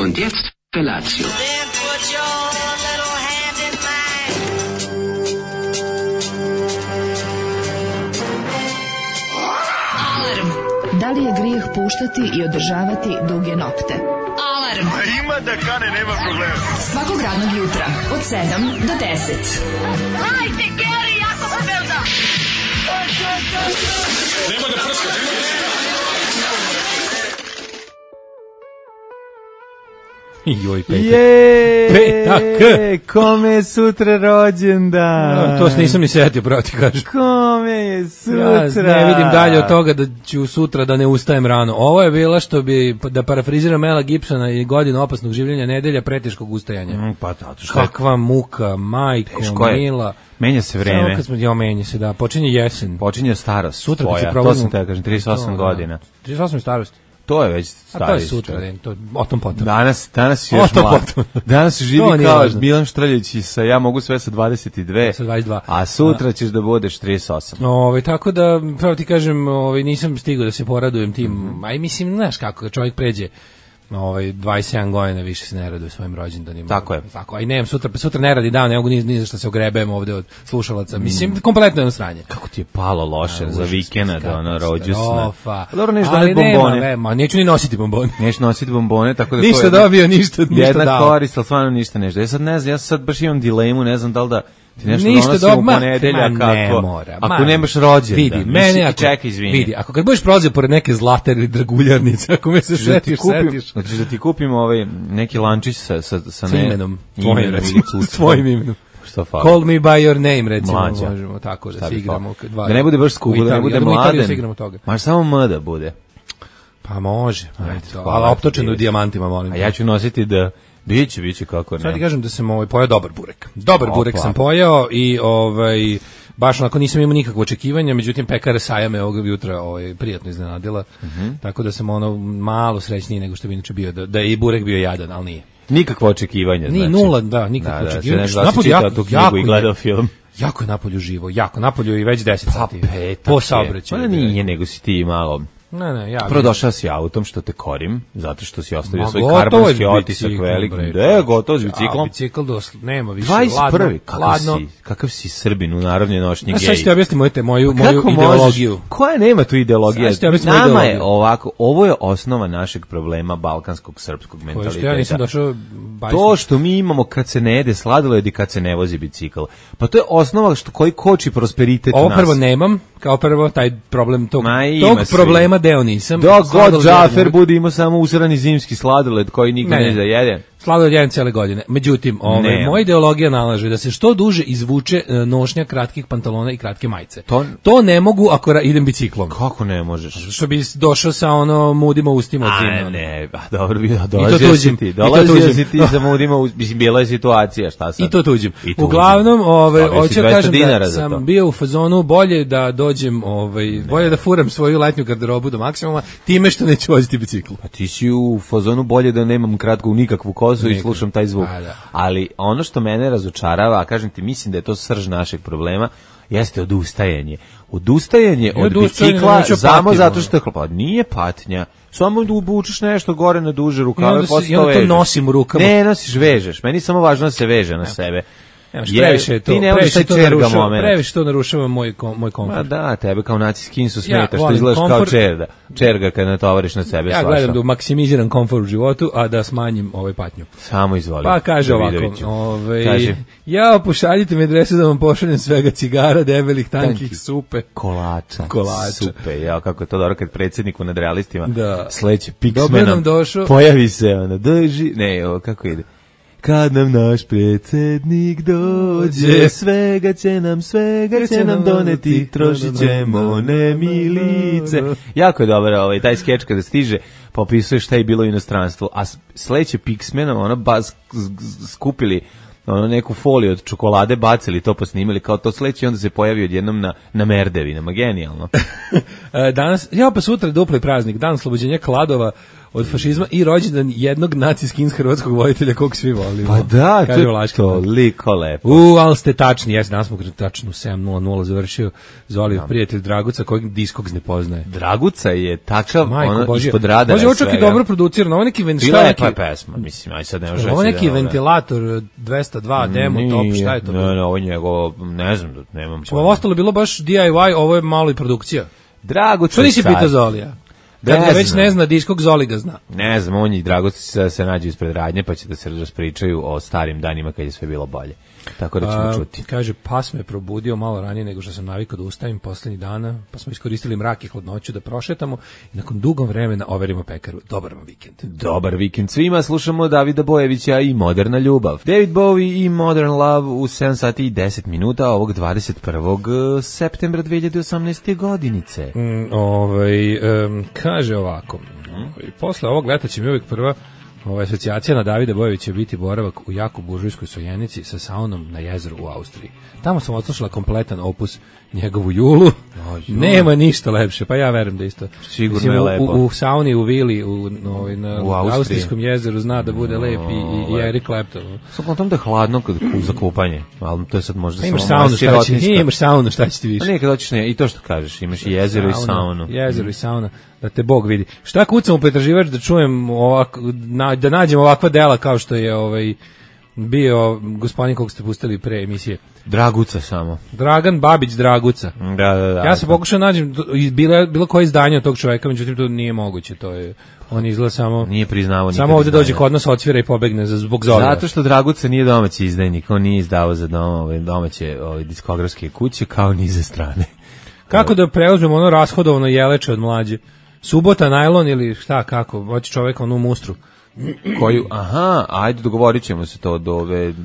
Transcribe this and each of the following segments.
Und jetzt Felatio. Da li je grijeh puštati i održavati duge nokte? Alarm! A ima da kane, nema problema. Svakog radnog jutra, od 7 do 10. Hajde, Geri, jako se velda! Nema da prska, Joj, petak. Petak! Kome je sutra rođendan? No, to se nisam ni setio, pravo ti kažem. Kome je sutra? Ja ne vidim dalje od toga da ću sutra da ne ustajem rano. Ovo je bila, što bi, da parafriziram Mela Gibsona, i godinu opasnog življenja, nedelja preteškog ustajanja. Pa zato što Kakva muka, majko, mila. Menja se vreme. Menja se, da. Počinje jesen. Počinje starost. Sutra tvoja. To sam te kažem, 38 godina. 38 je starost. To je već starost. A to je sutra, to o tom potom. Danas je još mlad. Danas živi kao Milan Štrljić sa ja mogu sve sa 22. Sa 22. A sutra ćeš da budeš 38. Tako da, pravo ti kažem, nisam stigao da se poradujem tim. A i mislim, znaš kako, čovjek pređe 27 godina, više se ne raduje svojim rođendanima. Tako je. Tako, a i nemam sutra ne radi dan, ne mogu ni za što se ogrebem ovde od slušalaca. Mislim, kompletno je sranje. Kako ti je palo loše za vikenda, rođusna. Dobro, neću doneti bombone. Neću ni nositi bombone. Neću nositi bombone, tako da ništa dobio, ništa dao. Jedna korist, ali stvarno ništa nešto. Ja sad ne znam, ja sad baš imam dilemu, ne znam da li da ti nešto donosim u ponedeljak ako nemaš rođendan. Vidi, mene čekaj, izvini. Vidi, ako kad budeš prolazio pored neke zlate ili draguljarnice, ako me se setiš. Znači da ti kupim neki lančić sa imenom, tvojim imenom. Call me by your name, recimo, možemo tako da se igramo. Da ne bude baš skupo, da ne bude mladen. Maš samo M da bude. Pa može, ali optočeno u dijamantima, molim. A ja ću nositi da biće kako ne. Sad ti kažem da sam pojao dobar burek. Dobar burek sam pojao i baš onako nisam imao nikakvo očekivanja, međutim pekara Saja me ovog jutra prijatno iznenadila, tako da sam malo srećniji nego što bi inače bio, da je i burek bio jadan, ali nije. Nikakvo očekivanja, znači. Ni nula, da, nikakvo očekivanja. Napolju jako i gledao film. Jako je napolju živo, napolju i već 10 sati. Po saobraćaju. Pa nije, nego si ti malo. Ne, ja. Prvo došao si autom, što te korim, zato što si ostavio svoj karbonski otisak veliki. Gotovo s biciklom. Bicikl nema više. 21. Kakav si Srbin u narodnoj nošnji gej. Sad ćete objasniti moju ideologiju. Koja nema tu ideologija? Nama je ovako, ovo je osnova našeg problema balkanskog srpskog mentaliteta. Ja nisam došao to što mi imamo kad se ne jede sladoled i kad se ne vozi bicikl. Pa to je osnova koji koči prosperitet u nas. Ovo prvo nemam, kao prvo taj problem tog problema deo nisam. Dok god Džafer bude imao samo usrani zimski sladoled koji nikad ne zajede. Sladoled jedan cijele godine. Međutim, moja ideologija nalaže da se što duže izvuče nošnja kratkih pantalona i kratke majice. To ne mogu ako idem biciklom. Kako ne možeš? Što bi došao sa mudima ustima od zima. Ne, dobro bi dolazio si ti sa mudima, mislim, bila je situacija, šta sad? I to tuđim. Uglavnom, hoću kažem da sam bio u fazonu bolje da dođem, bolje da furam svoju letnju garderobu do maksimuma, time što neću voziti bicikl. Pa ti si u fazonu bolje da nemam kratku nikakvu kozu i slušam taj zvuk. Ali ono što mene razočarava, a kažem ti, mislim da je to srž našeg problema, jeste odustajanje. Odustajanje od bicikla samo zato što pa nije patnja. Samo da obučeš nešto gore na duže rukave, i onda to nosim u rukama. Ne nosiš, vežeš. Meni samo važno da se veže na sebe. Previše to narušava moj komfort. Ma da, tebe kao naciskinsu smeta što izgledaš kao čerga kad natovariš na sebe svašta. Ja gledam da maksimiziram komfort u životu, a da smanjim patnju. Samo izvoli. Pa kaže ovako, ja pošaljite mi adresu da vam pošaljem svega cigara, debelih, tankih, supe. Kolača. Supe, ja kako je to dobro kad predsjednik u Nadrealistima sleće piksmenom, pojavi se drži, kako ide. Kad nam naš predsjednik dođe, svega će nam doneti, trošit ćemo nemilice. Jako je dobro taj skeč kada stiže, popisuje šta je bilo u inostranstvu, a sledeće piksmenom, skupili neku foliju od čokolade, bacili to, posnimili kao to sledeće, onda se pojavi odjednom na merdevinama, genijalno. Danas, pa sutra dupli praznik, dan oslobođenja Kladova, od fašizma i rođendan jednog naci-skins hrvatskog voditelja kog svi volimo. Pa da, to je toliko lepo. Ali ste tačni, jes, danas smo tačno 7:00 završio Zolijev prijatelj Draguca, kojeg Diskogs ne poznaje. Draguca je takav, ispod radara. Može, ovo čak i dobro producirano, ovo neki ventilator. Pesma, mislim, aj sad ne može. Ovo neki ventilator 202 demo top, šta je to? Ne, ovo je njegov, ne znam, nemam pojma. Ovo ostalo bilo baš DIY, ovo je malo i produkcija. Draguca. Što nisi pitao Zolija? Kad ga već ne zna Diskog, Zoli ga zna. Ne znam, on i Draguca se nađu ispred radnje, pa će da se raspričaju o starim danima kad je sve bilo bolje. Tako da ćemo čuti. Kaže, pas me probudio malo ranije nego što sam navikao da ustavim poslednjih dana, pa smo iskoristili mrak i hladnoću da prošetamo i nakon dugog vremena overimo pekaru. Dobar vam vikend. Dobar vikend svima, slušamo Davida Bojevića i Moderna ljubav. David Bowie i Modern Love u 7 sati i 10 minuta ovog 21. septembra 2018. godinice. Kaže ovako, posle ovog leta će mi uvijek prva asocijacija na Davida Bojevića biti boravak u jako buržujskoj Sojenici sa saunom na jezeru u Austriji. Tamo sam odslušala kompletan opus njegovu Julu. Nema ništa lepše, pa ja verujem da isto. Sigurno je lepo. U sauni u vili u austrijskom jezeru zna da bude lep i Eric Clapton. Samo tom da je hladno za kupanje, ali to je sad možda imaš saunu, imaš saunu, šta će ti više? A nekad hoćeš i to što kažeš, imaš i jezero i saunu. Jezero i sauna, da te Bog vidi. Šta kucam u pretraživač da čujem ovako, da nađem ovakva dela kao što je bio gospodin kog ste pustili pre emisije. Draguca samo. Dragan Babić Draguca. Da. Ja se pokušao nađem bilo koje izdanje od tog čovjeka, međutim to nije moguće, to je on izgleda samo nije priznavao nikad. Samo ovdje dođe kod nas, odsvira i pobegne zbog Zolija. Zato što Draguca nije domaći izdajnik, on nije izdavao za domaće diskografske kuće kao ni za strane. Kako da preuzmemo ono rashodovano jeleče od mlađe? Subota, najlon ili šta, kako? Hoće čovjek onu mustru. Ajde, dogovorit ćemo se to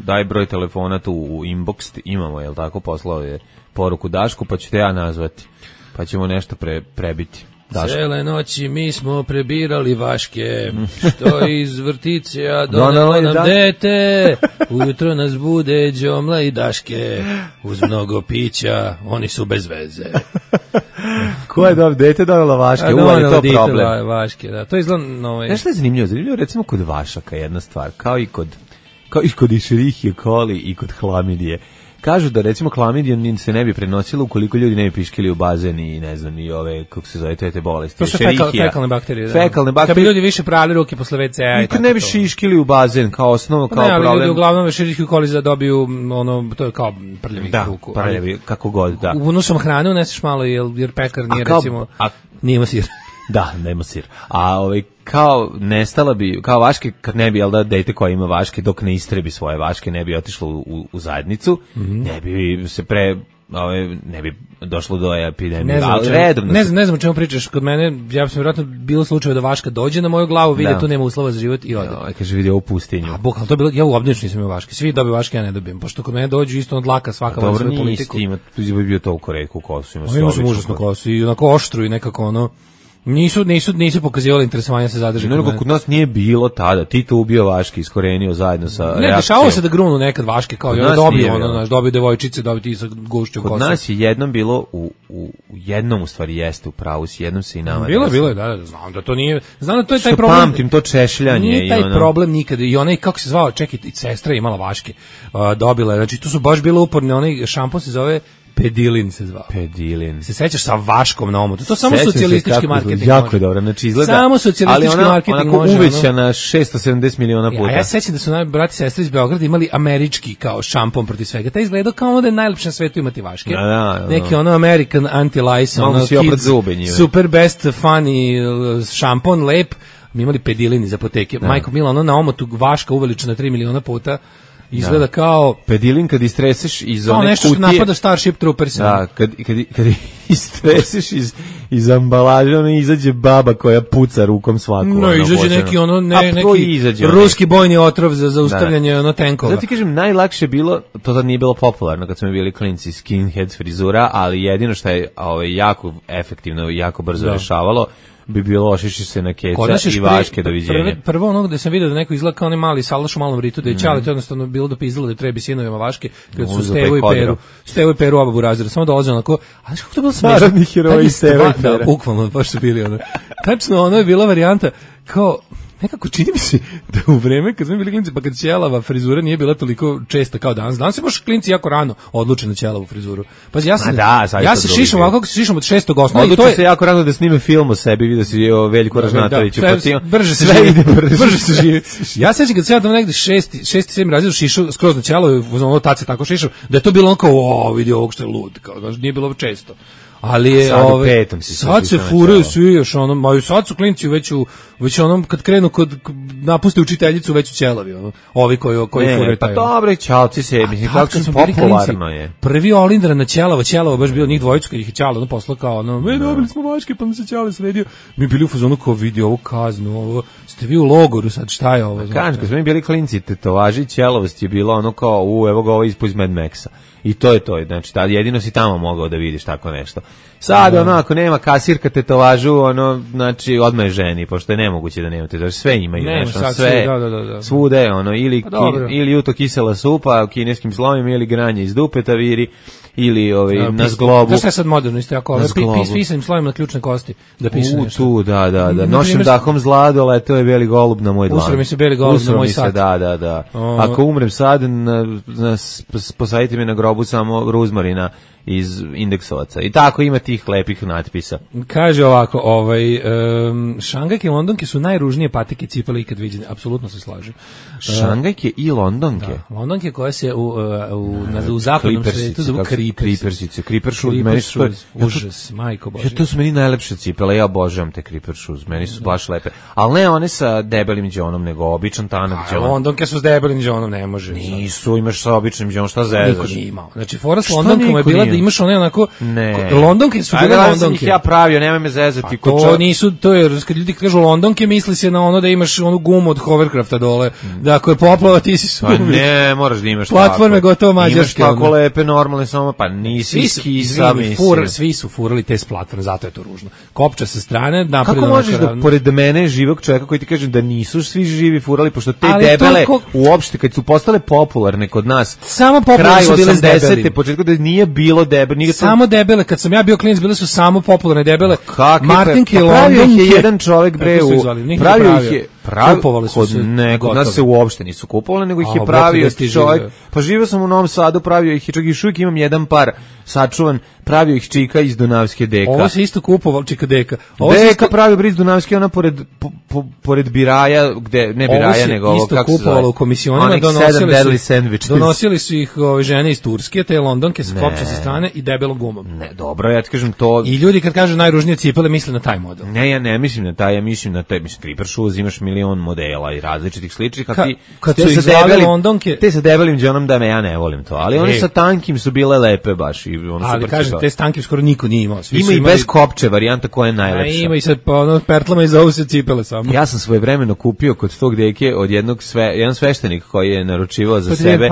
daj broj telefona tu u inbox, imamo, jel tako, poslao je poruku Dašku, pa ću te ja nazvati, pa ćemo nešto prebiti. Cele noći mi smo prebirali vaške, što iz vrtića donelo nam dete, ujutro nas bude Đomla i Daške, uz mnogo pića, oni su bez veze. Ko je dete donelo vaške? Je to problem. Vaške, da. To izgleda Nešto je zanimljivo? Zanimljivo recimo kod vašaka jedna stvar, kao i kod Escherichia coli i kod hlamidije. Kažu da recimo hlamidija se ne bi prenosila ukoliko ljudi ne bi piškili u bazen i ne znam i ove, kako se zove, te bolesti. To su fekalne bakterije. Fekalne bakterije. Kad bi ljudi više prali ruke posle WC-a i tako. Ne bi šiškili u bazen kao osnovu, kao problem. Ne, ljudi uglavnom Escherichia coli dobiju to je kao prljavi ruku. Da, prljavi, kako god, da. Unusom hrane uneseš malo jer pekar nije recimo, nije ima sir. Da, nema sir. A kao nestala bi, kao vaške, kad ne bi, jel da, dete koja ima vaške, dok ne istrebi svoje vaške, ne bi otišlo u zajednicu, ne bi se ne bi došlo do epidemije. Ne znam o čemu pričaš. Kod mene, ja sam vjerojatno bilo slučaj da vaška dođe na moju glavu, vidi tu nema uslova za život i ode. Kaže, vidi ovu pustinju. Ali to je bilo, ja u obdanični nisam imao vaške. Svi dobiju vaške, ja ne dobijem. Pošto kod mene dođu isto od laka svaka van svoju politiku. Dobro, nije bi bio toliko retku kosu. Ima sam užasnu kosu i onako oštru i nekako Nisu pokazivali interesovanje se zadrži. Nego kod nas nije bilo tada. Tito ubio vaške, iskorenio zajedno sa reakcijom. Ne, dešavalo se da grunu nekad vaške, kao i dobiju devojčice, dobiju ti sa gušćom kosom. Kod nas je jednom bilo, jednom u stvari jeste u pravu, jednom se i nama. Bilo je, da, znam da to nije, znam da to je taj problem. Što pamtim, to češljanje. Nije taj problem nikada. I onaj, kako se zvao, čekaj, i sestra je imala vaške, dobila je, znači tu su baš bile uporne, onaj šampon se zove Pedilin se zvao. Pedilin. Se sećaš sa vaškom na omotu? To samo socijalistički marketing. Jako je dobro, znači izgleda. Samo socijalistički marketing može. Ali uvećana 670 miliona puta. A ja sećam da su brati i sestre iz Beograda imali američki kao šampon protiv svega. Taj izgledao kao ono da je najlepše na svetu imati vaške. Neki ono American anti-lice, ono kids, super best funny šampon, lep. Mi imali Pedilin iz apoteke. Majko Mila, ono na omotu vaška uveličena 3 miliona puta. Izgleda kao Pedilin kad istreseš iz one kutije. Nešto što napada Starship Troopers. Da, kad istreseš iz ambalaže, ono izađe baba koja puca rukom svaku. No, izađe neki neki ruski bojni otrov za zaustavljanje tenkova. Zato ti kažem, najlakše bilo, to tad nije bilo popularno kad smo bili klinci, skinhead frizura, ali jedino što je jako efektivno i jako brzo rešavalo bi bilo ošiši se na keca i vaške, doviđenja. Prvo ono gde sam vidio da neko izgleda kao onaj mali salaš u malom ritu, da je Ćale to jednostavno bilo da pizdalo da trebi sinovima vaške, kad su Stevo i Peru oba burazira, samo dolaze onako, a znaš kako to bilo smešno? Narodni heroji Stevo i Pera. Da, bukvalno, baš su bili ono. Tačno, ono je bila varijanta, kao, nekako čini mi se da u vreme kad smo bili klinci, pa kad ćelava frizura nije bila toliko česta kao danas. Danas se baš klinci jako rano odluče na ćelavu frizuru. Pazi, ja se šišam ovako kako se šišam od 6. osnova. Odluče se jako rano da snime film o sebi, vidio si o Veljku Ražnatoviću. Brže se živi. Ja sećam kad sam ja tamo negde 6. 7. razred šišao skroz na ćelo, ono tace tako šišao, da je to bilo kao, vidi ovog što je lud, kao, nije bilo često. Ali je sad se furaju svi još onom, sad su klinci već onom kad krenu napuste učiteljicu već u ćelavi, ovi koji furaju taj. Pa dobro, ćalci se, mislim kako su popularno je. Prvi Olindra na ćelava baš bio njih dvojicu kad ih je ćala poslao kao dobili smo mačke pa mi se ćale sredio. Mi bili u fazonu kao vidi ovu kaznu, ovo ste vi u logoru sad, šta je ovo? Kažem, kad smo mi bili klinci, tetovaži ćelavost je bilo ono kao evo ga ovo iz Mad Maxa. I to je to, znači jedino si tamo mogao da vidiš tako nešto. Sad ako nema kasirka tetovažu, znači odmah je ženi, pošto je nemoguće da nema tetovažu, sve imaju, nešto, sve, svude, ili uto kisela supa u kineskim slovima, ili granje iz dupeta viri, ili na zglobu. Znaš šta je sad moderno, isto jako, pisanim slovima na ključne kosti, da piše nešto. Tu, da, nošim dahom zlado, leteo je beli golub na moj dlan. Usro mi se beli golub na moj sat. Da. Ako umrem sad, posadite me na grobu samo ruzmarina iz indeksovaca. I tako ima tih lepih natpisa. Kaže ovako, Šangajke i Londonke su najružnije patike cipele ikad viđene. Apsolutno se slažem. Šangajke i Londonke? Da, Londonke koje se u zapadnom svetu zovu Kripersice. Creeper shoes. Užas, majko Bože. To su meni najlepše cipele, ja obožavam te Creeper shoes. Meni su baš lepe. Ali ne one sa debelim đonom, nego običan tanak đon. Londonke su s debelim đonom, ne može. Nisu, imaš sa običnim đonom, šta zezaš? Niko nije imao. Znači, fora s Londonkama je bila da imaš one onako Londonke su bile Londonke. Ja pravio, nemoj me zezati. To nisu, to je kad ljudi kažu Londonke misli se na ono da imaš onu gumu od Hovercrafta dole, da ako je poplava ti si sumnjiv. Pa ne, moraš da imaš platforme gotovo mađarske. Imaš tako lepe normalne samo, pa nisi skisa, svi su furali te s platforme, zato je to ružno. Kopča sa strane, napred. Kako možeš da pored mene živog čovjeka koji ti kaže da nisu svi živi furali, pošto te debele uopšte kad su postale popularne kod nas, samo popularne su bile debele. Početku da nije bilo debele, samo debele, kad sam ja bio klinac bile su samo popularne debele. Martinke i Londonke. Je jedan čovjek pravio ih je kupovali su se. Ne, kod nas se uopšte nisu kupovali, nego ih je pravio čovjek. Pa živio sam u Novom Sadu, pravio ih i čak još uvijek imam jedan par sačuvan, pravio ih čika iz Dunavske deka. Ovo se isto kupovalo, čika deka. Deka pravio briz Dunavske, ona pored Biraja, gde, ne Biraja, nego ovo, kako se zove. Ovo se isto kupovalo u komisionima, donosili su ih žene iz Turske, te Londonke sa kopča sa strane i debelom gumom. Ne, dobro, ja ti kažem to. I ljudi kad kažu najružnije cipele misle na taj model. Ne, ja ne mislim na taj, ja mislim na taj, Creeper shoes, imaš milion modela i različitih sličnih, a ti kad su izvali Londonke, te sa debelim džonom da me ja ne volim to, ali oni sa tankim su bile lepe baš i ono super. Ali kažem, te stanke skoro niko nije imao. Ima i bez kopče varijanta koja je najlepša. Ima i sad pertlama i zovu se cipele samo. Ja sam svojevremeno kupio kod tog deke od jedan sveštenik koji je naručivao za sebe.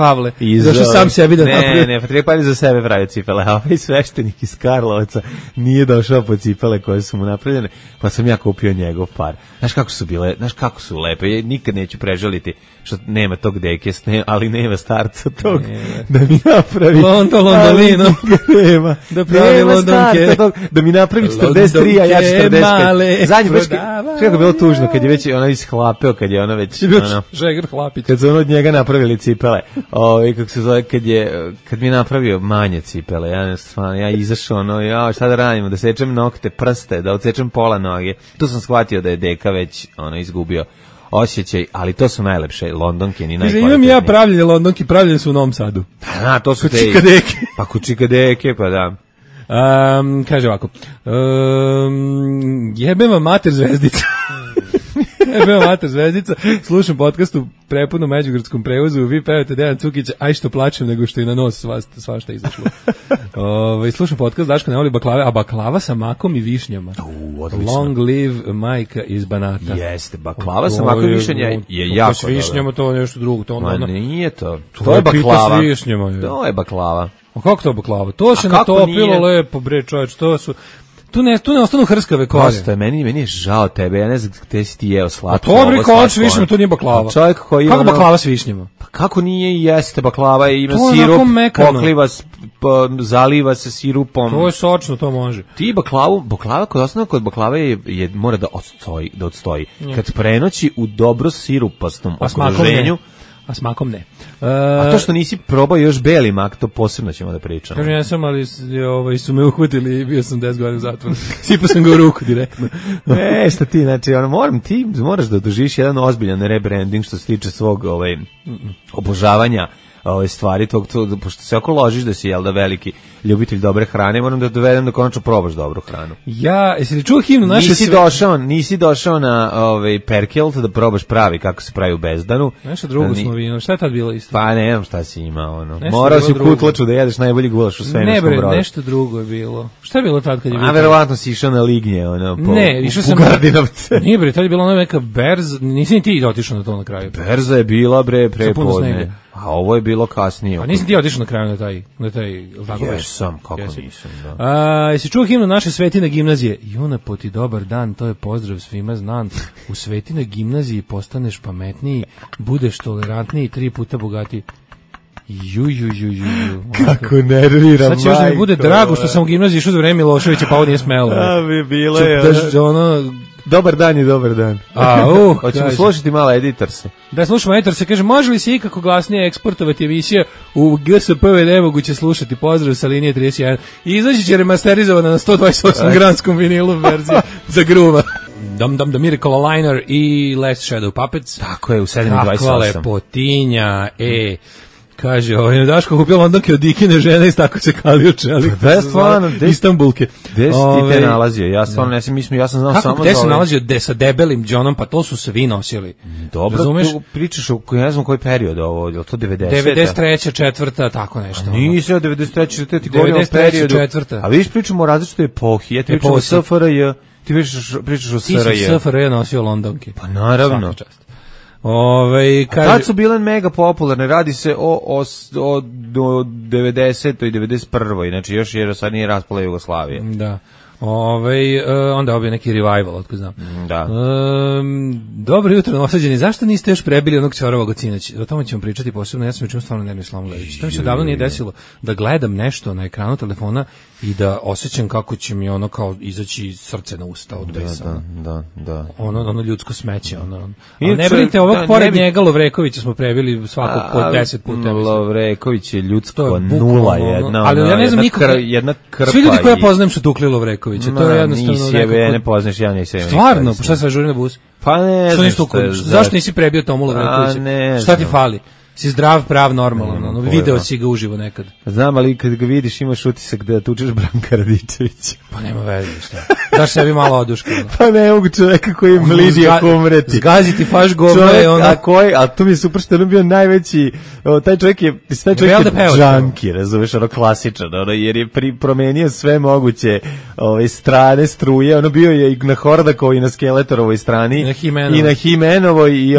Zašto sam sebi da napravio? Ne, Patrik Pavle za sebe pravio cipele, a ovaj sveštenik iz Karlovaca nije došao po cipele koje su mu napravljene, pa sam ja kupio njegov par. Znaš kako su lepe, ja nikad neću prežaliti što nema tog deke, ali nema starca tog da mi napravi Londolino da pravi Londonke da mi napravi 43, a ja 45. Zadnji baš kako je bilo tužno kad je već ona ishlapeo, kad je ona već Žegar Hlapić, kad su ono od njega napravili cipele, kako se zove, kad mi je napravio manje cipele, ja izašao šta da radimo, da sečem nokte, prste, da odsečem pola noge. Tu sam shvatio da je deka već izgubio osjećaj, ali to su najlepše Londonke, ni najkvalitetnije. Imam ja pravljene Londonke, pravljene su u Novom Sadu. To su te čikadeke. Pa čikadeke, pa da. Kaže ovako, jebem vam mater zvezdica. Jebem vam mater zvezdica, slušam podcast u prepunom međugradskom prevozu, vi pevate Dejan Cukića, aj što plačem nego što i na nos svašta izašlo. Slušam podcast, Daško ne voli baklave, a baklava sa makom i višnjama. Long live majka iz Banata. Jeste, baklava sa makom i višnjama je jako dobro. S višnjama to je nešto drugo. Ma nije to. To je baklava. To je baklava. A kako to baklava? To se natopilo lepo, bre čoveč, to su... Tu ne ostanu hrskave kolje. Prosto je, meni je žao tebe, ja ne znam gde si ti jeo slatko. To bre koč višnjama, to nije baklava. Čovjek koji kako baklava s višnjama? Pa kako nije i jeste baklava, ima sirup, pokliva, zaliva se sirupom. To je sočno, to može. Ti baklava kod baklave je mora da odstoji. Kad prenoći u dobro sirupastom okruženju, a smakom ne. A to što nisi probao još beli mak, to posebno ćemo da pričamo. Kažem, ja sam, ali su me uhvatili i bio sam 10 godina u zatvoru. Sipao sam ga u ruku direktno. Šta ti, znači, ti moraš da doživiš jedan ozbiljan rebranding što se tiče svog obožavanja ove stvari, pošto se oko ložiš da si, jel da, veliki ljubitelj dobre hrane, moram da dovedem da konačno probaš dobru hranu. Jesi li čuo himnu naše Nisi došao na Perkelt da probaš pravi kako se pravi u Bezdanu. Nešto drugo smo vidjeli. Šta je tad bilo isto? Pa ne znam šta si imao. Morao si u Kutlaču da jedeš najbolji gulaš u svemirskom brodu. Ne bre, nešto drugo je bilo. Šta je bilo tad kad je bilo? A verovatno si išao na Lignje, išao sam u Gardinovce. Nije bre, tad je bila neka berza, nisi ni ti otišao na to na kraju. Berza je bila bre prepodne. A ovo je bilo kasnije. A nisi ti otišao na kraju na taj Jesam, kako nisam, da. Jesi čuo himnu naše Svetine gimnazije? Juna poti dobar dan, to je pozdrav svima znan. U Svetinoj gimnaziji postaneš pametniji, budeš tolerantniji, 3 puta bogatiji. Kako nervira, sad će još da mi bude drago što sam u gimnaziji išao za vreme Miloševića, pa ovo nije smelo. Bilo je. Dobar dan i dobar dan. Hoćemo slušati malo Editorse. Da, slušamo Editorse, kaže, može li se ikako glasnije eksportovati emisija u GSP nemoguće slušati, pozdrav sa linije 31. I izaći će remasterizovana na 128 granskom vinilu verzija za gruva. The Miracle Liner i Last Shadow Puppets. Tako je, u 7.28. Kakva lepotinja, kaže, Daško kupio Londonke od Dikine žene i tako se kalio čelik. Da, stvarno, Istambulke. Gde si ti te nalazio? Ja stvarno ne sam, ja sam znao samo da... Gde sam nalazio sa debelim Johnom, pa to su svi nosili. Dobro, tu pričaš o, ne znam koji period ovo, je li to 90? 93. 4. tako nešto. Nisi od 93. 4. ti govorim o periodu. 4. A vidiš, pričamo o različitoj epohi. Ja ti pričam o SFRJ, ti pričaš o SRJ. Ti si SFRJ nosio Londonke. Pa naravno. Kaže, tad su bile mega popularne, radi se o 90. i 91. Znači još jer sad nije raspala Jugoslavije. Da. Onda obje neki revival, otko znam. Da. Dobro jutro, novosađeni. Zašto niste još prebili onog ćoravog od sinoć? O tome ćemo pričati posebno. Ja sam učinu stvarno nervni slavom gledajući. To mi se davno nije desilo da gledam nešto na ekranu telefona i da osjećam kako će mi ono kao izaći srce na usta od besa. Da. Ono ljudsko smeće. Ali ne brinite, ovog pored njega Lovrekovića smo prebili svakog po 10 puta. Lovreković je ljudsko nula jedna. Ali ja ne znam nikako. Svi ljudi koje ja poznajem su tukli Lovrekovića. To je jednostavno nisi ne poznaš, ja nisam. Stvarno, pa šta se žuri na bus? Pa ne znam. Zašto nisi prebio Tomu Lovrekovića? Šta ti fali? Si zdrav, prav, normalan. Video si ga uživo nekad. Znam, ali kad ga vidiš imaš utisak da tučeš Branka Radičevića. Pa nema veze, šta. Daš sebi malo oduška. Pa ne mogu čoveka koji je mlidi ako umreti. Zgaziti faš govno je ono. A tu mi je super što je bio najveći, taj čovjek je džanki, razumeš, klasičan, jer je promenio sve moguće strane struje, ono bio je i na Hordakovoj i na Skeletorovoj strani i na Himenovoj i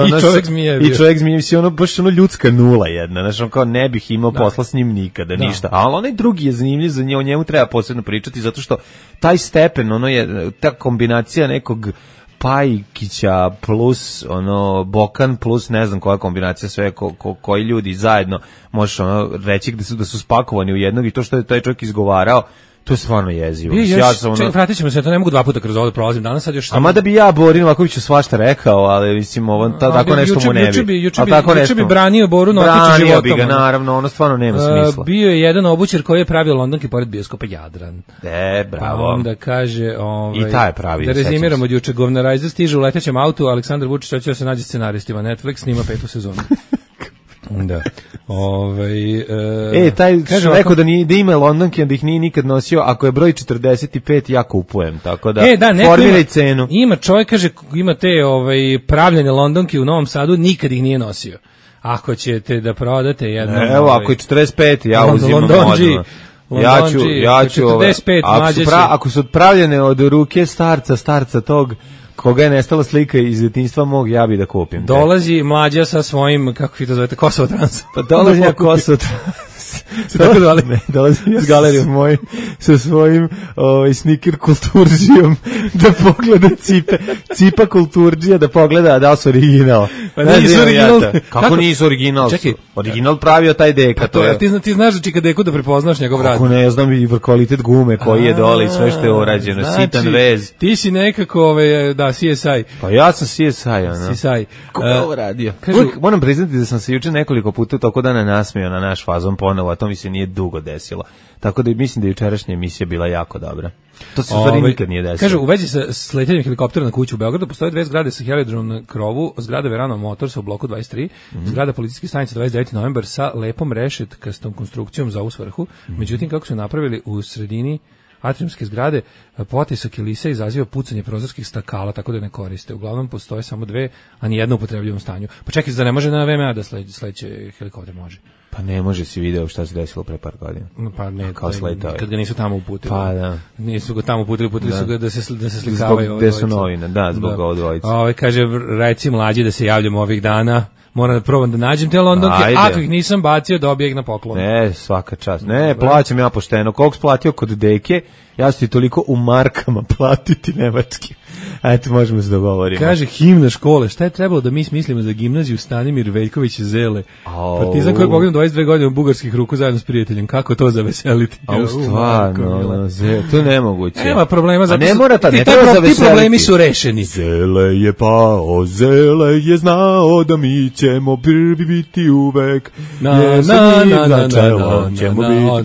čovjek zmije, ono baš ono ljudska nula jedna, znači kao ne bih imao posla s njim nikada, ništa. Ali onaj drugi je zanimljiv, za o njemu treba posebno pričati, zato što taj stepen, ono je, ta kombinacija nekog Pajkića plus Bokan plus ne znam koja kombinacija sve koji ljudi zajedno možeš reći da su spakovani u jednog i to što je taj čovjek izgovarao, to je stvarno jezivo. Vratit ćemo se, to ne mogu 2 puta kroz ovo da prolazim danas, sad još... A mada bi ja Borin Novakoviću svašta rekao, ali mislim, tako nešto mu ne bi. Juče bi branio Boru Novakoviću životom. Branio bi ga, naravno, ono stvarno nema smisla. Bio je jedan obućar koji je pravio Londonke pored bioskopa Jadran. Bravo. Pa onda kaže... I taj je pravi. Da rezimiramo od juče, Govnarajzer stiže u letećem autu, Aleksandar Vučić hoće da se nađe scenaristima, Netflix snima 5. sezonu. Da. Taj kaže rekao da ima Londonke, da ih nije nikad nosio, ako je broj 45 ja kupujem, tako da formiraj cenu. Ima čovjek, kaže, ima te pravljene Londonke u Novom Sadu, nikad ih nije nosio. Ako ćete da prodate jednom... Evo, ako je 45, ja uzimam odmah. Ja ću 45, ako su pravljene od ruke starca tog koga je nestala slika iz djetinjstva mog, ja bi da kupim. Dolazi mlađa sa svojim, kako vi to zovete, Kosovo Trans. Pa dolazi na Kosovo Trans. Tako zvali? Ne, dolazi s galerijom moj sa svojim sneaker kulturžijom da pogleda cipa kulturđija da pogleda da li su original. Pa nisu original. Kako nisu original? Čekaj. Original pravio taj Deka. To je. Ti znaš da Čika Deku da prepoznaš njegov rad. Kako ne, znam i kvalitet gume koji je dole i sve što je urađeno. Znači, sitan vez. Ti si nekako, CSI. Pa ja sam CSI, ono. CSI. Ko je ovo radio? Moram priznati da sam se juče nekoliko puta toko dana nasmijao na naš fazon ponovo, a to mi se nije dugo desilo. Tako da mislim da je jučerašnja emisija bila jako dobra. To se u stvari nikad nije desilo. Kaže, u vezi sa sletenjem helikoptera na kuću u Beogradu postoje 2 zgrade sa heliodromom na krovu, zgrada Verano Motors u bloku 23, zgrada policijske stanice 29. novembar sa lepom rešetkastom konstrukcijom za ovu svrhu. Međutim, kako su napravili u sredini atriumske zgrade, potisak Elisa izaziva pucanje prozorskih stakala, tako da ne koriste. Uglavnom postoje samo 2, a ni jedna u upotrebljivom stanju. Pa čekaj, da ne može na VMA da sleće helikopter, može. Pa ne može, si video šta se desilo pre par godina. Pa ne, kao sletao. Kad ga nisu tamo uputili. Pa da. Nisu ga tamo uputili su ga da se slikavaju. Zbog gde su novine, zbog ovo dvojice. Kaže, reci mlađi da se javljamo ovih dana. Moram da probam da nađem te Londonke, ako ih nisam bacio, dobije ih na poklon. Ne, svaka čast. Ne, plaćam ja pošteno. Koliko splatio kod Deke, ja ću ti toliko u markama platiti nemački. Eto, možemo se dogovoriti. Kaže, himna škole, šta je trebalo da mi smislimo za gimnaziju Stanimir Veljković Zele? Partizan koji je poginuo 22 godine u bugarskih ruku zajedno s prijateljem. Kako to zaveseliti? Stvarno, to je nemoguće. Nema problema, zato ne mora ti problemi su rešeni. Zele je pao, Zele je znao da mi ćemo prvi biti uvek.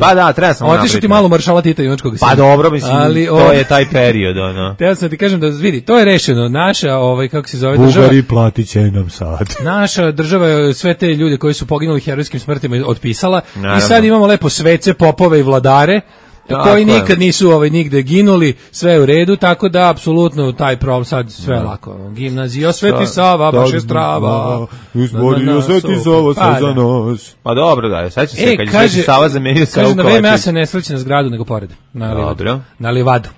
Pa da, treba sam napraviti. Otišu ti malo maršala Tita Junačkog sina. Pa dobro, mislim, to je taj period, ono. Te sam ti kažem da vidi, to je rešeno. Naša, kako se zove država... Bugari platit će nam sad. Naša država je sve te ljude koji su poginuli herojskim smrtima otpisala. Naravno. I sad imamo lepo svece, popove i vladare koji nikad nisu nigde ginuli, sve je u redu, tako da apsolutno taj problem sad sve lako. Gimnazija Sveti Sava, baš je strava. Izborio Sveti Sava sve za nos. Pa dobro, da, sećam se kad je Sveti Sava zamenio Savu Kovačić. Kaže, na VMA se ne sreće na zgradu, nego pored. Na Livadu.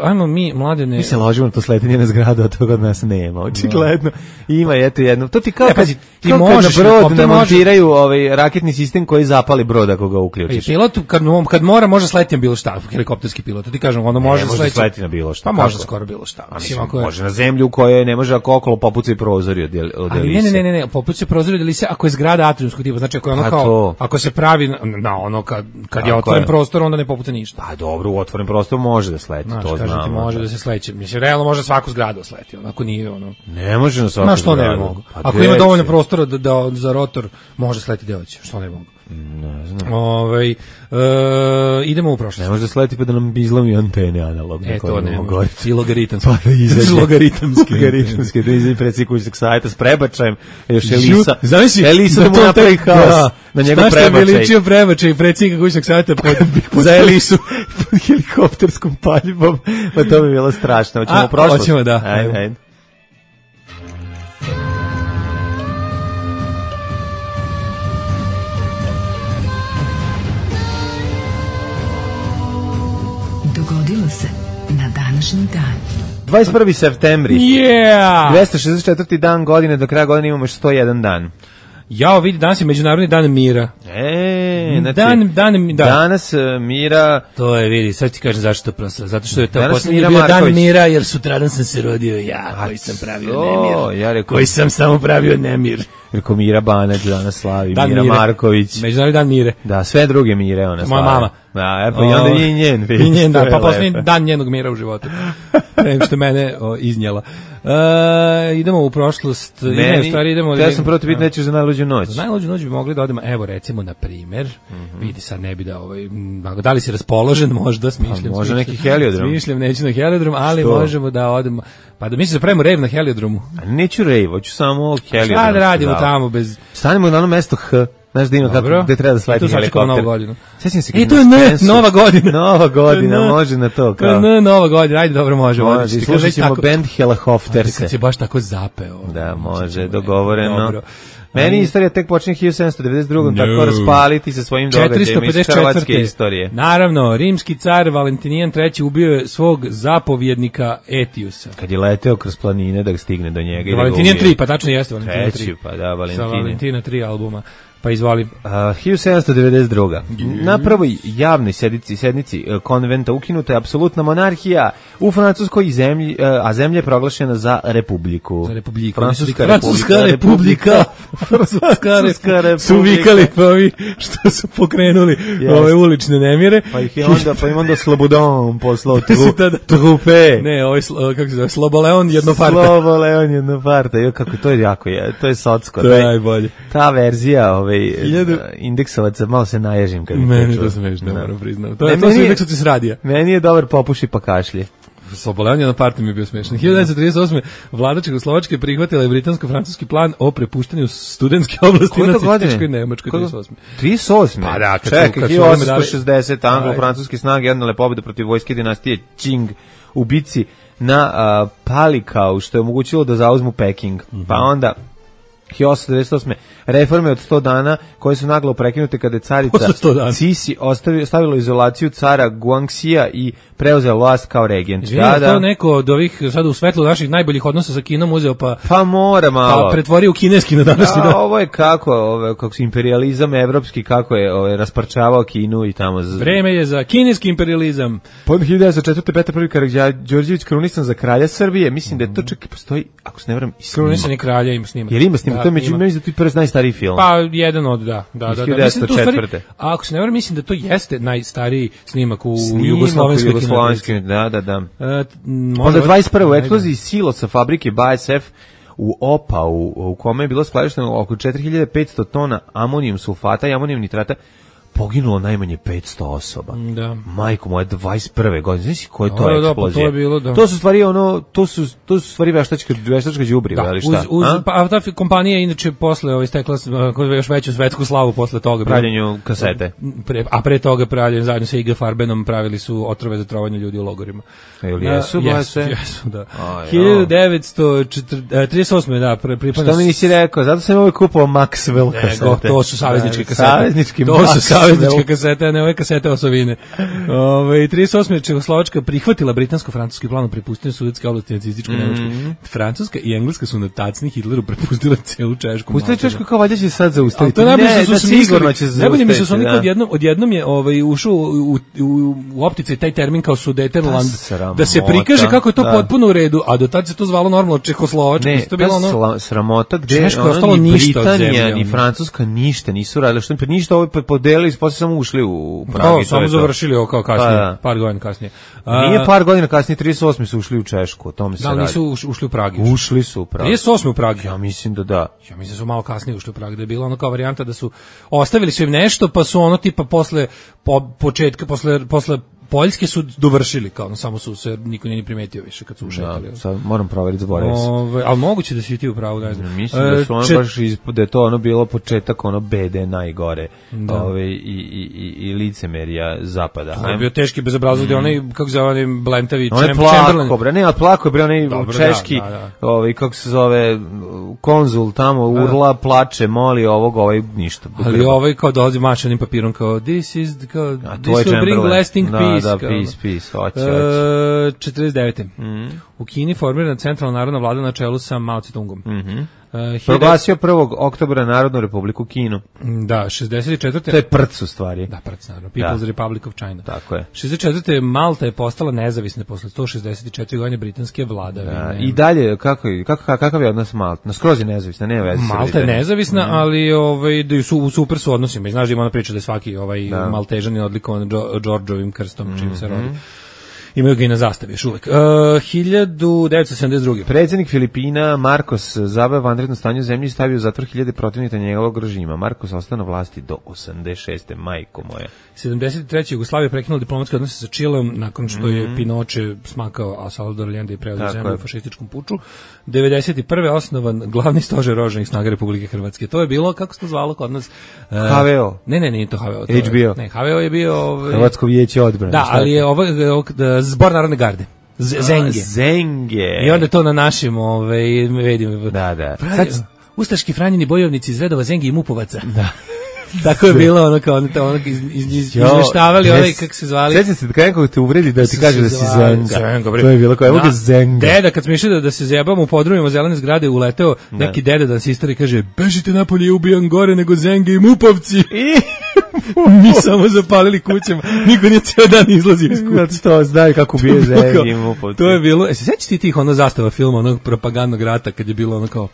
Ajmo mi, Mladene... Mi se ložimo na to sletenje na zgradu, a toga od nas nema, očigledno. Ima, eto jedno. To ti kao ti možeš na brod namontiraju raketni sistem koji zapali brod ako ga uključiš. Pilot, kad mora, može sletiti na bilo šta, helikopterski pilot. Ti kažem, ono može sletiti na bilo šta. Pa može skoro bilo šta. Može na zemlju u kojoj ne može ako okolo popucaju prozori od Elise. Ne, popucaju prozori od Elise ako je zgrada atriumskog tipa. Znači, ako je ono kao, ako se pravi na ono, kad je otvoren prostor, onda ne popuca ništa. Pa dobro, otvoren prostor može da sleti, to znamo. Ti može da se sleće. Mislim, realno može svaku zgradu sleti, ako nije ono. Ne može na svaku zgradu. Ne mogu. Ako ima dovoljno prostora za rotor, može sleti gde hoće. Što ne mogu? Ne znam. Idemo u prošlost. Ne može da sleti pa da nam izlomi antene analogne. To ne mogu. I logaritamski. Pa da izađe. Logaritamski. Da izađe predsjednik kućnog sajta s prebačajem. Još Elisa da mu napravi haos na njegov prebačaj. Šta što je veličio prebačaj predsjednika kućnog sajta za Elisu? Pod helikopterskom paljbom. Pa to bi bilo strašno. Hoćemo u prošlost? Hoćemo, da. Ajde. Dogodilo se na današnji dan. 21. septembri. Yeah! 264. dan godine, do kraja godine imamo još 101 dan. Jao, vidi, danas je Međunarodni dan mira. Znači, danas mira... To je, vidi, sad ti kažem zašto to prosto. Zato što je to posljednji bio dan mira, jer sutradan sam se rodio ja, koji sam pravio nemir. Koji sam samo pravio nemir. Rekao Mira Banać danas slavi, Mira Marković. Međunarodni dan mire. Da, sve druge mire ona slavi. Moja mama. Da, pa i onda i njen. I njen, da, pa posljednji dan njenog mira u životu. Nego što mene iznjela. Idemo u prošlost. Ja sam proti biti nećeš za najluđu noć. Za najluđu noć bi mogli da odemo, evo recimo na primjer, vidi sad ne bi da li si raspoložen, možda smišljam. Može neki heliodrom. Smišljam, neću na heliodrom, ali možemo da odemo, pa da mislim da pravimo rejv na heliodromu. Neću rejv, hoću samo heliodrom. Šta da radimo tamo bez... Stanemo na ono mesto H. Znaš da ima kako, gde treba da sleti helikopter. Sjećam se to je Nova godina. Nova godina, može na to. Nova godina, ajde dobro može. Može, slušat ćemo band Helikopterse. Kad si baš tako zapeo. Da, može, dogovoreno. Meni istorija tek počinje 1792. Tako raspaliti sa svojim događajima iz hrvatske istorije. Naravno, rimski car Valentinijan III ubio je svog zapovjednika Etiusa. Kad je leteo kroz planine da stigne do njega. Valentinijan III, pa tačno jeste Valentinijan III. Pa da, Valentinijan. Sa Valentina III albuma. Pa izvoli. 1792. Na prvoj javnoj sednici konventa ukinuta je apsolutna monarhija u Francuskoj zemlji, a zemlja je proglašena za republiku. Za republiku. Francuska republika. Francuska republika. Su vikali pa ovi što su pokrenuli ove ulične nemire. Pa im onda Slobodon poslao trupe. Ne, ovaj kako se zove, Sloboleon jednoparta. Sloboleon jednoparta. Jo, kako to je jako je. To je socsko. To je najbolje. Ta verzija indeksovaca, malo se naježim kad meni to smešno, moram priznam. To su indeksovaci s radija. Meni je dobar popuši pa kašlje. Sloboleon na parti mi je bio smešan. 1938. vlada Čehoslovačke prihvatila je britansko-francuski plan o prepuštanju studentske oblasti nacističkoj Nemačkoj. 38. Pa da, čekaj, 1860 anglo-francuske snage odnele pobedu protiv vojske dinastije Qing u bici na Palikau, što je omogućilo da zauzmu Peking. Pa onda 1898. reforme od 100 dana koje su naglo prekinute kada je carica Sisi stavila izolaciju cara Guangxija i preuzela vlast kao regent. Izvinite, to neko od ovih, sad u svetlu naših najboljih odnosa sa Kinom uzeo pa mora malo. Pa pretvorio u kineski na današnji dan. Ovo je kako imperializam evropski, kako je rasparčavao Kinu i tamo. Vreme je za kineski imperializam. Pod 1904. Petar I. Karađorđević krunisan za kralja Srbije. Mislim da je to čak postoji, ako se ne varam, krunisan je kralja, ima snimak. Jer ima snimak, to je među da ti prvi najstariji film. Pa jedan od da. Mislim da stvari, a ako se ne varam, mislim da to jeste najstariji snimak u jugoslovenskoj kinoteci. Da. Onda 21. u eksploziji silosa fabrike BASF u Opau, u kome je bilo skladišteno oko 4500 tona amonijum sulfata i amonijum nitrata, poginulo najmanje 500 osoba. Da. Majko moja, 21. godine. Znaš koja je to eksplozija? To je bilo, da. To su stvari to su stvari veštačka đubriva, ali šta? Pa ta kompanija inače posle stekla još veću svetsku slavu posle toga. Pravljenju kasete. Pre toga pravljenje zajedno sa IG Farbenom pravili su otrove za trovanje ljudi u logorima. Ili jesu, jesu, da. 1938. da, pripadno. Što mi nisi rekao? Zato sam ovaj kupovao Maxwell kasete. To su savezničke kasete. Saveznički savezničke kasete, a ne ove kasete osovine. 38. Čehoslovačka prihvatila britansko-francuski plan o prepuštanju sudetske oblasti nacističkoj Nemačkoj. Francuska i Engleska su na tacni Hitleru prepustila celu Češku. Pustili Češku kao valjda će sad zaustaviti. To najbolje su sigurno će zaustaviti. Najbolje mi su oni odjednom je ušao u optice taj termin kao Sudetenland, da se prikaže kako je to potpuno u redu, a do tad se to zvalo normalno Čehoslovačka. Ne, to bilo ono sramota gde ni Britanija ni Francuska ništa nisu radili, što ništa ovo podelili, posle samo ušli u Prag. Samo završili ovo kao kasnije, par godina kasnije. Nije par godina kasnije, 38. su ušli u Češku, o tome se radi. Da, nisu ušli u Prag. Ušli su u Prag. 38. u Prag. Ja mislim da da. Ja mislim da su malo kasnije ušli u Prag, da je bila ono kao varijanta da su ostavili su im nešto, pa su ono tipa posle Poljske su dovršili, kao samo su se niko nije ni primetio više kad su ušetali. Da, sad moram proveriti, zaboravio sam. Ali moguće da si ti u pravu, ne znam. Mislim da su ono baš da je to ono bilo početak ono bede najgore. I licemerija zapada. To je bio teški bezobrazluk, gde onaj, kako se zove, onaj Blentavi Chamberlain. Ne, plako je bre onaj češki, kako se zove, konzul tamo, urla, plače, moli ovaj ništa. Ali ovaj kao dolazi mačanim papirom kao this will bring lasting peace. Da, peace, hoće. 49. U Kini formirana centralna narodna vlada na čelu sa Mao Tse-tungom. Proglasio 1. oktobra Narodnu republiku Kinu. Da, 64. To je prc u stvari. Da, prc, naravno. People's Republic of China. Tako je. 64. Malta je postala nezavisna posle 164 godine britanske vladavine. I dalje, kakav je odnos Malta? Skroz je nezavisna, nema veze. Malta je nezavisna, ali u super su odnosima. I znaš da ima ona priča da je svaki Maltežan je odlikovan Đorđovim krstom, čim se rodi. Imaju ga i na zastavi još uvek. 1972. Predsjednik Filipina Marcos zabava vanredno stanje u zemlji i stavio u zatvor 1000 protivnika njegovog režima. Marcos ostao na vlasti do 86. majko moja. 73. Jugoslavija prekinula diplomatske odnose sa Čileom nakon što je Pinoče smakao, a Salvador Allende je preuzeo zemlju u fašističkom puču. 91. osnovan glavni stožer oružanih snaga Republike Hrvatske. To je bilo, kako se to zvalo kod nas? HVO. Ne, nije to HVO. HBO. Ne, HVO je bio... Hrvatsko vijeće odbrane. Da, ali je Zbor narodne garde. Zenge. I onda to na našim, vidimo. Da. Ustaški Franjini bojovnici iz redova Zengi i Mupovaca. Da. Tako je bilo ono kao izveštavali onaj kako se zvali. Sećam se da nekog te uvredi da ti kaže da si Zenga. To je bilo kao evo ga Zenga. Deda kad smo išli da se zajebamo u podrumima zelene zgrade uleteo neki deda da se istari kaže bežite napolje i ubijam gore nego Zenge i Mupovci. Mi samo zapalili kućama. Niko nije ceo dan izlazio iz kuće. Što znaju kako bije Zenge i Mupovci. To je bilo. Se sećaš ti tih ono zastava filma onog propagandnog rata kad je bilo ono kao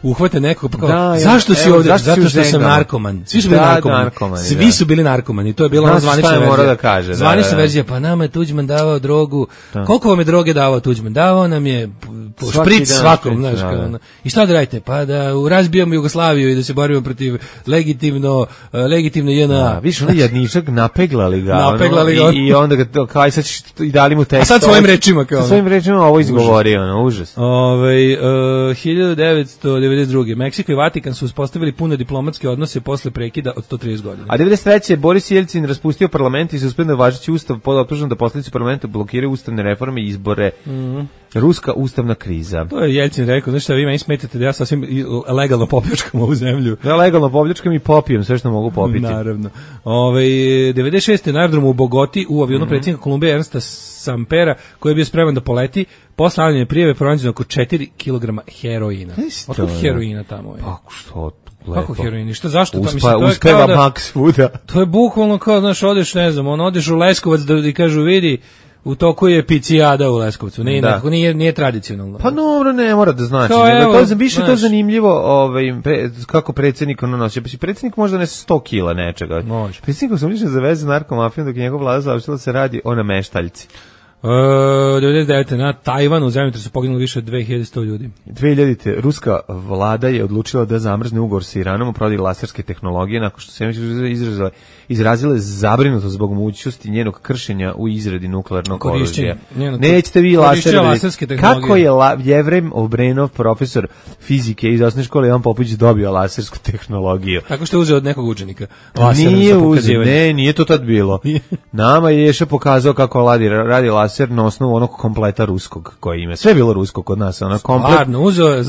uhvate nekog pa kao, zašto si ovdje? Zato što sam narkoman. Svi su bili narkomani. Svi su bili narkomani. To je bila zvanična verzija. Zvanična verzija, pa nama je Tuđman davao drogu. Koliko vam je droge davao Tuđman? Davao nam je špric svakom, znaš, kao. I šta da radite? Pa da razbijamo Jugoslaviju i da se borimo protiv legitimno JNA. Viš, ono jedničak napeglali ga. I onda ga kao sad i dali mu tekst. A sad svojim rečima kao. Svojim rečima ovo izgovorio, užas. 1992. Meksiko i Vatikan su uspostavili pune diplomatske odnose posle prekida od 130 godina. A 93. Boris Jelcin raspustio parlament i suspenduo važeći ustav pod optužbom da poslanici parlamenta blokiraju ustavne reforme i izbore. Ruska ustavna kriza. To je Jelcin rekao, znači šta vi meni smetate da ja sasvim legalno popljačkam ovu zemlju. Ja legalno popljačkam i popijem sve što mogu popiti. Naravno. 96. na aerodromu u Bogoti u avionu predsjednika Kolumbije Ernsta Sampera koji je bio spreman da poleti, posle avljene prijeve pronađeno oko 4 kg heroina. Otkud heroina tamo je? Pa što? Kako heroin? Šta, zašto? Uspeva Max svuda. To je bukvalno kao, znaš, odeš, ne znam, odeš u Leskovac da ti kažu, vidi, u toku je picijada u Leskovcu. Nije tradicionalno. Pa dobro, ne mora da znači. Više to zanimljivo kako predsjednik ono nosi. Predsjednik možda nese 100 kila nečega. Predsjednikom sam lično zaveze narkomafijom dok je njegov vlada završila se radi o nameštaljci. 99. na Tajvanu u zemljotresu poginulo više od 2100 ljudi. 2000. ruska vlada je odlučila da zamrzne ugovor sa Iranom o prodaji laserske tehnologije nakon što se izrazile zabrinutost zbog mogućnosti njenog kršenja u izradi nuklearnog oružja. Nećete vi laserske tehnologije. Kako je Jevrem Obrenov, profesor fizike iz osnovne škole Ivan Popović dobio lasersku tehnologiju? Tako što je uzeo od nekog učenika. Nije uzeo, nije to tad bilo. Nama je Ješa pokazao kako radi laser na osnovu onog kompleta ruskog koji ima. Sve je bilo rusko kod nas, ono komplet. Stvarno, uzeo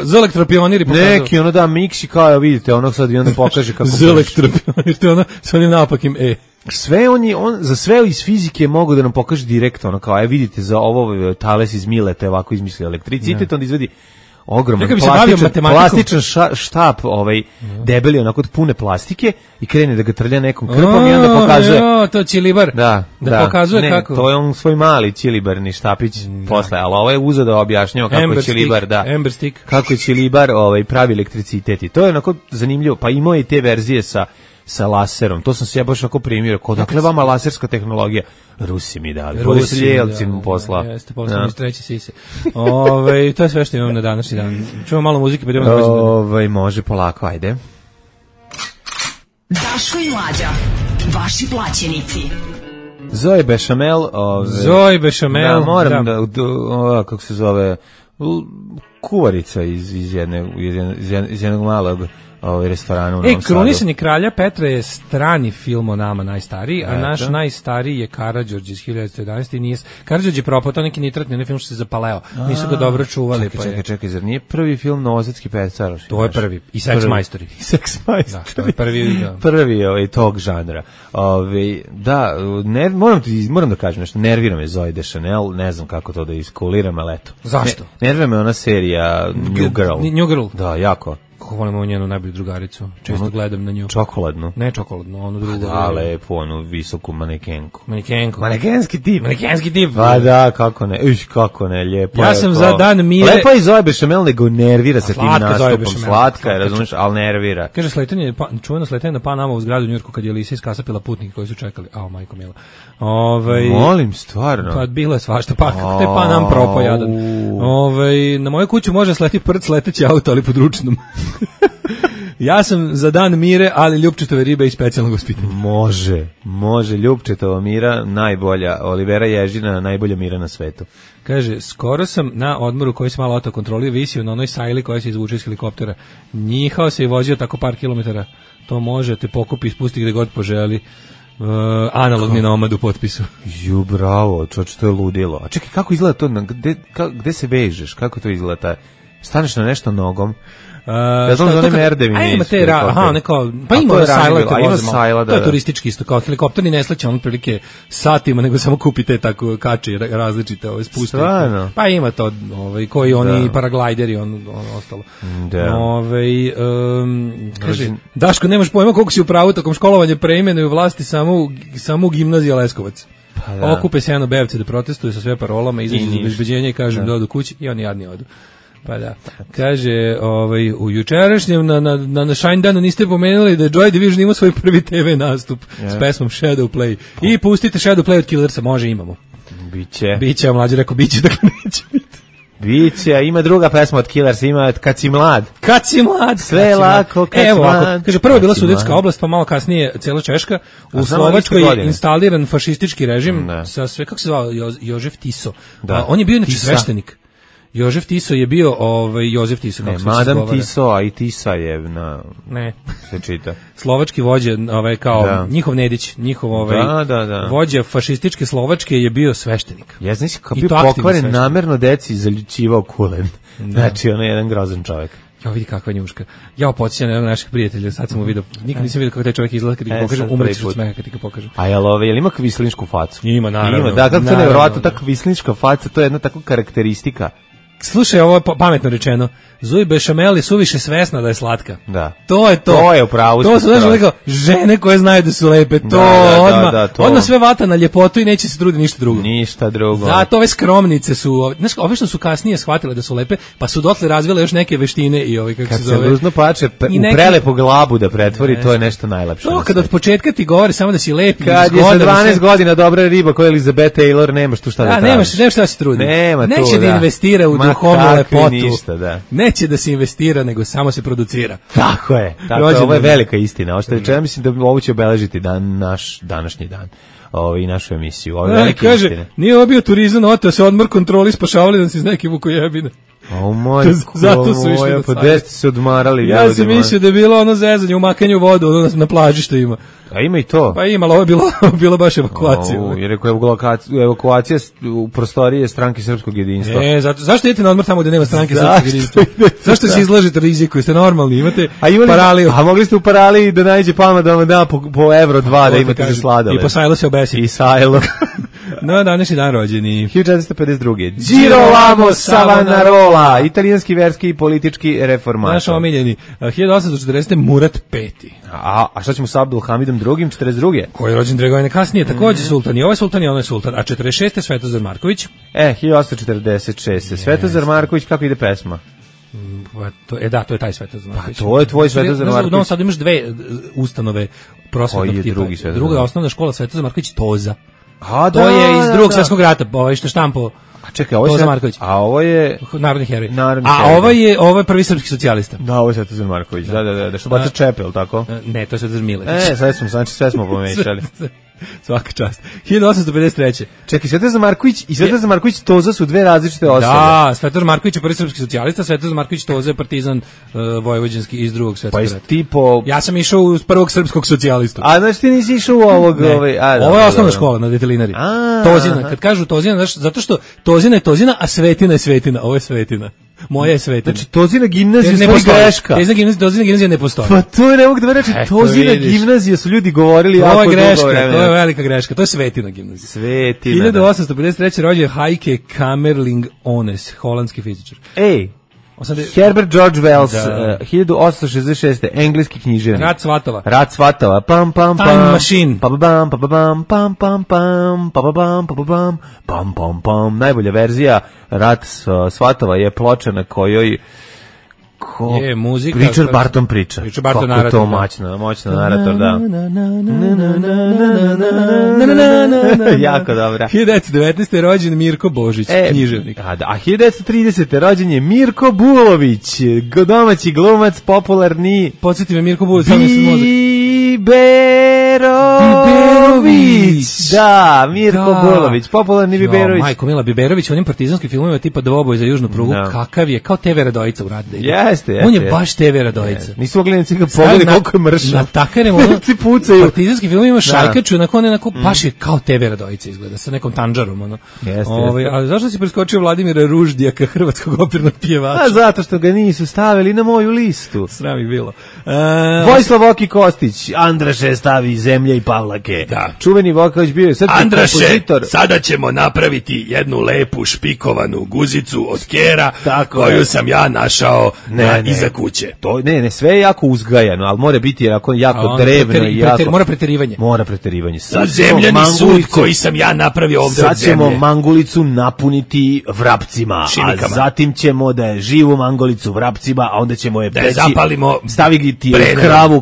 z elektropionir i pokazao. Neki ono da miksi kao vidite, ono sad i onda pokaže kako z elektropionir, to ono sa onim naopakim Sve on za sve iz fizike mogu da nam pokaže direktno, ono kao vidite za ovo Thales iz Mileta ovako izmislio elektricitet, on izvedi ogroman plastičan štap debeli onako od pune plastike i krene da ga trlja nekom krpom i onda pokazuje. To Čilibar. Da pokazuje kako. To je on svoj mali Čilibarni štapić posle, ali ovo je uzeo da objašnjava kako je Čilibar, kako je Čilibar pravi elektricitet i to je onako zanimljivo, pa imao je i te verzije sa laserom, to sam se ja baš onako primio, dakle vama laserska tehnologija, Rusi mi dali, Boris Jelcin mu poslao. Jeste, poslao mi treći sise. To je sve što imam na današnji dan. Čujemo malo muzike, pa idemo na može polako, ajde. Daško i Mlađa, vaši plaćenici. Zoe Bešamel. Da, moram da kako se zove, kuvarica iz jednog malog restoranu u Novom Sadu. Krunisanje kralja Petra je strani film o nama najstariji, a naš najstariji je Karađorđe iz 1911. Karađorđe je propao, to neki nitratni, onaj film što se zapaleo. Nisu ga dobro čuvali. Čekaj, zar nije prvi film Novosadski pecar? To je prvi. I Sex Majstori. Da, to je prvi. Prvi tog žanra. Da, moram da kažem nešto, nervira me Zoe Deschanel, ne znam kako to da iskuliram, ali eto. Zašto? Nervira me ona serija New Girl. Da, jako. Kako volimo njenu najbolju drugaricu. Često gledam na nju. Čokoladnu? Ne čokoladnu, onu drugu. Da, lepo, onu visoku manekenku. Manekenski tip. Pa da, kako ne, lijepo. Ja sam za dan mire. Lepo je Zoe Bešamel, nego nervira se tim nastupom. Slatka je, razumiješ, ali nervira. Kaže, čuveno sletanje na Panama u zgradu u Njujorku kad je Lisa iskasapila putnike koji su čekali. Majko mila. Molim, stvarno. Pa bilo je svašta, pa kako te Panam propao jadan. Na moju kuću može sleti prc leteći auto, ali pod ručnom. Ja sam za dan mire, ali ljupčetove ribe i specijalnog vaspitanja. Može, ljupčetova mira, najbolja, Olivera Ježina, najbolja mira na svetu. Kaže, skoro sam na odmoru koji se malo autokontrolio, visio na onoj sajli koja se izvuče iz helikoptera. Njihao se i vozio tako par kilometara. To može, te pokupi i spusti gde god poželi. Analogni nomad u potpisu. Bravo, čoč, to je ludilo. A čekaj, kako izgleda to, gde se vežeš, kako to izgleda? Staneš na nešto nogom? Ja znam za one merdevine. Ima te, neko, pa ima sajla, to je turistički isto, kao helikopterni ne sleće, on otprilike satima, nego samo kupite tako kače različite spuste. Pa ima to, koji oni paraglideri, on ostalo. Kaže, Daško, nemaš pojma koliko si u pravu, tokom školovanja preimenuju vlasti samo u gimnazija Leskovac. Okupe se bevce da protestuju sa sve parolama, izađu iz obezbeđenja i kažu da odu kući i oni jadni odu. Pa da. Kaže, u jučerašnjem na Shine Danu niste pomenuli da je Joy Division imao svoj prvi TV nastup s pesmom Shadow Play. I pustite Shadow Play od Killersa, može, imamo. Biće, mlađe rekao, biće, dakle neće biti. Biće, ima druga pesma od Killersa, ima Kad si mlad. Kad si mlad. Sve je lako, kad si mlad. Kaže, prvo je bila Sudetska oblast, pa malo kasnije cijela Češka. U Slovačkoj je instaliran fašistički režim sa sve, kako se zvao, Jožef Tiso. On je bio inače sveštenik. Jožef Tiso je bio Jozef Tiso, kako se Madam Tiso, a i Tisa je ne se čita. Slovački vođa, kao njihov Nedić, njihov vođa fašističke Slovačke je bio sveštenik. Ja znam kako bio pokvaren, namerno deci zaljućivao kulen. Znači, on je jedan grozan čovjek. Ja vidi kakva njuška. Ja podsjećam na jednog naših prijatelja, sad sam mu vidio, nikad nisam vidio kako taj čovjek izgleda kad ti ga pokažem, umrećeš od smeha kad ti ga pokažem. A jel ima kvislinšku facu? Ima, naravno. Da, kako to nevjerovatno, ta kvislinška faca, to je jedna takva karakteristika. Slušaj, ovo je pametno rečeno. Zuj bešamel je suviše svesna da je slatka. Da. To je to. To je upravo. To su znači žene koje znaju da su lepe. To odmah sve vata na ljepotu i neće se truditi ništa drugo. Ništa drugo. Zato ove skromnice su, znaš, ove što su kasnije shvatile da su lepe, pa su dotle razvile još neke veštine i kako se zove. Kad se ružno pače u prelepu glavu da pretvori, to je nešto najlepše. To kad od početka ti govori samo da si lep. Kad je za 12 godina dobra riba koja je Elizabeth Taylor, nemaš tu šta da tražiš. Nemaš šta se trudi. Neće da investira u duhovnu lepotu. Ništa, da. Neće da se investira, nego samo se producira. Tako je. Ovo je velika istina. Ja mislim da ovo će obeležiti naš današnji dan. I našu emisiju. Ovo je velika istina. Nije ovo bio turizam, oteo se odmor, kontroli, spašavali da si iz neke vukojebine. Zato su išli pa gde ste se odmarali? Ja sam mislio da je bilo ono zezanje u makanju vodu, na plaži što ima. A ima i to? Pa ima, ali ovo je bilo baš evakuacija. Jer je evakuacija u prostorije Stranke srpskog jedinstva. Zašto idete na odmor tamo gde nema Stranke srpskog jedinstva? Zašto se izlažete riziku? Jeste normalni, imate paraliju. A mogli ste u paraliji da nađe Palma da vam da po evro 2 da imate za sladole. I po Sajlo se obesi. I Sajlo. No, današnji dan rođeni. 1452. Girolamo Savonarola, italijanski verski i politički reformator. Naš omiljeni. 1840. Murat V. A šta ćemo sa Abdulhamidom II. 42. Koji je rođen 2 godine kasnije, također sultan. I ovaj sultan i onaj sultan. A 46. Svetozar Marković. 1846. Svetozar Marković, kako ide pesma? To je taj Svetozar Marković. To je tvoj Svetozar Marković. U Novom Sadu imaš 2 ustanove prosvetnog tipa. Druga osnovna škola Svetozar Marković Toza. To je iz Drugog svjetskog rata, što štampo. A čekaj, ovo je Marković. A ovo je narodni heroj. Ovo je prvi srpski socijalista. Da, ovo je Svetozar Marković. Da, što baca čepel, tako? Ne, to je Svetozar Miletić. Sve smo pomešali. Svaka čast. 1853. Čekaj, Svetozar Marković i Svetozar Marković Toza su 2 različite osobe. Da, Svetozar Marković je prvi srpski socijalista, Svetozar Marković Toza je partizan vojvođanski iz Drugog svjetskog rata. Ja sam išao uz prvog srpskog socijalistu. A znači ti nisi išao u ovog... Ovo je osnovna škola na Detelinari. Tozina, kad kažu Tozina, zato što Tozina je Tozina, a Svetina je Svetina. Ovo je Svetina. Moja je Svetina. Znači, Tozina gimnazija je greška. Tozina gimnazija ne postoji. Pa to je ne mogu da reći, Tozina gimnazija su ljudi govorili jako dugo vremena. To je velika greška, to je Svetina gimnazija. Svetina. 1853. rođen Heike Kamerling Ones, holandski fizičar. Herbert George Wells, 1866. engleski književnik. Rat Svatova. Pam pam pam. Time Machine. Pam pam pam pam pam pam pam pam pam pam pam pam. Najbolja verzija Rat Svatova je ploča na kojoj je muzika. Richard Barton priča. Kako je to moćno narator, da. Jako dobra. 1919. rođen Mirko Božić, književnik. A 1930. rođen je Mirko Bulović, domaći glumac, popularni. Podsjeti me Mirko Bulović, Biberović. Da, Mirko Bolović, popularni Biberović. Majko Mila, Biberović u onim partizanskim filmovima tipa Dvoboj za južnu prugu, kakav je, kao TV Radojica u Radu. Jeste. On je baš TV Radojica. Nisu mogli nici ga pogledati koliko je mršao. Na takarem, pucaju. Partizanski filmovima šajkaču, onako, baš je kao TV Radojica izgleda, sa nekom tanđarom, ono. Jeste. A zašto si preskočio Vladimira Ruždijaka, hrvatskog opernog pjevača? A zato što ga nisu stavili na moju listu. Sram ih bilo. Vojislav Voki Kostić, Andraše stavi Zemlje i Pavlake. Da. Čuveni Vokalić bio je srpski kompozitor. Sada ćemo napraviti jednu lepu špikovanu guzicu od kera koju sam ja našao iza kuće. Ne, sve je jako uzgajano, ali mora biti jako drevno i jako... Mora preterivanje. Mora preterivanje. Zemljani sud koji sam ja napravio ovdje od zemlje. Sad ćemo mangulicu napuniti vrapcima, šinikama. A zatim ćemo da je živu mangulicu vrapcima, a onda ćemo je peći, zapalimo, staviti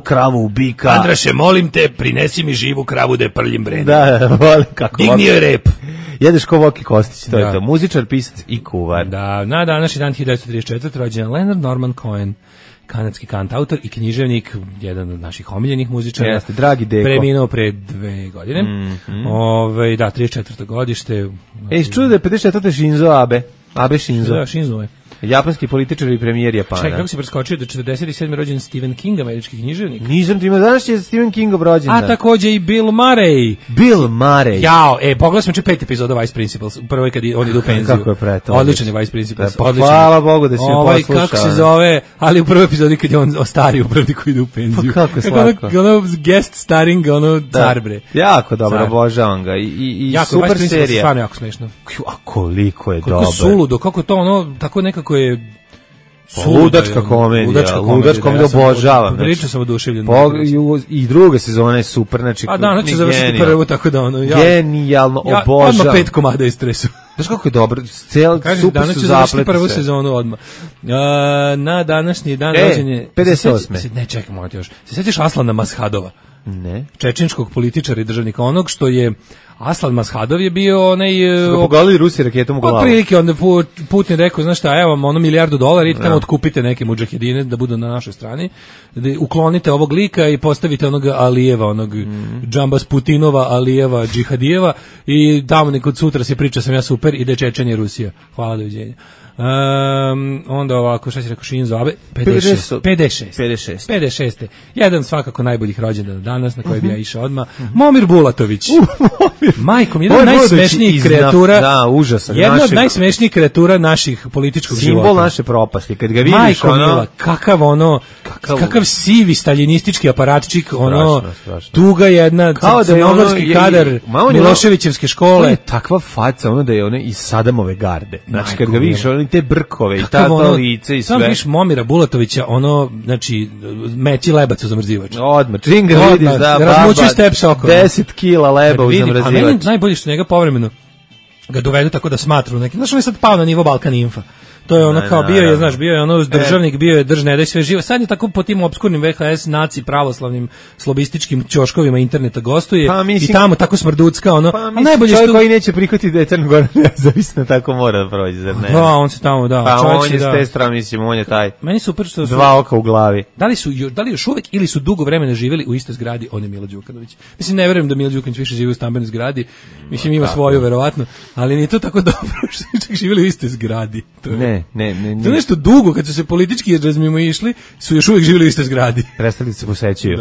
kravu u bika. Andraše, molim te, prinesi mi živu kravu da je prljim brenem. Da, volim kako. Dignio je rep. Jedeš ko Voki Kostić, to je to. Muzičar, pisac i kuvar. Da, na današnji dan 1934. rođen Leonard Norman Cohen, kanadski kantautor i književnik, jedan od naših omiljenih muzičara. Jeste, dragi Deko. Preminuo pre 2 godine. Da, 34. godište. Čudo da je 54. Shinzo Abe. Abe Shinzo. Da, Shinzo je. Japanski političar i premijer Japana. Čekaj, kako si preskočio da 47. rođen Stephen King, američki književnik? Nisam ti ima, danas je Stephen Kingov rođendan. A takođe i Bill Murray. Bill Murray. Jao, pogledali smo 5 epizoda Vice Principals, u prvoj kad on ide u penziju. Kako je preto. Odličan je Vice Principals. Hvala Bogu da si me poslušao. Kako se zove, ali u prvoj epizodi kad je on ostari upravnik koji ide u penziju. Pa kako slatko. Ono guest starring, car bre. Jako dobro, obožavam ga. I super serija. Stvarno jako smešno. A koliko je dobar. Kako suludo, kako to ono, tako nekako je ludačka komedija, obožavam. Prilično sam oduševljen. I druga sezona je super, znači a danas će završiti prvu, tako da ono... Genijalno, obožavam. Odmah 5 komada istresu. Znaš kako je dobro, super su danas će završiti prvu sezonu odmah. Na današnji dan rođen je... 58. Ne, čekaj, moram ti još. Se sjećaš Aslana Mashadova? Ne. Čečenskog političara i državnika, onog što je Aslan Mashadov je bio onaj... Su ga pogodili Rusi raketom u glavu. Prilike, onda Putin rekao, znaš šta, evo vam $1 milijardu, idite tamo otkupite neke mudžahedine da budu na našoj strani, da uklonite ovog lika i postavite onog Alijeva, onog Džambas Putinova, Alijeva, Džihadijeva i tamo nekod sutra se priča sam ja super i da je Čečenje Rusija. Hvala, doviđenja. Onda ovako, šta si rekao, Shinzo Abe? 56. Jedan svakako najboljih rođendana danas, na koji bi ja išao odmah. Momir Bulatović. Majkom, jedan od najsmešnijih kreatura. Da, užasan. Jedna od najsmešnijih kreatura naših političkog života. Simbol naše propasti. Kad ga vidiš, Majko Mila, kakav sivi staljinistički aparatčik, tuga jedna, crnogorski kadar Miloševićevske škole. On je takva faca, da je ona iz Sadamove garde. Znači, kad ga vidiš, te brkove i ta lice i sve. Sam viš Momira Bulatovića, znači, meći lebac u zamrzivač. Odmah, čim ga vidiš, da, razmućuj step sokom. 10 kila leba u zamrzivač. A meni najbolje što njega povremeno ga dovedu tako da smatru neki. Znaš, on je sad pao na nivo Balkan Infa. To je ono kao bio je ono državnik, bio je držne da je sve živo. Sad je tako po tim obskurnim VHS naci pravoslavnim slobističkim ćoškovima interneta gostuje i tamo tako smrducka ono. Pa najbolje čovjek koji neće prihvatiti da je Crna Gora nezavisna tako mora da prođe, zar ne? Da, on se tamo Pa on je s te strane, mislim, on je taj. Meni super što su dva oka u glavi. Da li još uvek ili su dugo vremena živjeli u istoj zgradi, on je Milo Đukanović. Mislim, ne verujem da Milo Đukanović više živi u stambenoj zgradi. Mislim, ima svoju verovatno, ali nije to tako dobro što su živjeli u istoj zgradi. Ne. To nešto dugo, kad su se politički razmimo išli, su još uvijek živjeli u istoj zgradi. Prestali se posećuju.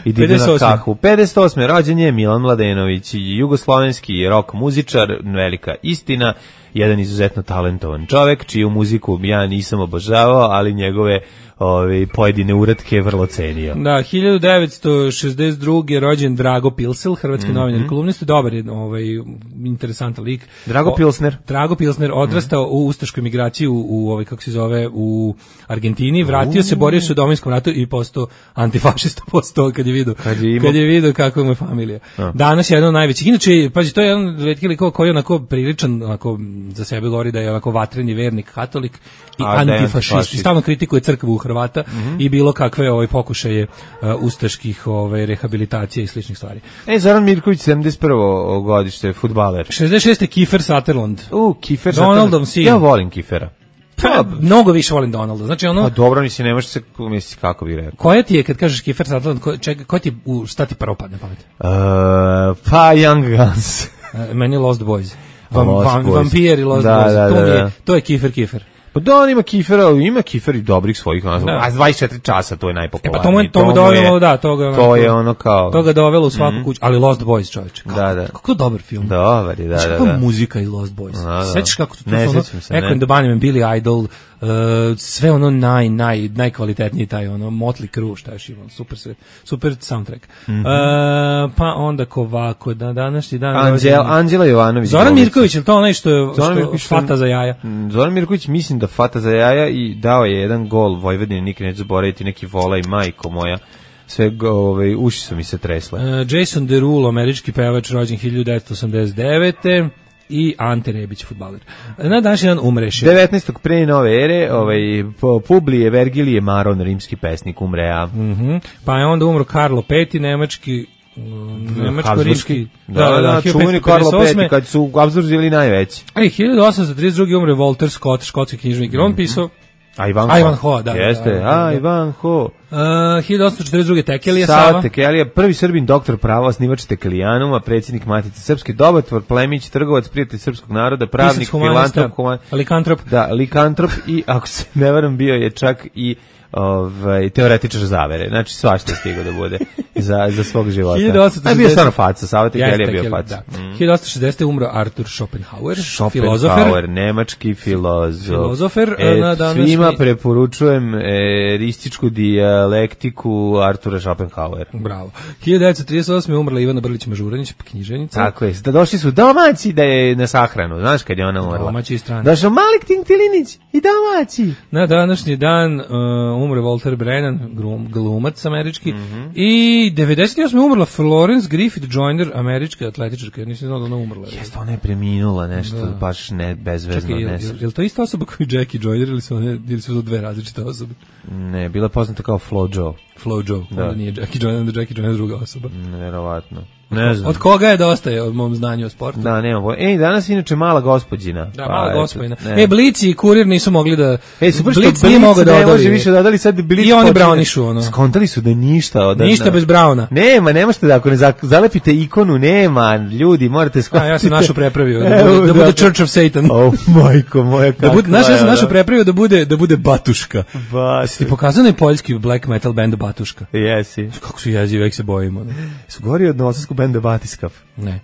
I idu na kahu. 58. rođen je Milan Mladenović, jugoslovenski rock muzičar, velika istina, jedan izuzetno talentovan čovek, čiju muziku ja nisam obožavao, ali njegove pojedine uratke vrlo cenio. Da, 1962. rođen Drago Pilsel, hrvatski novinar i kolumnista, dobar je, interesantan lik. Drago Pilsner odrastao u ustašku emigraciju u kako se zove, u Argentini, vratio se, borio se u Domovinskom ratu i postao antifašista postao kad je vidio kako je moja familija. Danas je jedan od najvećih. Inače, pazi, to je jedan retki lik koji je onako priličan, onako za sebe govori da je onako vatreni vernik, katolik i antifašist. I stalno kritikuje crkvu u Hrvata i bilo kakve pokušaje ustaških rehabilitacije i sličnih stvari. Zoran Mirković, 71. godište, fudbaler. 66. Kiefer Sutherland. Kiefer Donaldom sin. Ja volim Kiefera. Pa, mnogo više volim Donalda. Znači ono. Pa dobro, mislim, ne možeš se misli kako bi rekao. Koja ti je kad kažeš Kiefer Sutherland, ko ti šta ti prvo padne pamet? Pa Young Guns. Meni Lost Boys. Vampir i Lost Boys. To je Kiefer. Pa da, on ima Kiefer i dobrih svojih, a 24 časa, to je najpopularniji. To mu dovelo, da, to je ono kao... To ga dovelo u svaku kuću, ali Lost Boys, čovječe. Kako dobar film. Dobar je, da. Kakva muzika iz Lost Boys. Sećaš kako to ono, Echo and the Bunnymen, Billy Idol, sve ono najkvalitetniji taj ono, Motley Crue, šta još imam, super soundtrack. Pa onda kovako, današnji dan... Anđela Jovanović. Zoran Mirković, je li to onaj što fata za jaja? Zoran Mirković, mislim da fata za jaja i dao je jedan gol Vojvodine, nikad neću zaboraviti, neki vola i majko moja. Sve uši su mi se tresle. Jason Derulo, američki pevač, rođen 1989. I Ante Rebić, fudbaler. Na današnji dan umreše. 19. pre nove ere, Publije Vergilije Maron, rimski pesnik, umrea. Pa je onda umro Karlo V, nemačko-rimski. Da, čuveni Karlo V, kad su Habsburzili najveći. 1832. umre Walter Scott, škotski književnik, i on pisao Ivanhoe, da. Jeste, Ivanhoe. 1842. Tekelija Sava Tekelija, prvi Srbin, doktor prava, osnivač Tekelijanuma, predsjednik Matice Srpske, dobatvor, plemić, trgovac, prijatelj srpskog naroda, pravnik, likantrop. Da, likantrop i, ako se ne varam, bio je čak i teoretičar zavere. Znači svašta stigao da bude za svog života. A bio stvarno faca, Sava Tekelija bio faca. 1860. umro Arthur Schopenhauer, nemački filozofer. Svima preporučujem erističku dijalektiku Artura Schopenhauer. Bravo. 1938. umrla Ivana Brlić-Mažuranić, književnica. Tako je. Da došli su domaći da je na sahranu. Znaš kad je ona umrla? Domaći i strani. Došao Malik Tintilinić i domaći. Na današnji dan umre Walter Brennan, glumac američki, i 98. umrla Florence Griffith Joyner, američka atletičarka, ja nisam znao da ona umrla. Jeste, ona je preminula nešto, baš ne, bezvezno. Čekaj, je li to ista osoba kao i Jackie Joyner ili su to dve različite osobe? Ne, bila je poznata kao Flo Joe. Onda nije Jackie Joyner, onda Jackie Joyner druga osoba. Verovatno. Ne znam. Od koga je dosta je od mom znanju o sportu? Da, nemam. Danas inače mala gospođina. Da, mala gospođina. Blici i Kurir nisu mogli da... Blic nije mogao da odali. Više dodali sad Blic. I oni Brownišu, ono. Skontali su da je ništa. Ništa bez Browna. Nema, ne možete da ako ne zalepite ikonu, nema. Ljudi, morate skontati. Ja sam našu prepravio. Da bude Church of Satan. Majko moja, kakva je. Ja sam našu prepravio da bude Batuška. Ti pokazano je poljski black metal band Batuška. Jesi. Kako su jezivi, vek se bojimo. Su gori od novosadskog benda Batiskav. Ne.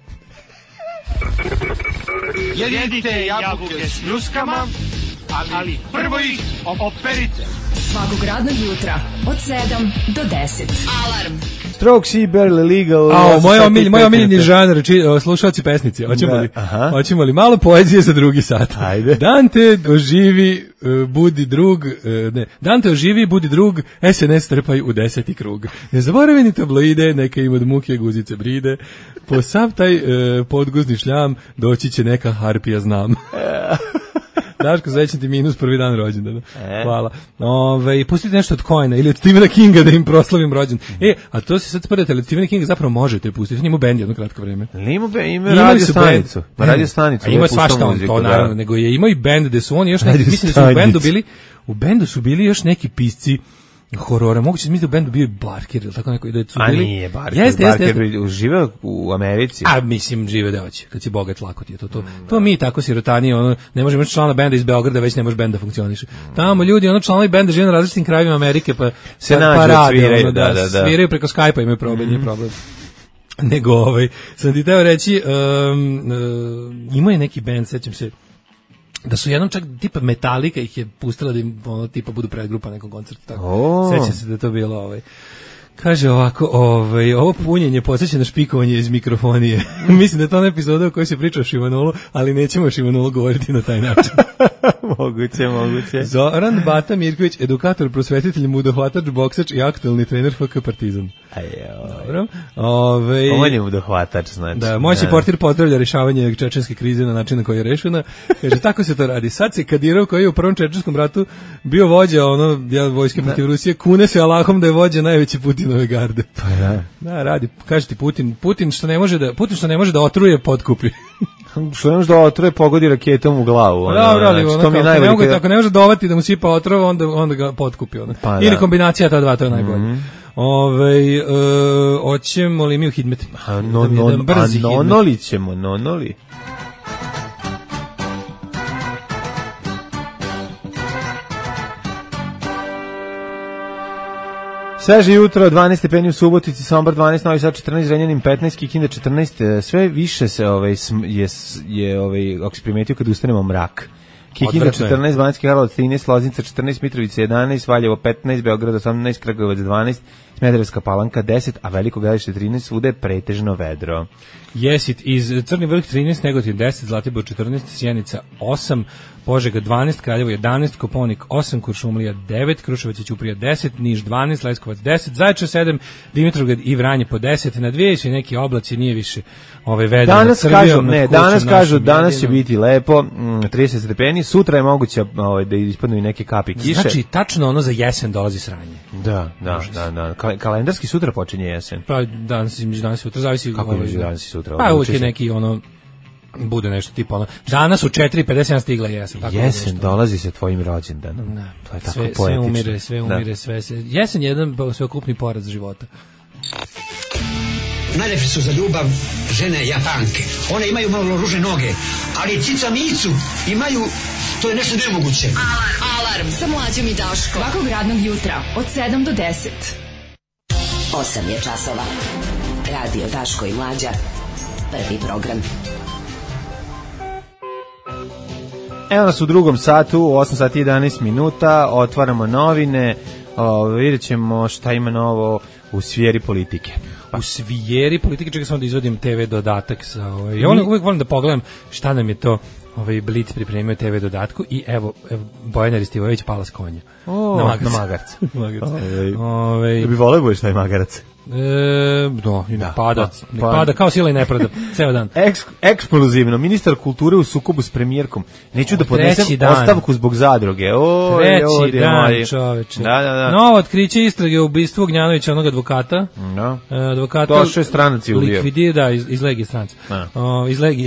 Jedite jabuke s pljuskama, ali prvo ih operite. Svakog radnog jutra od 7 do 10. Alarm. Strokes i Barely Legal. Moj omiljeni žanr, slušalci pesnici. Hoćemo li malo poezije za drugi sat? Ajde. Dante oživi, budi drug, Dante oživi, budi drug, SNS trpaj u 10. krug. Ne zaboravi ni tabloide, neka im od muke guzice bride, po sav taj podguzni šljam doći će neka harpija znam. Daško, srećan ti minus prvi dan rođendana. Hvala. Pustite nešto od Coena ili od Stephena Kinga da im proslavim rođen. A to se sad spredate, ali od Stephena Kinga zapravo možete pustiti. Ima bend jedno kratko vreme. Ima radio stanicu. Radio stanicu. Ima svašta on, to naravno. Nego je imao i bend gde su oni još neki, mislim da su u bendu su bili još neki pisci horora. Moguće da mislim da u bendu bio i Barker ili tako neko. A nije Barker. Barker žive u Americi. A mislim žive da hoće. Kad si bogat lako ti je to. To mi tako sirotani, ne možemo imati člana benda iz Beograda, već ne može benda funkcioniše. Tamo ljudi, članovi benda žive na različitim krajevima Amerike, pa se nađu, sviraju, sviraju preko Skype-a, imaju problem, nije problem. Nego, sam ti teo reći, imao je neki bend, sećam se, da su jednom čak tipa Metallica ih je pustila da im tipa budu predgrupa nekog koncerta. Tako. Sećam se da je to bilo Kaže ovako, ovo punjenje podsjeća na špikovanje iz mikrofonije. Mislim da je to ona epizoda u kojoj se priča o Šimanolu, ali nećemo o Šimanolu govoriti na taj način. Moguće. Zoran Bata Mirković, edukator, prosvetitelj, mudohvatač, boksač i aktualni trener FK Partizan. Dobro. On je mudohvatač, znači. Da, moćni portir pozdravlja rješavanje čečenske krize na način na koji je rešena. Kaže, tako se to radi. Sad se Kadirov, koji je u prvom čečenskom ratu bio vođa vojske protiv Rusije, kune se Allahom da je vođa najveće Putinove garde. Pa da. Da, radi. Kaže ti Putin što ne može da otruje, potkupi. Što ne može da otruje pogodi raketom u glavu. Dobro, ali ako ne može dovati da mu sipa otrova, onda ga potkupi. Pa, ili kombinacija ta dva, to je najbolje. Hoćemo li mi u hidmet? Nonoli ćemo, nonoli. Sveže jutro, 12 stepeni u Subotici, Sombor 12, Novi Sad 14, Zrenjanin 15, Kikinda 14, sve više se ako si primetio kad ustanemo mrak. Kikinda 14, Banjski Karlovac 13, Loznica 14, Mitrovica 11, Valjevo 15, Beograd 18, Kragujevac 12, Smederevska Palanka 10, a Veliko Gradište 13, svuda je pretežno vedro. Jesit iz Crni Vrh 13, Negotin 10, Zlatibor 14, Sjenica 8, Požega 12, Kraljevo 11, Kopaonik 8, Kuršumlija 9, Kruševac i Ćuprija 10, Niš 12, Leskovac 10, Zaječar 7, Dimitrovgrad i Vranje po 10, na dvije će neki oblaci, nije više vedro. Danas će biti lepo, 30 stepeni, sutra je moguće da ispadnu i neke kapi kiše. Znači, tačno ono za jesen dolazi sranje. Da. Kalendarski sutra počinje jesen. Pa danas i sutra, zavisi. Kako je danas i sutra? Pa uvijek je neki bude nešto tipa danas u 4:57 stigla jesen. Tako jesen dolazi se tvojim rođendanom. To je tako poetično. Sve umire. Jesen je jedan sveokupni poraz života. Najlepše su za ljubav žene Japanke. One imaju malo ružne noge, ali cica micu imaju, to je nešto nemoguće. Alarm sa Mlađom i Daškom. Svakog radnog jutra od 7 do 10. 8 je časova. Radio Daško i Mlađa. Prvi program. Evo nas u drugom satu, u 8 sati 11 minuta, otvaramo novine, vidjet ćemo šta ima novo u sferi politike. U sferi politike, čekaj samo da izvodim TV dodatak. Ja uvijek volim da pogledam šta nam je to Blic pripremio TV dodatku i evo Bojana Ristivojević pala s konja. Na magarcu. Da bi voleo budeš taj magarac. Pada kao sila i nepravda ceo dan. Eksplozivno, ministar kulture u sukobu s premijerkom. Neću da podnesem ostavku zbog zadruge. Treći dan, čoveče. Da. Novo otkriće istrage o ubistvu Ognjanovića, onog advokata. Advokata došao je stranac i ubio. Likvidira, iz Legije stranca.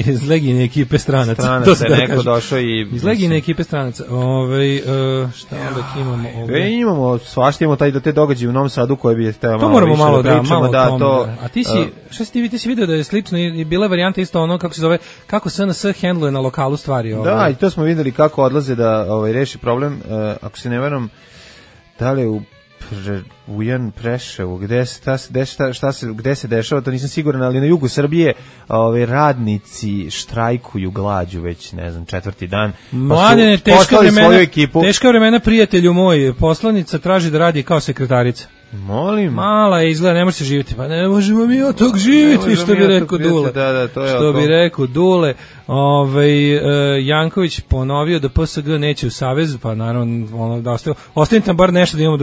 Iz Legijine ekipe stranaca. Stranaca je neko došao i... Iz Legijine ekipe stranaca. Šta onda imamo ovdje? Imamo, svašta imamo te događaje u Novom Sadu koje bi hteo malo moramo malo da pričamo. To... A ti si vidio da je slično i bila varijanta isto ono kako se zove, kako SNS hendluje na lokalu stvari. Da, i to smo videli kako odlaze da reši problem, ako se ne varam, da li u Ujan Preševu, gde se dešava, to nisam siguran, ali na jugu Srbije radnici štrajkuju glađu već, ne znam, 4. dan. Mladene, teška vremena, prijatelju moj, poslanica traži da radi kao sekretarica. Molim. Mala je, izgleda, ne može se živjeti. Pa ne možemo mi od tog živjeti, što bi rekao Dule. Što bi rekao Dule. Janković ponovio da PSG neće u savez, pa naravno da ostavim tam bar nešto da imamo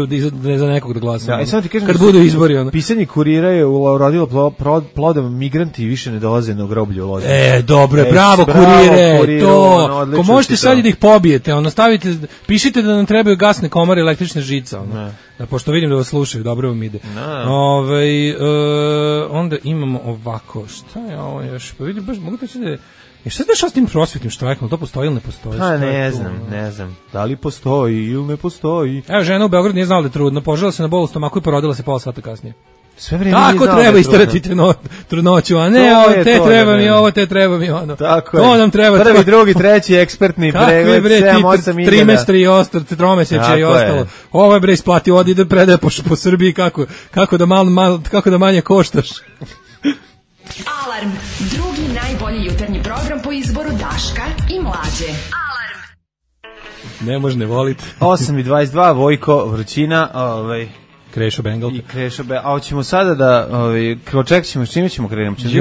za nekog da glasamo. Kad budu izbori. Pisanje kurira je urodilo plodom, migranti više ne dolaze na groblje u Loznicu. Dobro, bravo kurire, to. Ko možete sad i da ih pobijete, stavite, pišite da nam trebaju gasne komore, električne žice, pošto vidim da vas slušaju, dobro vam ide. Onda imamo ovako, šta je ovo još? Pa vidim, baš mogu da će da je... Šta se dešava s tim prosvjetnim štrajkom? To postoji ili ne postoji? Pa ne znam. Da li postoji ili ne postoji? Evo, žena u Beogradu nije znala da je trudna, požela se na bol u stomaku i porodila se pola sata kasnije. Sve vreme tako treba istarati trudnoću, a ne te treba mi ovo, te treba mi ono. Tako to nam treba. Prvi, drugi, treći ekspertni pregled, 7-8 iljada. Trimestri i ostalo, tromesečje i ostalo. Ovo je bre isplati, odi da predaje po Srbiji kako da manje koštaš. Alarm, drugi najbolji jutarnji program po izboru Daška i Mlađe. Alarm. Ne može ne voliti. 8:22, Vojko, vrućina, Krešo Bengal. A hoćemo sada da ček ćemo, s čime ćemo krenuti?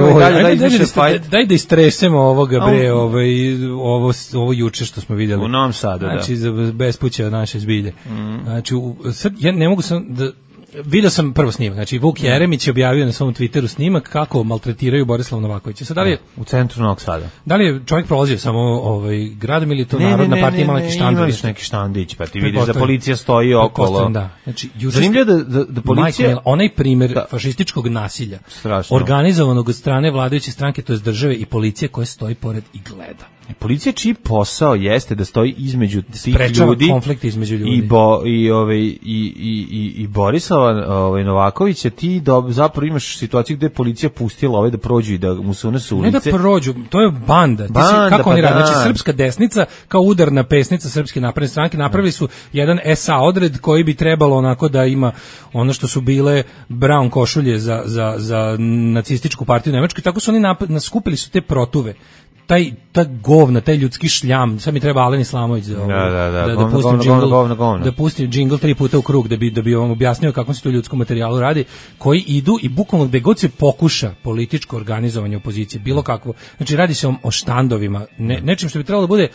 Daj da istresemo ovoga bre, ovo juče što smo vidjeli. U Novom Sadu, znači, za bespuća naše zbilje. Znači, sad ja ne mogu sam da Video sam prvo snimak, znači Vuk Jeremić je objavio na svom Twitteru snimak kako maltretiraju Borislava Novakovića. Sad, da li je, u centru Novog Sada. Da li je čovjek prolazio samo gradom ili to Narodna partija imala neki štand? Imali su neki štandić, pa ti vidiš da policija stoji okolo. Da. Znači, zanimljivo da policija... onaj primjer fašističkog nasilja, strašno, organizovanog od strane vladajuće stranke, to je države i policije koja stoji pored i gleda. Policija čiji posao jeste da stoji između tih ljudi, konflikt između ljudi i Borislava Novakovića, ti zapravo imaš situaciju gde je policija pustila da prođu i da mu se unesu ulice. Ne da prođu, to je banda. Kako oni rade? Znači, srpska desnica kao udarna pesnica Srpske napredne stranke napravili su jedan SA odred koji bi trebalo onako da ima ono što su bile brown košulje za nacističku partiju Nemačke, tako su oni skupili su te protuve. Ta govna, taj ljudski šljam, sad mi treba Alen Islamović da pusti džingl 3 puta u krug da bi vam objasnio kako se to ljudskom materijalu radi, koji idu i bukvalno gde god se pokuša političko organizovanje opozicije, bilo kakvo, znači radi se o štandovima, nečim što bi trebalo da bude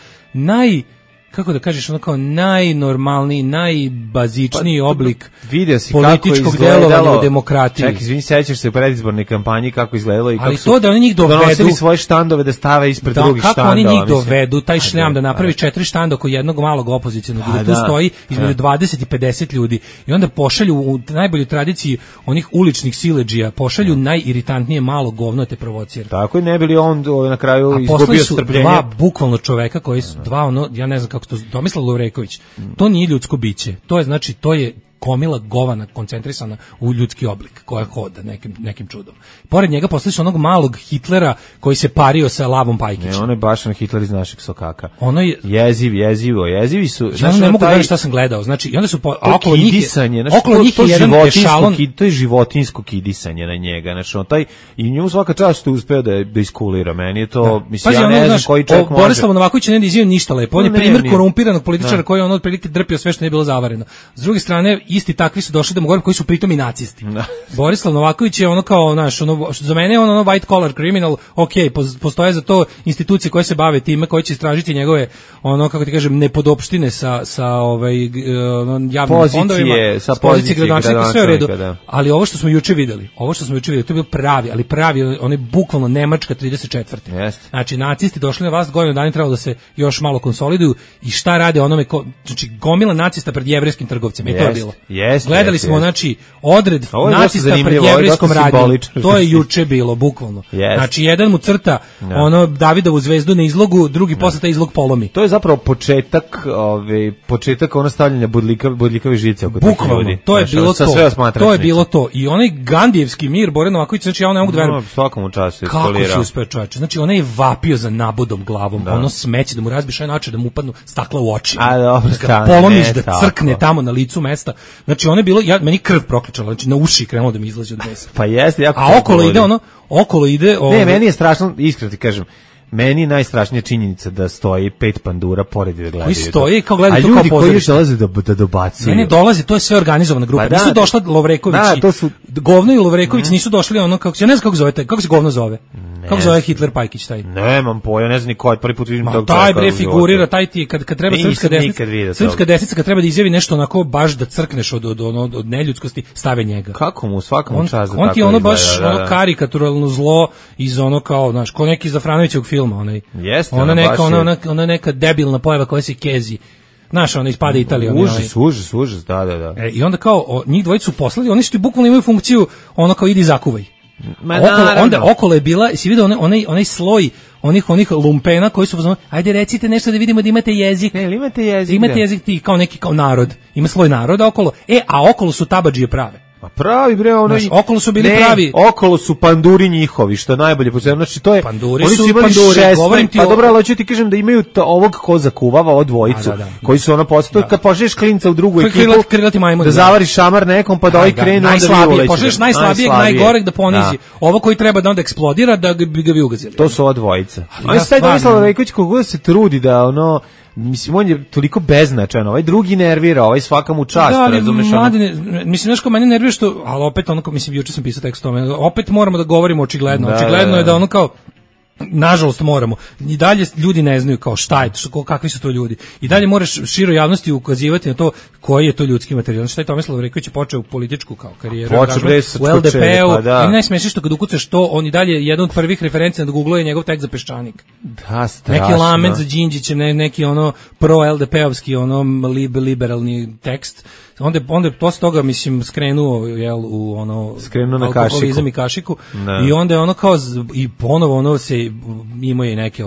kako da kažeš, ono kao najnormalniji, najbazičniji oblik političkog delovanja u demokratiji. Čekaj, izvini, sećaš se u predizbornoj kampanji kako izgledalo i kako su da oni njih donosili svoje štandove da stave ispred drugih štandova. Kako oni njih dovedu, taj šljam da napravi 4 štanda oko jednog malog opozicionog, da tu stoji između 20 i 50 ljudi i onda pošalju u najboljoj tradiciji onih uličnih siledžija, pošalju najiritantnije malo govno te provocira. Tako i ne bili on na kraju izgubio strpljenje. Dva bukvalno čoveka koji su, ja ne znam kako Tomislav Lovreković, to nije ljudsko biće, to je komila govana koncentrisana u ljudski oblik koja hoda nekim čudom. Pored njega poslali su onog malog Hitlera koji se pario sa Lavom Pajkićem. Ne, on je baš Hitler iz našeg sokaka. Ono je jezivi su. Ja ne mogu gledati šta sam gledao. Znači, i onda su okolo njih je jedan ešalon. To je životinjsko kidisanje na njega. Znači, i njemu svaka čast uspeo da iskulira. Meni je to, mislim, ja ne znam koji čovjek može. Borislav Novaković ne izjavio ništa lepo. On je primjer korumpiranog političara koji on otprilike drpio sve što nije bilo zavareno. S druge strane, isti takvi su došli da mu govorim koji su pritom i nacisti. Borislav Novaković je ono kao, za mene je ono white collar criminal, postoje za to institucije koje se bave time, koje će istražiti njegove, kako ti kažem, nepodopštine sa javnim fondovima, sa pozicije gradonačelnika, sve u redu. Ali ovo što smo juče videli, to je bio pravi, onaj bukvalno Nemačka 34. Znači, nacisti došli na vlast, godinu dana trebalo da se još malo konsoliduju i šta rade onome, znači, gomila nacista pred jevrejskim trgovcima, i to je bilo. Gledali smo, znači, odred nacista pred jevrejskom radnjom. To je juče bilo, bukvalno. Znači, jedan mu crta Davidovu zvezdu na izlogu, drugi posle taj izlog polomi. To je zapravo početak stavljanja bodljikave žice oko tih ljudi. Bukvalno, to je bilo to. To je bilo to. I onaj Gandijevski mir, Boran Novaković, znači, ja ne mogu da verujem. Svakom času kako se uspeo čovječe. Znači, ona je vapio za nabodom glavom, ono smeće, da mu razbiš aj način, da mu upadnu stakla u oči. Polomiš da crkne tamo na licu mesta. Znači, ono je bilo, meni krv prokličala, znači na uši krenulo da mi izlazi od mesa. Pa jeste, jako. A okolo ide... Ne, meni je strašno, iskreno ti kažem, meni je najstrašnija činjenica da stoji 5 pandura pored i da gledaju. Koji stoji kao gledaju to kao pozorište. A ljudi koji dolaze da dobacuju. Ne dolaze, to je sve organizovana grupa. Nisu došla Lovreković Govno i Lovreković nisu došli ja ne znam kako zovete, kako se Govno zove? Kako zove Hitler Pajkić taj? Nemam pojma, ne znam ni ko, prvi put vidim tog čovjeka. Taj bre figurira, taj ti kad treba srpska desnica kad treba da izjavi nešto onako baš da crkneš od neljudskosti, stave njega. Kako mu svakom čast da tako. On ti ono baš karikaturalno zlo iz ono kao, znaš, ko neki Zafranovićevog filma, onaj. Jeste, ona neka debilna pojava koja se kezi. Znaš, ona ispada Italija. Užas, da. I onda kao, njih dvojicu poslali, oni su ti bukvalno imaju funkciju, ono kao idi zakuvaj. Onda okolo je bila, si vidio onaj sloj onih lumpena koji su pozvali, ajde recite nešto da vidimo da imate jezik. Imate jezik ti kao neki kao narod. Ima sloj naroda okolo. A okolo su tabadžije prave. Pa pravi bre, okolo su bili pravi. Okolo su panduri njihovi, što najbolje poznajem. Znači to je panduri su panduri, govorim ti. Pa dobro, ali hoću ti kažem da imaju ovog ko zakuvava od dvojicu, koji su posle kad požeš klinca u drugu ekipu, da zavariš šamar nekom pa da ovaj krenu onda vi uleće. Požeš najslabijeg, najgoreg da ponizi. Ovo koji treba da onda eksplodira da bi ga vi ugazili. To su ova dvojica. Ali sad Tomislav Rejković kako se trudi da mislim, on je toliko beznačajan, ovaj drugi nervira, ovaj svaka mu čast, razumeš? Mislim, nešto mene nervira ali opet mislim, juče sam pisao tekst o tome, opet moramo da govorimo očigledno je da kao, nažalost moramo. I dalje ljudi ne znaju kao šta je to, kakvi su to ljudi. I dalje moraš široj javnosti ukazivati na to koji je to ljudski materijal. Šta je Tomislav Reković počeo političku kao karijeru u LDP-u. Pa najsmešnije što kad ukucaš to, on i dalje jedan od prvih referencija na Google je njegov tekst za Peščanik. Da, strašno. Neki lament za Đinđićem, neki ono pro-LDP-ovski ono liberalni tekst. Onda posle toga, mislim, skrenuo u ono alkoholizam i kašiku. I onda je ono kao i ponovo ono se imao je neke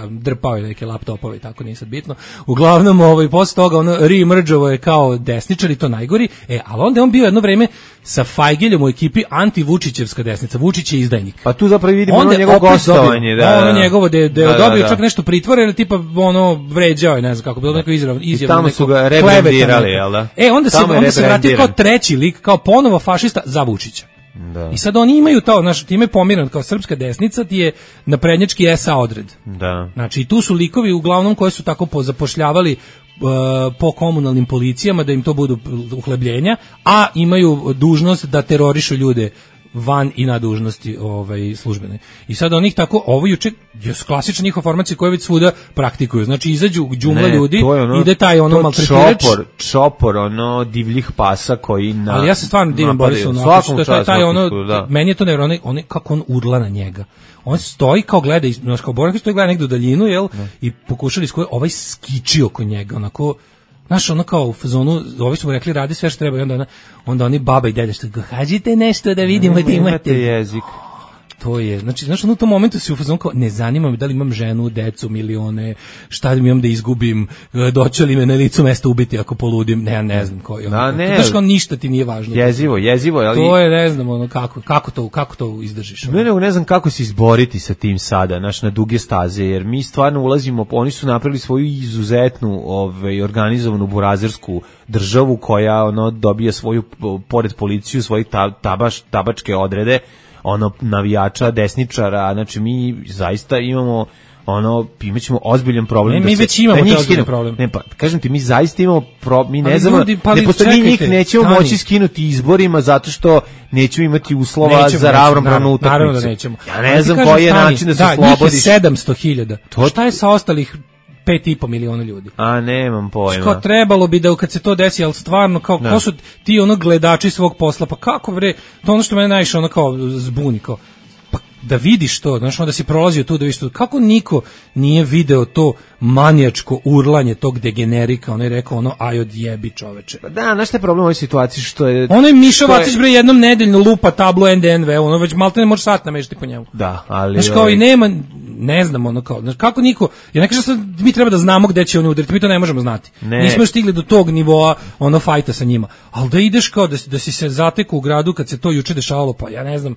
drpao je neke laptopove i tako, nije sad bitno. Uglavnom posle toga ono reemergeovo je kao desničar i to najgori. Ali onda je on bio jedno vreme sa Fajgeljom u ekipi anti-Vučićevska desnica. Vučić je izdajnik. Pa tu zapravo vidimo ono njegovo gostovanje, ono njegovo da je dobio čak nešto pritvore ili tipa ono vređao je, ne znam kako, bilo neko izjavu. I tamo su ga rebrandirali, jel da? Onda se vratio kao treći lik, kao ponovo fašista za Vučića. Da. I sad oni imaju to, znači time pomiran kao srpska desnica ti je naprednjački SA odred. Da. Znači i tu su likovi uglavnom koji su tako pozapošljavali po komunalnim policijama da im to budu uhlebljenja, a imaju dužnost da terorišu ljude van i na dužnosti službene. I sad onih tako, ovo juče je klasična njihova formacija koju već svuda praktikuju. Znači izađu džumla ljudi, ide taj ono maltretirač. Čopor, ono divljih pasa koji na... Ali ja se stvarno divim Borisu, što taj ono, meni je to nevjerojatno, kako on urla na njega. On stoji kao gleda, znači kao Boran stoji gleda negdje u daljinu, jel? I pokušali ovaj skiči oko njega, onako... Znaš, ono kao u fazonu, ovi su mu rekli radi sve što treba i onda oni baba i dede što hađite nešto da vidimo da imate jezik. To je, znači, znaš, u tom momentu si u fazonu kao, ne zanima me da li imam ženu, decu, milione, šta mi imam da izgubim, doće li me na licu mesta ubiti ako poludim, ne znam koji. Znaš, kao ništa ti nije važno. Jezivo, ali... To je, ne znam, ono, kako to izdržiš. Ne znam kako se izboriti sa tim sada, znaš, na duge staze, jer mi stvarno ulazimo, oni su napravili svoju izuzetnu, organizovanu burazersku državu koja, dobija svoju, pored policiju, svoje tabačke odrede, navijača, desničara, znači mi zaista imamo imaćemo ozbiljan problem. Mi već imamo taj ozbiljan problem. Ne, pa kažem ti, mi zaista imamo mi ne znamo, njih nećemo moći skinuti izborima zato što nećemo imati uslova za ravnopravnu utakmicu. Naravno da nećemo. Ja ne znam koji je način da se slobodiš. Da, njih je 700.000. Šta je sa ostalih 5,5 miliona ljudi? A nemam pojma. Kao trebalo bi da kad se to desi, ali stvarno kao ko su ti gledači svog posla, pa kako bre, to ono što mene najviše kao zbuni, kao pa da vidiš to, znaš, onda si prolazio tu da vidiš to, kako niko nije video to manijačko urlanje tog degenerika, on je rekao aj odjebi čoveče. Da, znaš šta je problem u ovoj situaciji, što je... Ono je Mišo Vacić bre jednom nedeljno lupa tablo NDNV, ono već malte ne može sat namešati po njemu. Da, ali... Znaš, kao i nema, ne znam, kao, znaš, kako niko, ja ne kažem sad, mi treba da znamo gde će oni udariti, mi to ne možemo znati. Nismo još stigli do tog nivoa, fajta sa njima, ali da ideš kao, da si se zatekao u gradu kad se to juče dešavalo, pa ja ne znam,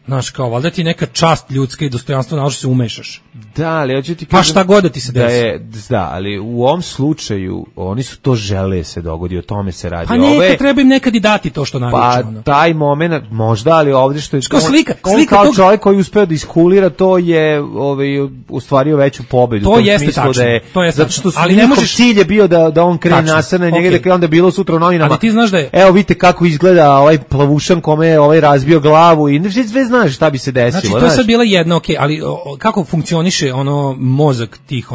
znaš, kao, valjda ti neka čast ljudska i dostojanstvo, našto se umešaš. Da, ali hoću ti kažem... Pa šta god da ti se desi. Da, ali u ovom slučaju, oni su to žele se dogodi, o tome se radi. Pa treba im nekad i dati to što naviče. Pa taj moment, možda, ali ovdje što je... Slika kao tog... čovjek koji uspeo da iskulira, to je ustvario veću pobedu. To jeste tačno. Zato što njihov cilj je bio da on krene nasr na njega, da onda bilo sutra u novinama. Ali ti znaš da je... Evo, vidite kako izgleda ovaj plavušan kome je razbio glavu i sve znaš šta bi se desilo. Znači, to je sad bila jedna, ali kako funkcioniše mozak tih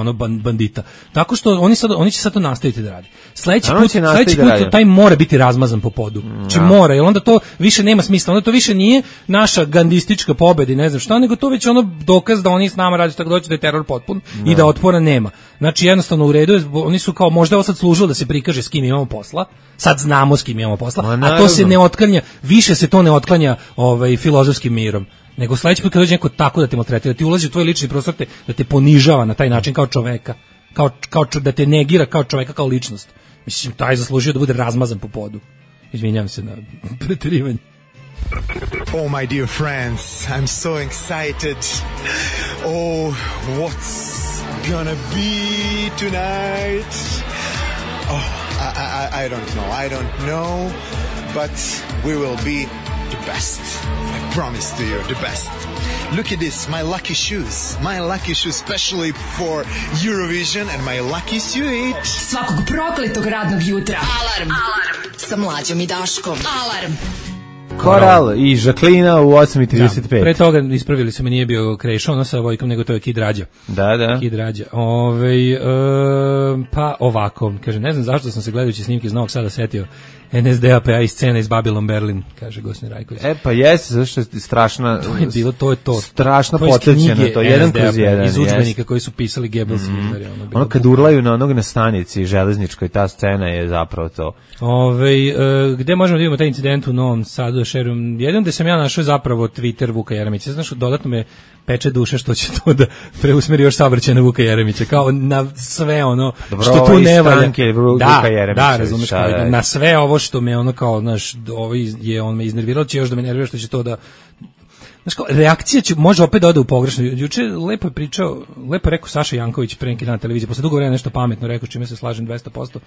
bandita? Tako što oni će sad to nastaviti da radi. Sledeći put taj mora biti razmazan po podu. Znači mora, jer onda to više nema smisla. Onda to više nije naša gandistička pobeda i ne znam šta, nego to već dokaz da oni s nama radi tako doći da je teror potpun i da otpora nema. Znači jednostavno u redu, oni su kao možda ovo sad služilo da se prikaže s kim imamo posla. Sad znamo s kim imamo posla, a to se ne otklanja, više se to ne otklanja filozofskim mirom. Nego sledeći put kad dođe neko tako da te maltretira, ti ulazi u tvoj lični prostor, da te ponižava na taj način kao čoveka, kao da te negira kao čoveka, kao ličnost. Mislim, taj zaslužio da bude razmazan po podu. Izvinjavam se na preterivanje. Oh, my dear friends, I'm so excited. Oh, what's gonna be tonight? Oh, I don't know, but we will be the best. I promise to you, the best. Look at this, my lucky shoes, especially for Eurovision, and my lucky suit. Svakog prokletog radnog jutra. Alarm sa Mlađom i Daškom. Alarm. Koral i Žaklina u 8:35. Pre toga ispravili su me, nije bio Krešo, ono sa Vojkom, nego to je Kid Rađa. Da. Kid Rađa. Pa ovako, kaže, ne znam zašto sam se gledajući snimke iz Novog Sada setio NSDAP-a i scena iz Babylon Berlin, kaže Gosin Rajković. Pa jeste, zašto je strašna... To je to. Strašno podsjećeno, to je 1/1. Iz udžbenika koji su pisali Goebbels i Hitler. Ono kad urlaju na onog na stanici železničkoj, ta scena je zapravo to. Gde možemo da vidimo taj incident u Novom Sadu? Jednom gde sam ja našao zapravo Twitter Vuka Jeremića. Znaš, dodatno me peče duše što će to da preusmeri još saobraćaj na Vuka Jeremića, kao na sve ono što tu ne valja. Da, razumeš, na sve ovo što me ono kao, znaš, on me iznervirao, će još da me nervira što će to da... Znaš, kao, reakcija će može opet da ode u pogrešno. Juče lepo je rekao Saša Janković pre neki dan na televiziji, posle dugo vremena nešto pametno rekao, čime se slažem 200%.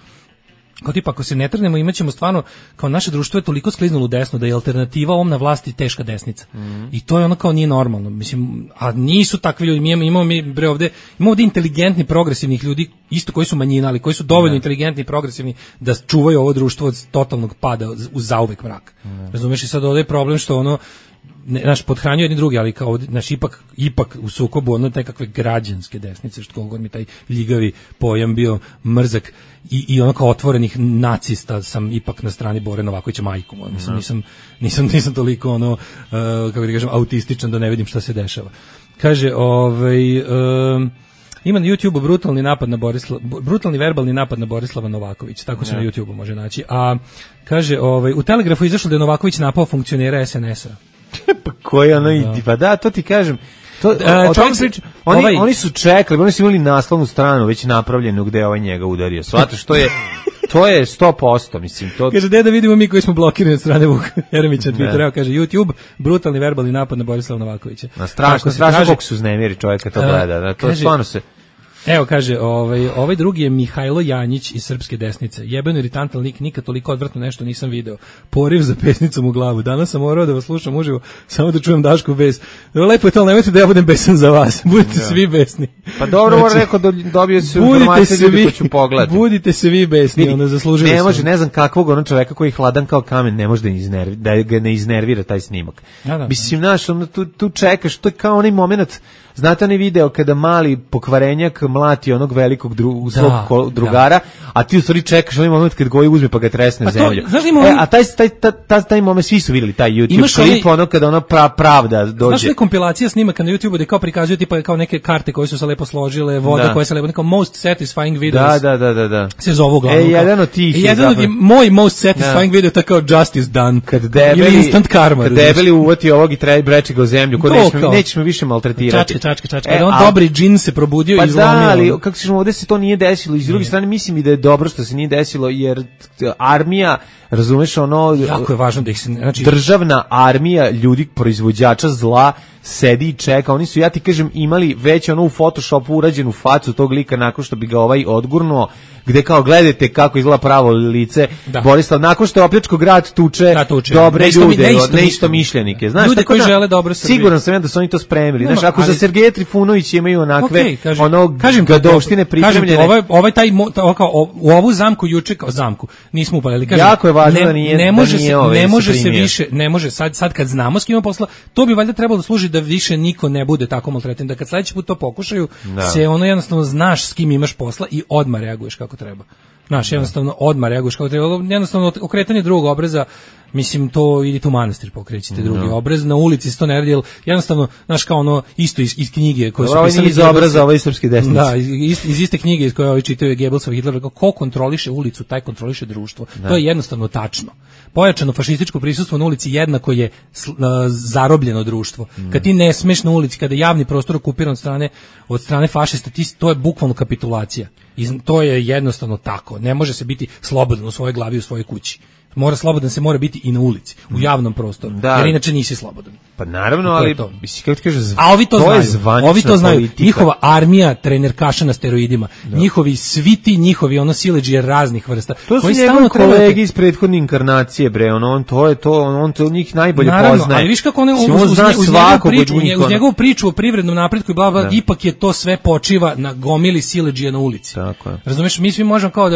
Kao tipa, ako se ne trgnemo, imaćemo stvarno, kao naše društvo je toliko skliznulo u desno da je alternativa ovom na vlasti teška desnica. I to je ono kao nije normalno. Mislim, a nisu takvi ljudi. Imamo ovde inteligentni, progresivnih ljudi, isto koji su manjina, ali koji su dovoljno inteligentni i progresivni da čuvaju ovo društvo od totalnog pada u zauvek mrak. Razumeš, i sad ovde je problem što ono, naš podhranjuje jedni drugi, ali kao naš ipak u sukobu ono nekakve građanske desnice, što god mi taj ljigavi pojam bio mrzak i ono kao otvorenih nacista sam ipak na strani Bore Novakovića majkom. Nisam toliko ono kako da kažem autističan da ne vidim šta se dešava. Kaže, ima na YouTubeu brutalni verbalni napad na Borislava Novakovića, tako se na YouTubeu može naći. A kaže, u Telegrafu izašlo da je Novaković napao funkcionera SNS-a. Pa koji ono pa da, to ti kažem. Oni su čekali, oni su imali naslovnu stranu već napravljenu gde je njega udario. Svataš, to je 100%, mislim. Kaže, da vidimo mi koji smo blokirani od strane Vuka Jeremića Twittera, kaže YouTube, brutalni verbalni napad na Borislava Novakovića. Strašno koliko su uznemiri čovjeka to gleda. To stvarno se... Evo, kaže, ovaj drugi je Mihajlo Janjić iz Srpske desnice. Jebeno iritantan lik, nikad toliko odvratno nešto nisam video. Poriv za pesnicom u glavu. Danas sam morao da vas slušam uživo, samo da čujem Dašku bes. Lepo je to, nemojte da ja budem besan za vas. Budite svi besni. Pa dobro, znači, rekao da dobio se informacije ljudi ko ću pogledati. Budite se vi besni, onda zaslužili. Ne može, ne znam kakvog ono čoveka koji je hladan kao kamen, ne može da ga ne iznervira taj snimak. Mislim, znaš, ono, tu čekaš, to je kao onaj moment. Znate onaj video kada mali pokvarenjak mlati onog velikog svog drugara, a ti u stvari čekaš onaj moment kad Goji uzme pa ga tresne zemlju. A taj moment svi su vidjeli taj YouTube klip, ono kada ona pravda dođe. Znaš li kompilacija snimaka na YouTubeu gde kao prikazuju tipa kao neke karte koje su se lepo složile, voda koja se lepo, kao most satisfying videos. Da. Se zove uglavnom. Jedan od tih. Moj most satisfying video je kao justice done. Ili instant karma. Kad debeli uvati ovog i breči ga u zemlju, nećeš me više maltretirati. Čačka. On dobri džin se probudio i izlomio. Pa da, ali kako ćemo, ovdje se to nije desilo. I s druge strane mislim i da je dobro što se nije desilo, jer armija, razumeš, ono... Jako je važno da ih se... Znači, državna armija ljudi, proizvođača zla, sedi i čeka. Oni su, ja ti kažem, imali već ono u Photoshopu urađenu facu tog lika nakon što bi ga odgurnuo, gde kao gledajte kako izgleda pravo lice Borislav, nakon što je opljačko grad tuče dobre ljude, neistomišljenike. Znaš, ljude koji žele dobro Srbiji. Siguran sam ja da su oni to spremili. Znaš, ako za Sergeja Trifunovića imaju onakve gadovštine pripremljene. U ovu zamku juče kao zamku nismo upalili. Jako je važno da nije ne može sad kad znamo s kim ima posla, to bi valjda trebalo da služi da više niko ne bude tako maltretiran, da kad sledeći put to pokušaju, se ono jednostavno znaš s kim imaš posla i odmah reaguješ kako treba. Znaš, jednostavno odmah reaguješ kako treba. Jednostavno okretanje drugog obraza, mislim, to idite u manastir pokrećite drugi obraz, na ulici se to ne radi, jer jednostavno, znaš, kao ono isto iz knjige koje su pisali iz obraza ove srpske desnice. Da, iz iste knjige iz koje čitaju Goebbelsov i Hitler, ko kontroliše ulicu, taj kontroliše društvo. To je jednostavno tačno. Pojačano fašističko prisustvo na ulici jednako je zarobljeno društvo. Kad ti ne smeš na ulici, kada je javni prostor okupiran od strane fašista, to je bukvalno kapitulacija. I to je jednostavno tako. Ne može se biti slobodan u svojoj glavi, u svojoj kući. Slobodan se mora biti i na ulici, u javnom prostoru, jer inače nisi slobodan. Pa naravno, ali misli kako ti kaže, a ovi to znaju. Njihova armija trenerkaša na steroidima, njihovi sviti, njihovi ono siledžije raznih vrsta. To su njegovi kolegi iz prethodne inkarnacije, bre, on to njih najbolje poznaje. Ali viš kako uz njegovu priču o privrednom napretku i bla bla, ipak je to sve počiva na gomili siledžije na ulici. Razumeš, mi svi možemo kao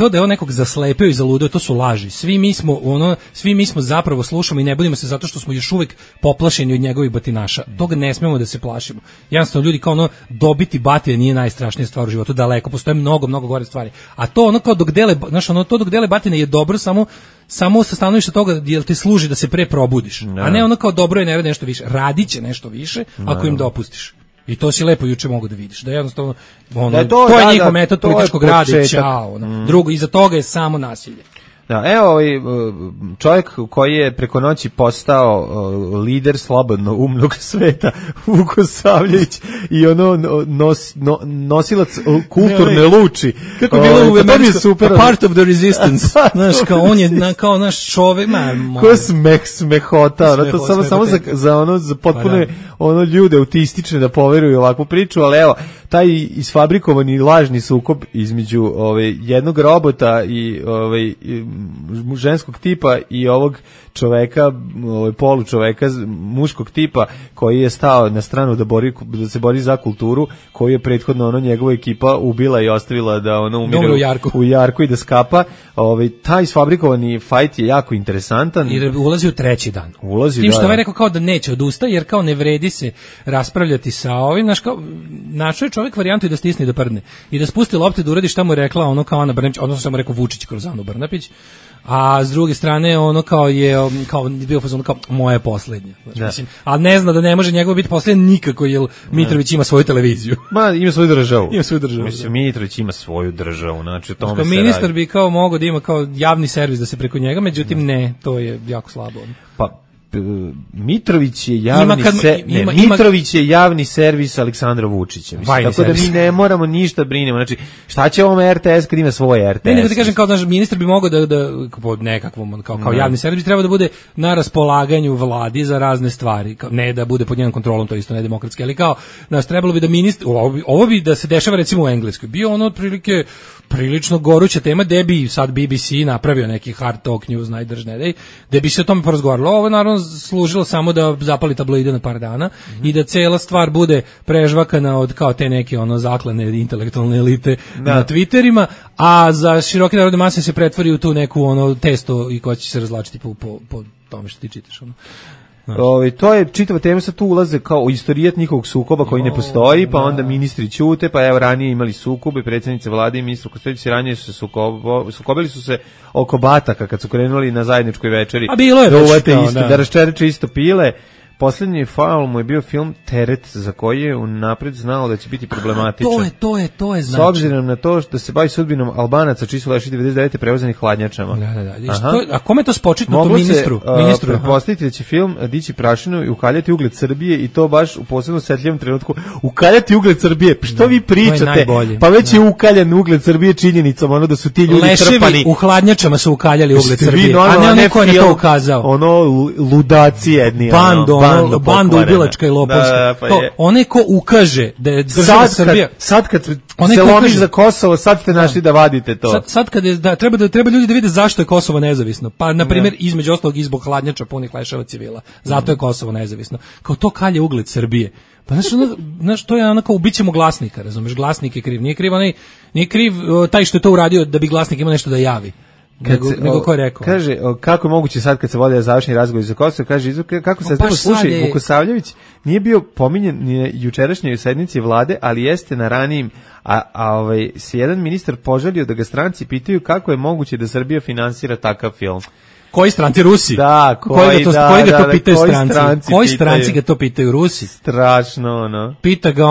da on nekog zaslepio i zaludeo da to su laži. Svi mi smo zapravo slušamo i ne budimo se zato što smo još uvek poplašeni od njegovih batinaša. Toga ne smemo da se plašimo. Jednostavno ljudi kao dobiti batine nije najstrašnija stvar u životu, daleko postoje mnogo gore stvari. A to kao dok dele batine je dobro samo sa stanovišta toga jel ti služi da se pre probudiš. A ne kao dobro je ne radi nešto više. Radiće nešto više ako im dopustiš. I to si lepo juče mogu da vidiš. Da jednostavno to je njihov metod političkog rada. Ćao. Drugo, iza toga je samo nasilje. Da, evo čovjek koji je preko noći postao lider slobodno umnog sveta, Vuko Savljević, i nosilac kulturne luči. Kako je bilo u Američku, part of the resistance. Znaš, kao on je kao naš čovjek. Ko smehota, to samo za potpuno ljude autistične da poveruju ovakvu priču, ali evo, taj isfabrikovani lažni sukob između jednog robota i ženskog tipa i ovog čoveka, polu čoveka muškog tipa koji je stao na stranu da se bori za kulturu, koji je prethodno njegova ekipa ubila i ostavila da umire u jarku i da skapa. Taj isfabrikovani fajt je jako interesantan. I ulazi u treći dan. Tim što je rekao kao da neće odustaje, jer kao ne vredi se raspravljati sa ovim, našao je čovjek varijantu i da stisne i da prdne. I da spusti lopte da uradi šta mu je rekla kao Ana Brnabić, odnosno šta mu rekao Vučić kroz Anu Brnabić. A s druge strane kao bio fazon kao moje poslednje. Mislim, a ne zna da ne može njegovo biti poslednje nikako, jer Mitrović ima svoju televiziju. Ima svoju državu. Mislim, Mitrović ima svoju državu, znači tome se radi. Ministar bi kao mogao da ima kao javni servis da se preko njega, međutim ne, to je jako slabo. Pa Mitrović je javni servis Aleksandra Vučića. Tako da mi ne moramo ništa brinemo. Znači, šta će ovom RTS kad ima svoj RTS? Ne, da kažem, kao naš ministar bi mogao da po nekakvom, kao javni servis, treba da bude na raspolaganju vladi za razne stvari. Ne da bude pod njenom kontrolom, to isto ne demokratski, ali kao, trebalo bi da ministar, ovo bi da se dešava recimo u Engleskoj. Bio otprilike prilično goruća tema, gde bi sad BBC napravio neki hard talk news, najdržne dej, gde bi se o tome porazgovaralo. Ovo naravno služilo samo da zapali tabloide na par dana i da cela stvar bude prežvakana od kao te neke zaklane intelektualne elite na Twitterima, a za široke narodne mase se pretvori u tu neku testo i ko će se razlačiti po tome što ti čitaš. To je čitava tema, sad tu ulaze kao u istorijat njihovog sukoba koji ne postoji, pa onda ministri ćute, pa evo ranije imali sukobe, predsjednice vlade i ministru Kostovića ranije su se sukobili su se oko bataka kad su krenuli na zajedničkoj večeri. A bilo je već da raščereče isto pile. Poslednji faul mu je bio film Teret, za koji je unapred znao da će biti problematičan. To je znači. S obzirom na to što se bavi sudbinom Albanaca, čiji su leši 99. prevozanih hladnjačama. A kome je to spočitno to ministru? Pretpostaviti da će film dići prašinu i ukaljati ugled Srbije, i to baš u posebno osetljivom trenutku. Ukaljati ugled Srbije, što vi pričate? Pa već je ukaljan ugled Srbije činjenicom, da su ti ljudi trpani. Leševi u hladnjačama su ukaljali ugled Srbije, a ne ko je to ukazao. Ludaci jedni. Banda ubilačka i lopovska. Onaj ko ukaže da je država Srbija... Sad kad se lomiš za Kosovo, sad ste našli da vadite to. Sad kad je, treba ljudi da vide zašto je Kosovo nezavisno. Pa, na primjer, između ostalog i zbog hladnjača punih leševa civila. Zato je Kosovo nezavisno. Kao to kalje ugled Srbije. Pa znaš, to je onako, ubićemo Glasnika, razumeš, Glasnik je kriv. Nije kriv taj što je to uradio da bi Glasnik imao nešto da javi. Nego ko je rekao? Kaže, kako je moguće sad kad se vode završni razgovor za Kosovo, kaže, kako se slušaj, Vuko Savljević nije bio pominjen ni na jučerašnjoj sednici vlade, ali jeste na ranijim, se jedan ministar požalio da ga stranci pitaju kako je moguće da Srbija finansira takav film. Koji stranci? Rusi? Da, koji ga to pitaju stranci? Koji stranci ga to pitaju? Rusi? Strašno, Pita ga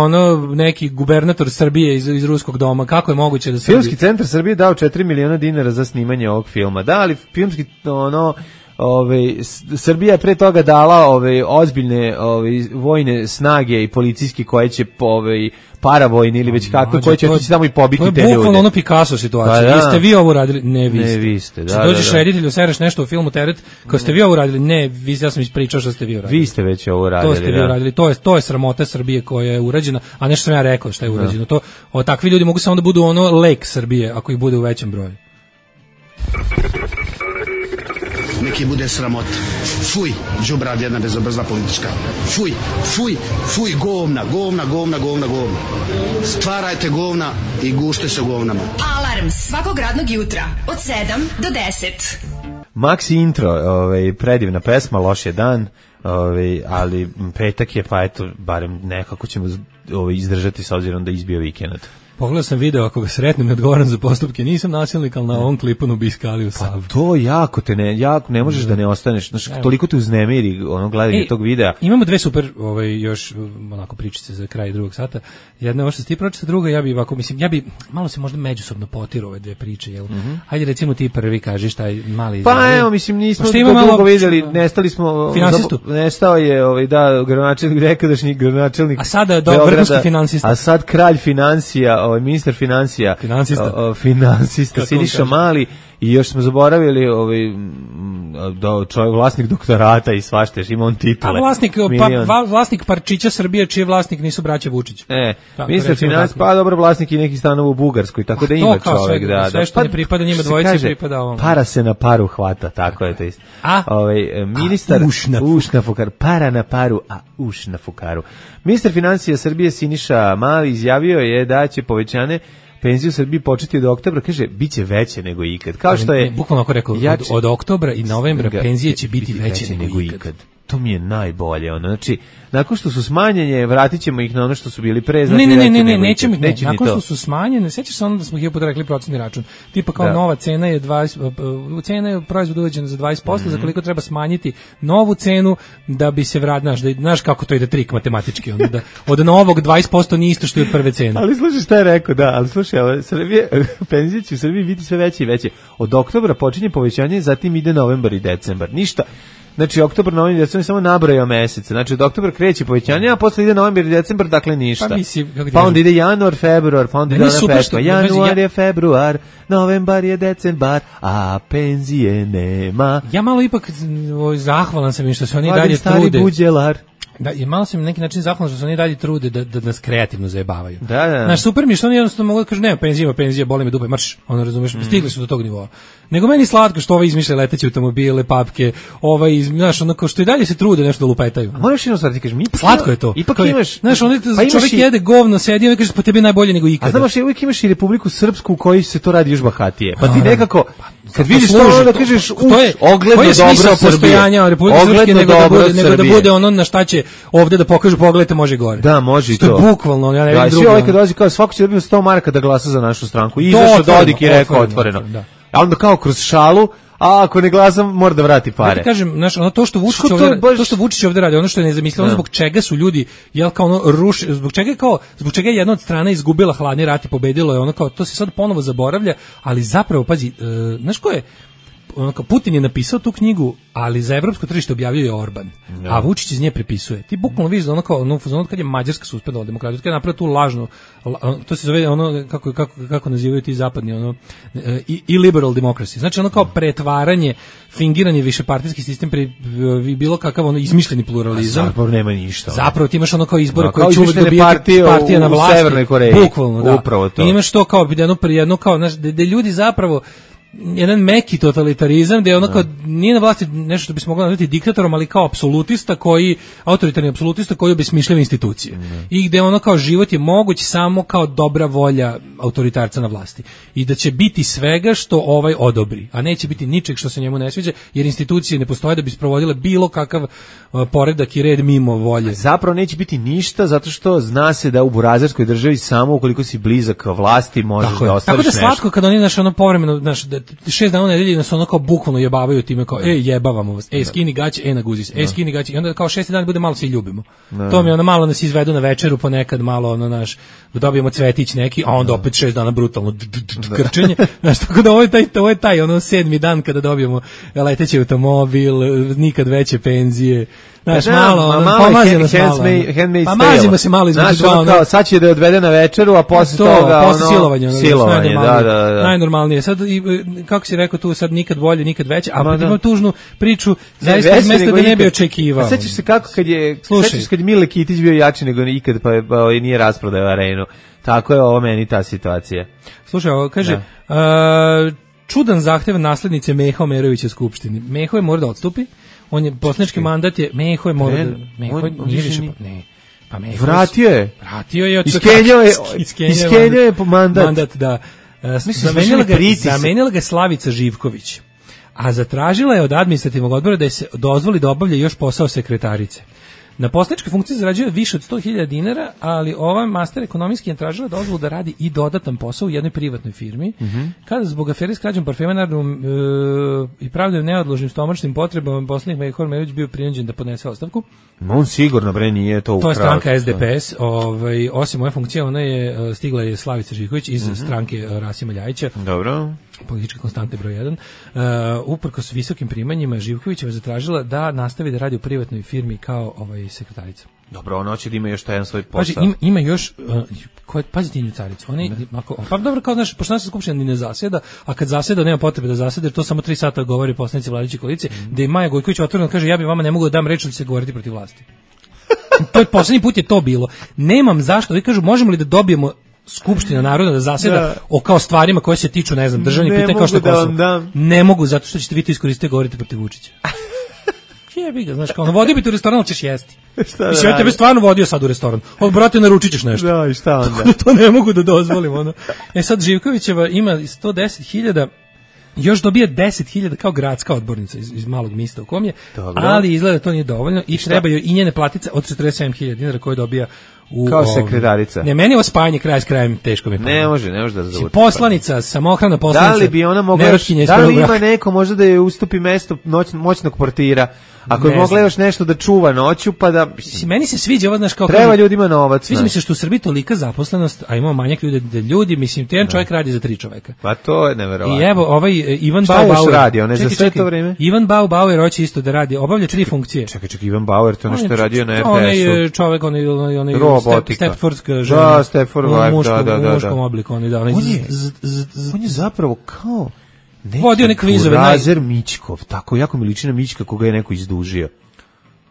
neki gubernator Srbije iz Ruskog doma, kako je moguće da Filmski centar Srbije dao 4 miliona dinara za snimanje ovog filma. Da, ali filmski, Srbija je pre toga dala ozbiljne vojne snage i policijski koje će paravojni ili već kako, koji će otići tamo i pobiti te ljude. To je bukvalno Picasso situacija. Jeste vi ovo uradili? Ne, vi ste. Dođeš reditelju, sereš nešto u filmu Teret, kao ste vi ovo uradili? Ne, ja sam ispričao što ste vi uradili. Vi ste već ovo uradili. To ste vi uradili. To je sramota Srbije koja je urađena, a nešto sam ja rekao što je urađeno. Takvi ljudi mogu samo da budu lek Srbije ako ih bude u većem broju. neki bude sramota. Fuj, đubrad jedna bezobrazna politička. Fuj, fuj, fuj, govna. Stvarajte govna i gušte se govnama. Alarm svakog radnog jutra od 7 do 10. Maxi intro, predivna pesma, loš je dan, ali petak je, pa eto, barem nekako ćemo izdržati s obzirom da izbio vikend. Pogledao sam video, ako ga sretnem, ne odgovaram za postupke, nisam nasilnik, ali na ovom klipu nubiskali u Sav. Pa to jako ne možeš da ne ostaneš, znaš, toliko te uznemiri gledanje tog videa. Imamo dve super, još onako pričice za kraj drugog sata. Jedna je ovo što si ti pročita, druga ja bi malo se možda međusobno potirao ove dve priče, jel? Ajde recimo ti prvi kažeš taj mali. Pa evo, mislim, nismo to dugo vidjeli, nestali smo, finansistu. Nestao je, gradonačelnik, nekadašnji gradonačelnik. A sada vrhunski finansista. A sad kralj financija, ministar finansista Siniša Mali, i još smo zaboravili čovjek vlasnik doktorata i svašta, ima on titule. A vlasnik parčića Srbije, čiji vlasnik nisu braća Vučić. Ministar financija, pa dobro, vlasnik i nekih stanova u Bugarskoj, tako da ima čovjek. Sve što ne pripada njima dvojici pripada ovom. Para se na paru hvata, tako je to isto. Ministar uš na fukaru, para na paru, a uš na fukaru. Ministar financija Srbije Siniša Mali izjavio je da će povećanje penzije u Srbiji početi od oktobra, kaže, bit će veće nego ikad. Kao što je... Bukvalno ako rekao, od oktobra i novembra penzije će biti veće nego ikad. To mi je najbolje, znači, nakon što su smanjenje, vratit ćemo ih na ono što su bili pre. Ne, nećemo ih, nakon što su smanjene, sećaš se ono da smo hiljadu rekli procentni račun, tipa kao nova cena je 20, cena je proizvod uvećana za 20%, za koliko treba smanjiti novu cenu da bi se znaš kako to ide trik matematički, onda da od novog 20% nije isto što je od prve cene. Ali slušaj šta je rekao, ali slušaj, penzije će u Srbiji biti sve veće i veće. Od oktobra počinje povećanje, zatim ide novembar i decembar. Ništa. Znači, oktobar, novembar i decembar samo nabrajao mesece. Znači, od oktobra kreće povećanje, a posle ide novembar i decembar, dakle ništa. Pa onda ide januar, februar, pa onda ide petko. Januar je februar, novembar je decembar, a penzije nema. Ja malo ipak zahvalan sam im što se oni dalje trude. Buđelar. Da, i malo sam na neki način zahvalan što se oni dalje trude da nas kreativno zajebavaju. Da. Znaš, super mi što oni jednostavno mogu da kažu, nema penzija, boli me dupe, marš, razumeš, stigli su do tog nivoa. Nego meni slatko što izmišlja leteće automobile, papke, znaš, onako što i dalje se trude nešto da lupetaju. A moraš jedno stvar ti kažeš, slatko je to. Ipak imaš, znaš, čovjek jede govno, sedi i kaže, po tebi najbolje nego ikada. A znaš, uvijek imaš i Republiku Srpsku u kojoj se to radi još bahatije. Pa ti nekako, kad vidiš to, onda kažeš, ogledno dobro Srbije. Ogledno dobro Srbije. Nego da bude ono na šta će ovde da pokažu, pogledajte, može gore. Da, može i to. Što je bukvalno, ja ne vidim drugo. Svi ovaj kad dolazi kao, svako će dobiti 100 maraka da glasa za našu stranku. I izašao Dodik i rekao otvoreno. A onda kao kroz šalu, a ako ne glasam, mora da vrati pare. Ja ti kažem, znaš, to što Vučić ovde radi, ono što je nezamisleno, zbog čega su ljudi, zbog čega je jedna od strana izgubila hladni rat i pobedilo je, ono kao, to se sad ponovo zaboravlja, ali zapravo, pazi, znaš ko je, Putin je napisao tu knjigu, ali za evropsko tržište objavljuje Orban, a Vučić iz nje prepisuje. Ti bukvalno vidiš da ono kad je Mađarska suspendovala demokratiju, kad je napravila tu lažnu, to se zove ono, kako nazivaju ti zapadni, i liberal democracy. Znači ono kao pretvaranje, fingiranje višepartijski sistem bilo kakav izmišljeni pluralizam. Zapravo nema ništa. Zapravo ti imaš ono kao izbore koje će uvijek dobijati partija na vlasti. U Severnoj Koreji. Bukvalno, da. Upravo to. I imaš to kao jedno kao, znaš, da ljudi zapravo jedan meki totalitarizam gde je ono kao nije na vlasti nešto što bi se moglo nazvati diktatorom, ali kao autoritarni apsolutista koji obesmišljava institucije. I gde ono kao život je moguć samo kao dobra volja autoritarca na vlasti. I da će biti svega što odobri, a neće biti ničeg što se njemu ne sviđa, jer institucije ne postoje da bi sprovodile bilo kakav poredak i red mimo volje. Zapravo neće biti ništa, zato što zna se da u burazerskoj državi samo ukoliko si blizak vlasti možeš da ostvariš nešto. Tako da slatko kad oni povremeno 6 dana u nedelji nas ono kao bukvalno jebavaju time kao jebavamo vas, skini gaće, naguzi se, skini gaće, i onda kao 6 dana bude malo svi ljubimo. To mi malo nas izvedu na večeru ponekad malo dobijemo cvetić neki, a onda opet 6 dana brutalno krčenje. Znaš, tako da ovo je taj 7. dan kada dobijemo leteći automobil, nikad veće penzije. Znaš, malo, pomazimo se malo. Pa mazimo se malo između dva. Sad će da je odvede na večeru, a posle toga posle silovanje, da. Najnormalnije. Sad, kako si rekao tu, sad nikad bolje, nikad veće, a pa imam tužnu priču, zaista iz mesta da ne bi očekivao. Sećaš se kako kad je Mile Kitić bio jači nego ikad, pa nije rasprodao arenu. Tako je ovo meni ta situacija. Slušaj, ovo kaže, čudan zahtev naslednice Meha Omerovića u Skupštini. Meho je mora da odstupi, on je poslanički mandat je, Meho je mora da... Meho nije više... Ne. Pa Meho vratio je. Iskenjao je mandat, da. Zamenila ga Slavica Živković. A zatražila je od administrativnog odbora da se dozvoli da obavlja još posao sekretarice. Na poslaničkoj funkciji zarađuje više od 100.000 dinara, ali ova master ekonomijski je tražila dozvolu da radi i dodatan posao u jednoj privatnoj firmi. Kada zbog afere s krađom parfema i pravdom neodložnim stomačnim potrebama poslanik Meho Omerović bio prinuđen da podnese ostavku. On sigurno nije to ukrao. To je stranka SDS. Osim ove funkcije, ona je stigla je Slavica Živković iz stranke Rasima Ljajića. Dobro. Političke konstante broj 1. Uprkos visokim primanjima Živkovićeva zatražila da nastavi da radi u privatnoj firmi kao sekretarica. Dobro, ona hoće da ima još jedan svoj posao. Pazi, ima još, pazite nju caricu, pa dobro, kao znaš, pošto naša skupština ni ne zasjeda, a kad zasjeda nema potrebe da zasjeda, jer to samo 3 sata govori poslanici vladajuće koalicije, da je Maja Gojković otvoreno kaže, ja bi vama ne mogu da dam reč, da će se govoriti protiv vlasti. To je poslednji put je to bilo. Nemam zašto, vi kažu, možemo li da dobijemo Skupština naroda da zasjeda o kao stvarima koje se tiču, ne znam, državnih pitanja kao što je Kosovo. Ne mogu, zato što ćete vi to iskoristiti da govorite protiv Vučića. Jebi ga, znaš, kao, vodio bi te u restoran, ali ćeš jesti. Mislim, ja tebe stvarno vodio sad u restoran. Brate, naručit ćeš nešto. Da, i šta onda? To ne mogu da dozvolim, ono. Sad Živkovićeva ima 110.000, još dobije 10.000 kao gradska odbornica iz malog mista u kom je, ali izgleda to nije dovoljno i trebaju i njene platice od 47.000 dinara koje dobija kao sekretarica. Ne, meni ovo spajanje kraj s krajem teško mi. Ne može da zavuče. Poslanica, samohrana poslanica. Da li bi ona mogla, da li ima neko možda da je ustupi mesto moćnog portira? Ako je mogla još nešto da čuva noću, pa da... Meni se sviđa ovo, znaš, kao... Treba ljudima novac. Sviđa mi se što u Srbiji tolika zaposlenost, a imamo manjak ljudi, mislim, jedan čovjek radi za 3 čoveka. Pa to je neverovatno. I evo, ovaj Ivan Bauer... Šta još radi, on je za sve to vreme? Ivan Bauer hoće isto da radi, obavlja 3 funkcije. Čekaj, Ivan Bauer, to ono što je radio na RTS-u. On je čovjek, on je Stepfordska žena. Da, Stepford wife, da. U muškom obliku, on je zapravo kao... Vodio neke kvizove. Razer Mićkov, tako jako mi liči na Mićka koga je neko izdužio.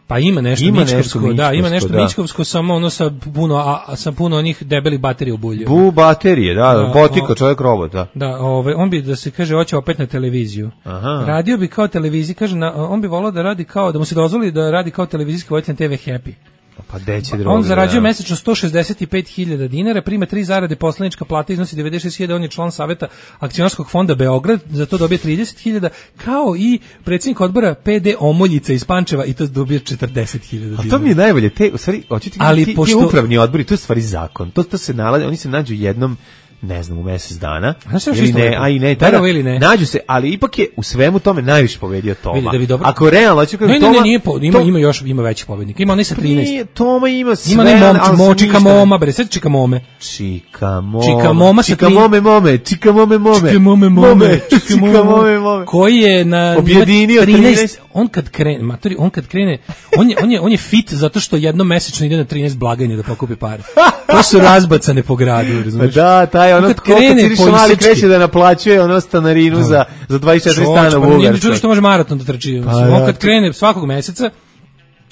Pa ima nešto Mićkovsko, da, ima nešto Mićkovsko, samo ono sa puno onih debelih baterija u bulju. Baterije, da, botika, čovjek robot, da. Da, on bi, da se kaže, hoće opet na televiziju. Aha. Radio bi kao televiziji, kaže, on bi volao da radi kao, da mu se dozvoli da radi kao televizijski voditelj TV Happy. Pa on zarađuje mesečno 165.000 dinara, prima 3 zarade, poslanička plata iznosi 96.000, on je član saveta akcionarskog fonda Beograd, za to dobije 30.000, kao i predsjednik odbora PD Omoljica iz Pančeva i to dobije 40.000 dinara. A to mi je najbolje, u stvari, ti upravni odbori, to je stvari zakon, to se nalazi, oni se nađu jednom, ne znam, u mesec dana. Ili ne, nađu se, ali ipak je u svemu tome najviše pobedio Toma. Ako realno hoću kažem Toma... Ima većih pobednika. Ima onaj sa 13. Toma ima sve. Ima onaj Čika Moma, bre, sad Čika Mome. Čika Mome. Koji je na objedinio 13. On kad krene, on je fit zato što jednom mesečno ide na 13 blagajne da pokupi pare. To su razbacane po gradu, razumiješ? Da, taj ono kreće da naplaćuje ono stanarinu za 24 stana u Bugarskoj. Nije čudo što može maraton da trči. On kad krene svakog meseca,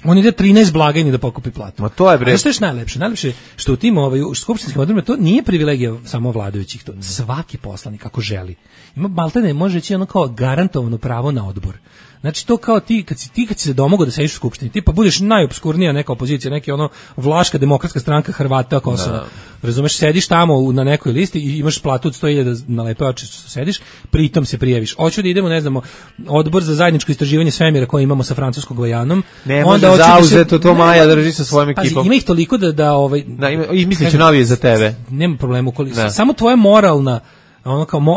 on ide 13 blagajni da pokupi platu. Ma to je bre. A što je najlepše? Najlepše što u tim skupštinskim odborima to nije privilegija samo vladajućih, to svaki poslanik ako želi. Ima maltene, može reći ono kao garantovano pravo na odbor. Znači to kao ti kad si se domogao da sediš u skupštini, ti pa budeš najopskurnija neka opozicija, neki ono Vlaška demokratska stranka Hrvata Kosova. Razumeš, sediš tamo na nekoj listi i imaš platu od 100.000 na lepe oči što sediš, pritom se prijaviš. Hoću da idemo, ne znamo, odbor za zajedničko istraživanje svemira koji imamo sa Francuskom Gvajanom. Ne može zauzeto to Maja drži sa svojim ekipom. Ima ih toliko da misliće novije za tebe. Nema problema, samo tvoja moralna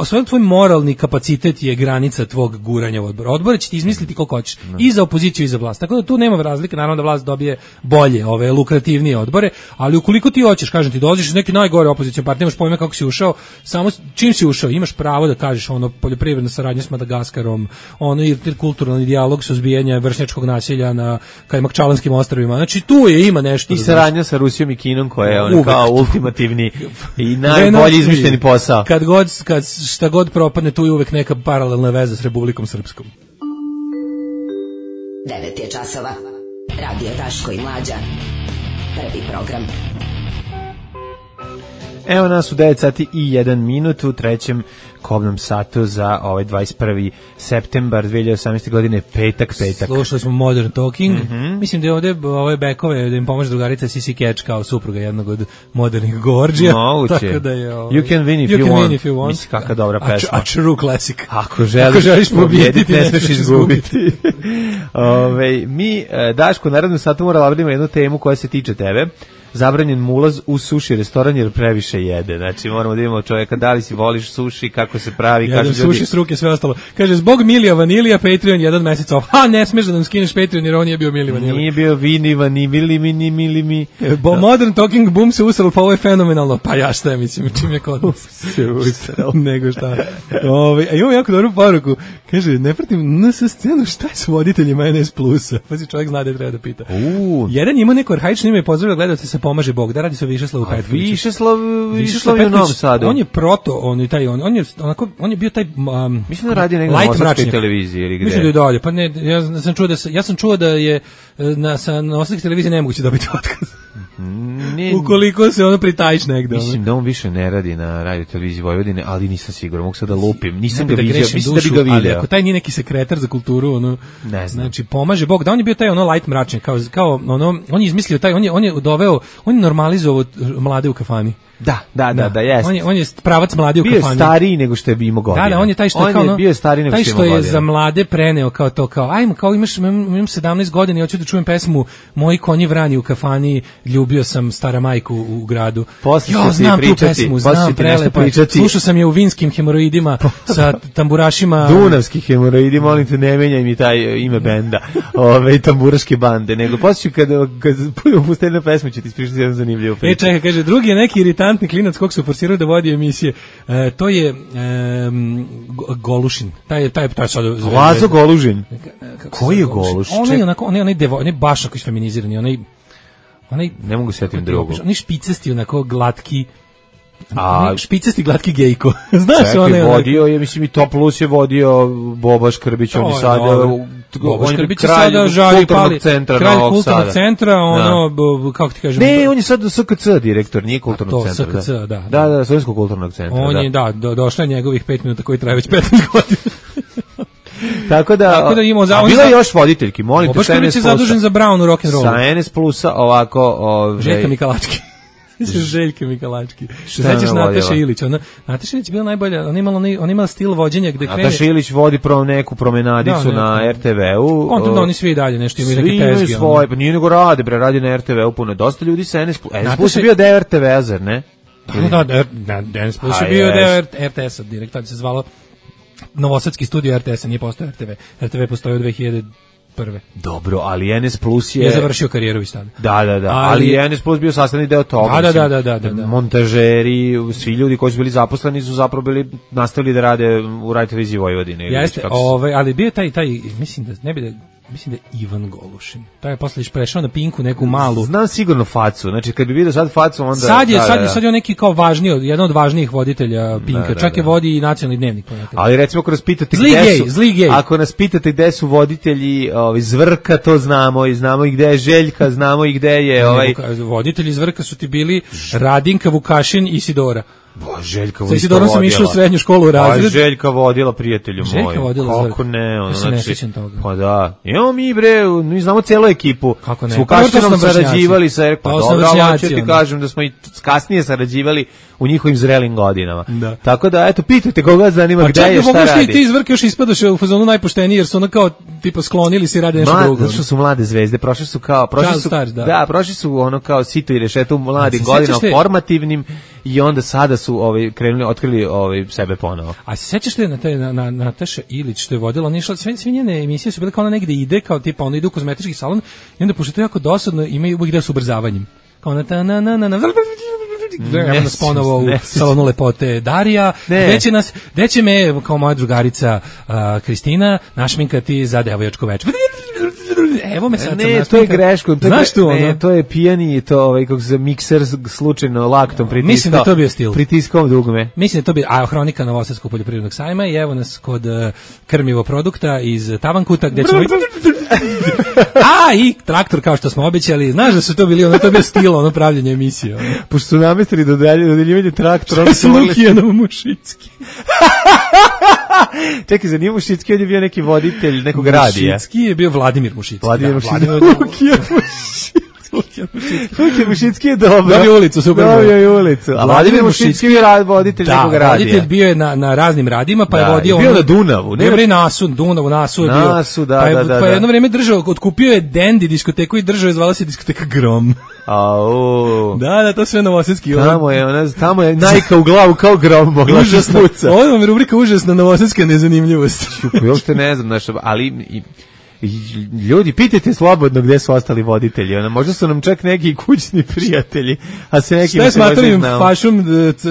sve tvoj moralni kapacitet je granica tvog guranja u odbor. Odbor će ti izmisliti koliko hoćeš. I za opoziciju i za vlast. Tako da tu nema razlike, naravno da vlast dobije bolje, lukrativnije odbore, ali ukoliko ti hoćeš, kažem ti, dolaziš iz neke najgore opozicijne partije, nemaš pojma kako si ušao, samo čim si ušao, imaš pravo da kažeš poljoprivredna saradnja s Madagaskarom, kulturalni dijalog, suzbijanje vršnjačkog nasilja na Kajmakčalanskim ostrvima. Znači tu ima nešto. I saradnja sa Rusijom i Kinom koja je kao ultimativni i najbolje izmišljeni posao. Kad šta god propadne, tu je uvek neka paralelna veza s Republikom Srpskom. 9 je časova. Radio Daško i Mlađa. Prvi program. Evo nas u 9 sati i 1 minut u trećem kobnom satu za ovaj 21. septembar 2018. godine, petak. Slušali smo Modern Talking. Mislim da je ovde ove bekove da im pomože drugarica Sissy Catch kao supruga jednog od modernih Gorđija. Tako da je You Can Win If You Want. Mislim, kakva dobra pesma. A true classic. Ako želiš pobjediti, ne smeš izgubiti. Mi, Daško, naravno sad moramo labradimo jednu temu koja se tiče tebe. Zabranjen ulaz u suši restoran jer previše jede. Znači moramo da imamo čovjeka da li si voliš suši, kako se pravi, kaže ljudi. Suši s ruke, sve ostalo. Kaže zbog Milija Vanilija Patreon 1 mesec off. Ha, ne smeš da nam skineš Patreon jer on nije bio Milija Vanilija. Nije bio Vini Mili mi. Modern Talking Boom se usralo, pa ovo je fenomenalno. Pa ja šta mislim, čim je kod se usralo. Nego šta. Imamo jako dobru poruku. Kaže, ne pratim NS scenu, šta je s voditeljima NS Plusa? Pa si čovjek zna da treba da pita. Jedan ima neko arhaično ime, pozdravlja gledalce sa Pomaže Bog, da radi se o Višeslavu Petkoviću. Višeslav je u Novom Sadu. On je on je bio taj mislim da radi negdje na Novosadskoj televiziji ili gde. Mislim da je dalje. Pa ne, ja sam čuo da je na Novosadskoj televiziji nemoguće dobiti otkaz. Ukoliko se ono pritajiš negde. Mislim da on više ne radi na radio televiziji Vojvodine, ali nisam siguran, mogu sad da lupim. Nisam ga vidio, mislim da bi ga video. Ali ako taj nije neki sekretar za kulturu, ono, ne znam. Znači, Pomaže Bog, da on je bio taj ono light mračnik, kao ono, on je izmislio taj, on je doveo, on je normalizovao mlade u kafani. Da, jeste. On je pravac mladi u kafani. Bio je stariji nego što je imao godina. Da, on je taj što je kao bio stariji nego što je za mlade preneo kao to, kao ajmo, kao imam 17 godina i hoću da čujem pesmu Moji konji vrani u kafani, ljubio sam stara majku u gradu. Znam tu pesmu, znam prelepa. Slušao sam je u vinskim hemoroidima sa tamburašima. Dunavski hemoroidi, molim te, ne menjaj mi taj ime benda, tamburaške bande, nego poslije kad pustili na pesmu će ti ispričati jedan zanimljiv priču. Čekaj, kaže, drugi je neki iritantni klinac kog su forsirali da vodi emisije. To je Golušin. Taj sad Lazo Golužin. Koji je Goluš? On je baš ako je feminizirani, onaj ne mogu setim drugo. Oni špicasti, onako glatki, špicasti glatki gejko. Znaš, čekaj, vodio je, mislim, i Top Plus je vodio Boba Škrbić, on je sada Boba Škrbić je sada žalj pali kralj kulturnog centra, kako ti kažem, ne, on je sad SKC direktor, nije kulturnog centra. SKC, da, Slovenskog kulturnog centra. On je, došla je njegovih 5 minuta koji traje već 15 godina. Tako da imamo bila je još voditeljki, molim te, Škrbić je zadužen za Brown u rock and roll. Sa NS Plusa ovako, Željka Mikalački. Željka Mikalački. Sećaš Nataša Ilić? Nataša Ilić je bila najbolja, ona imala stil vođenja gde krene. Nataša Ilić vodi neku promenadicu na RTV-u. Onda oni svi dalje nešto imaju neke tezge. Svi imaju svoje, pa nije nego radi na RTV-u puno. Dosta ljudi sa NS Plus je bio deo RTV-a, zar ne? Da, NS Plus je bio deo RTS-a, direktor se zvalo Novosadski studio RTS-a, nije postao RTV. RTV postoji od 2001. Dobro, ali NS Plus je završio karijeru već tada. Da, ali NS Plus bio sastavni deo toga. Da. Montažeri, svi ljudi koji su bili zaposleni su zapravo nastavili da rade u Radio televiziji Vojvodine. Jeste, ali bio taj, mislim da ne bi da mislim da je Ivan Golušin. Taj je posle prešao na Pinku neku malu. Znam sigurno facu. Znači kad bi vidio sad facu onda sad je on neki kao važniji, jedan od važnijih voditelja Pinka. Čak je vodi i nacionalni dnevnik. Ali recimo ako nas pitate ako nas pitate gde su voditelji Zvrka, to znamo i znamo i gde je Željka, znamo i gde je voditelji Zvrka su ti bili Radinka, Vukašin i Sidora. Željka vodila. Sidorom sam išla u srednju školu u razred. Željka vodila, prijatelju moj. Željka vodila. Kako ne? Ja se ne sjećam toga. Pa da. Imamo mi znamo celu ekipu. Kako ne? S Vukašinom sarađivali sa hoću ti kažem da smo i kasnije sarađivali u njihovim zrelim godinama. Tako da, eto, pitajte koga zanima gde je, šta radi. Pa čak ti izvrke još ispadoš u fazonu najpošteniji, jer su ono kao, tipa, sklonili si rade nešto drugo. Zato što su mlade zvezde, prošli su ono kao sito i rešeto u mladim godinama, formativnim, i onda sada su otkrili sebe ponovo. A se sećaš te na Nataša Ilić što je vodila, ona išla, sve njene emisije su bile kao ona negde ide, kao tipa ona ide u kozmetički salon i onda pošto to jako dosadno imaju uvijek gde su ubrzavanjem. Kao evo nas ponovo u salonu lepote Darija, gde će me kao moja drugarica Kristina našminkati za devojačko večer. Evo me sad. Ne, to je greško. Znaš tu ono? Ne, to je pijani, to kako se mikser slučajno laktom pritiskao. Mislim da to bio stil. Pritiskao dugme. Mislim da to bio, a hronika Novosadskog poljoprivrednog sajma i evo nas kod krmivo produkta iz Tavankuta gde ćemo i traktor kao što smo obećali. Znaš da su to bili, ono to bio stil, ono pravljenje emisije. Ono. Pošto su namestili dodeljivanje traktora. Što su Lukijanov Mušicki. Čekaj, za nije Mušicki, on je bio neki voditelj nekog radija. Mušicki je bio Vladimir Mušicki. Vladimir Mušicki je dobro. Dobio ulicu, super. Dobio ulicu. A Vladimir Mušicki je voditelj nekog radija. Voditelj bio je na raznim radima, pa je vodio... Bio na Dunavu. Bio Nasu je bio. Nasu, da. Pa je jedno vreme držao, otkupio je Dendi diskoteku i držao je, zvala se diskoteka Grom. Da, to sve novosadski. Tamo je najka u glavu kao Grom mogla da spuca. Ovo vam je rubrika užasna novosadska nezanimljivost. Uopšte ne znam, ali... Ljudi, pitajte slobodno gde su ostali voditelji. Možda su nam čak neki kućni prijatelji, a se neki... Šta je s materijom fašom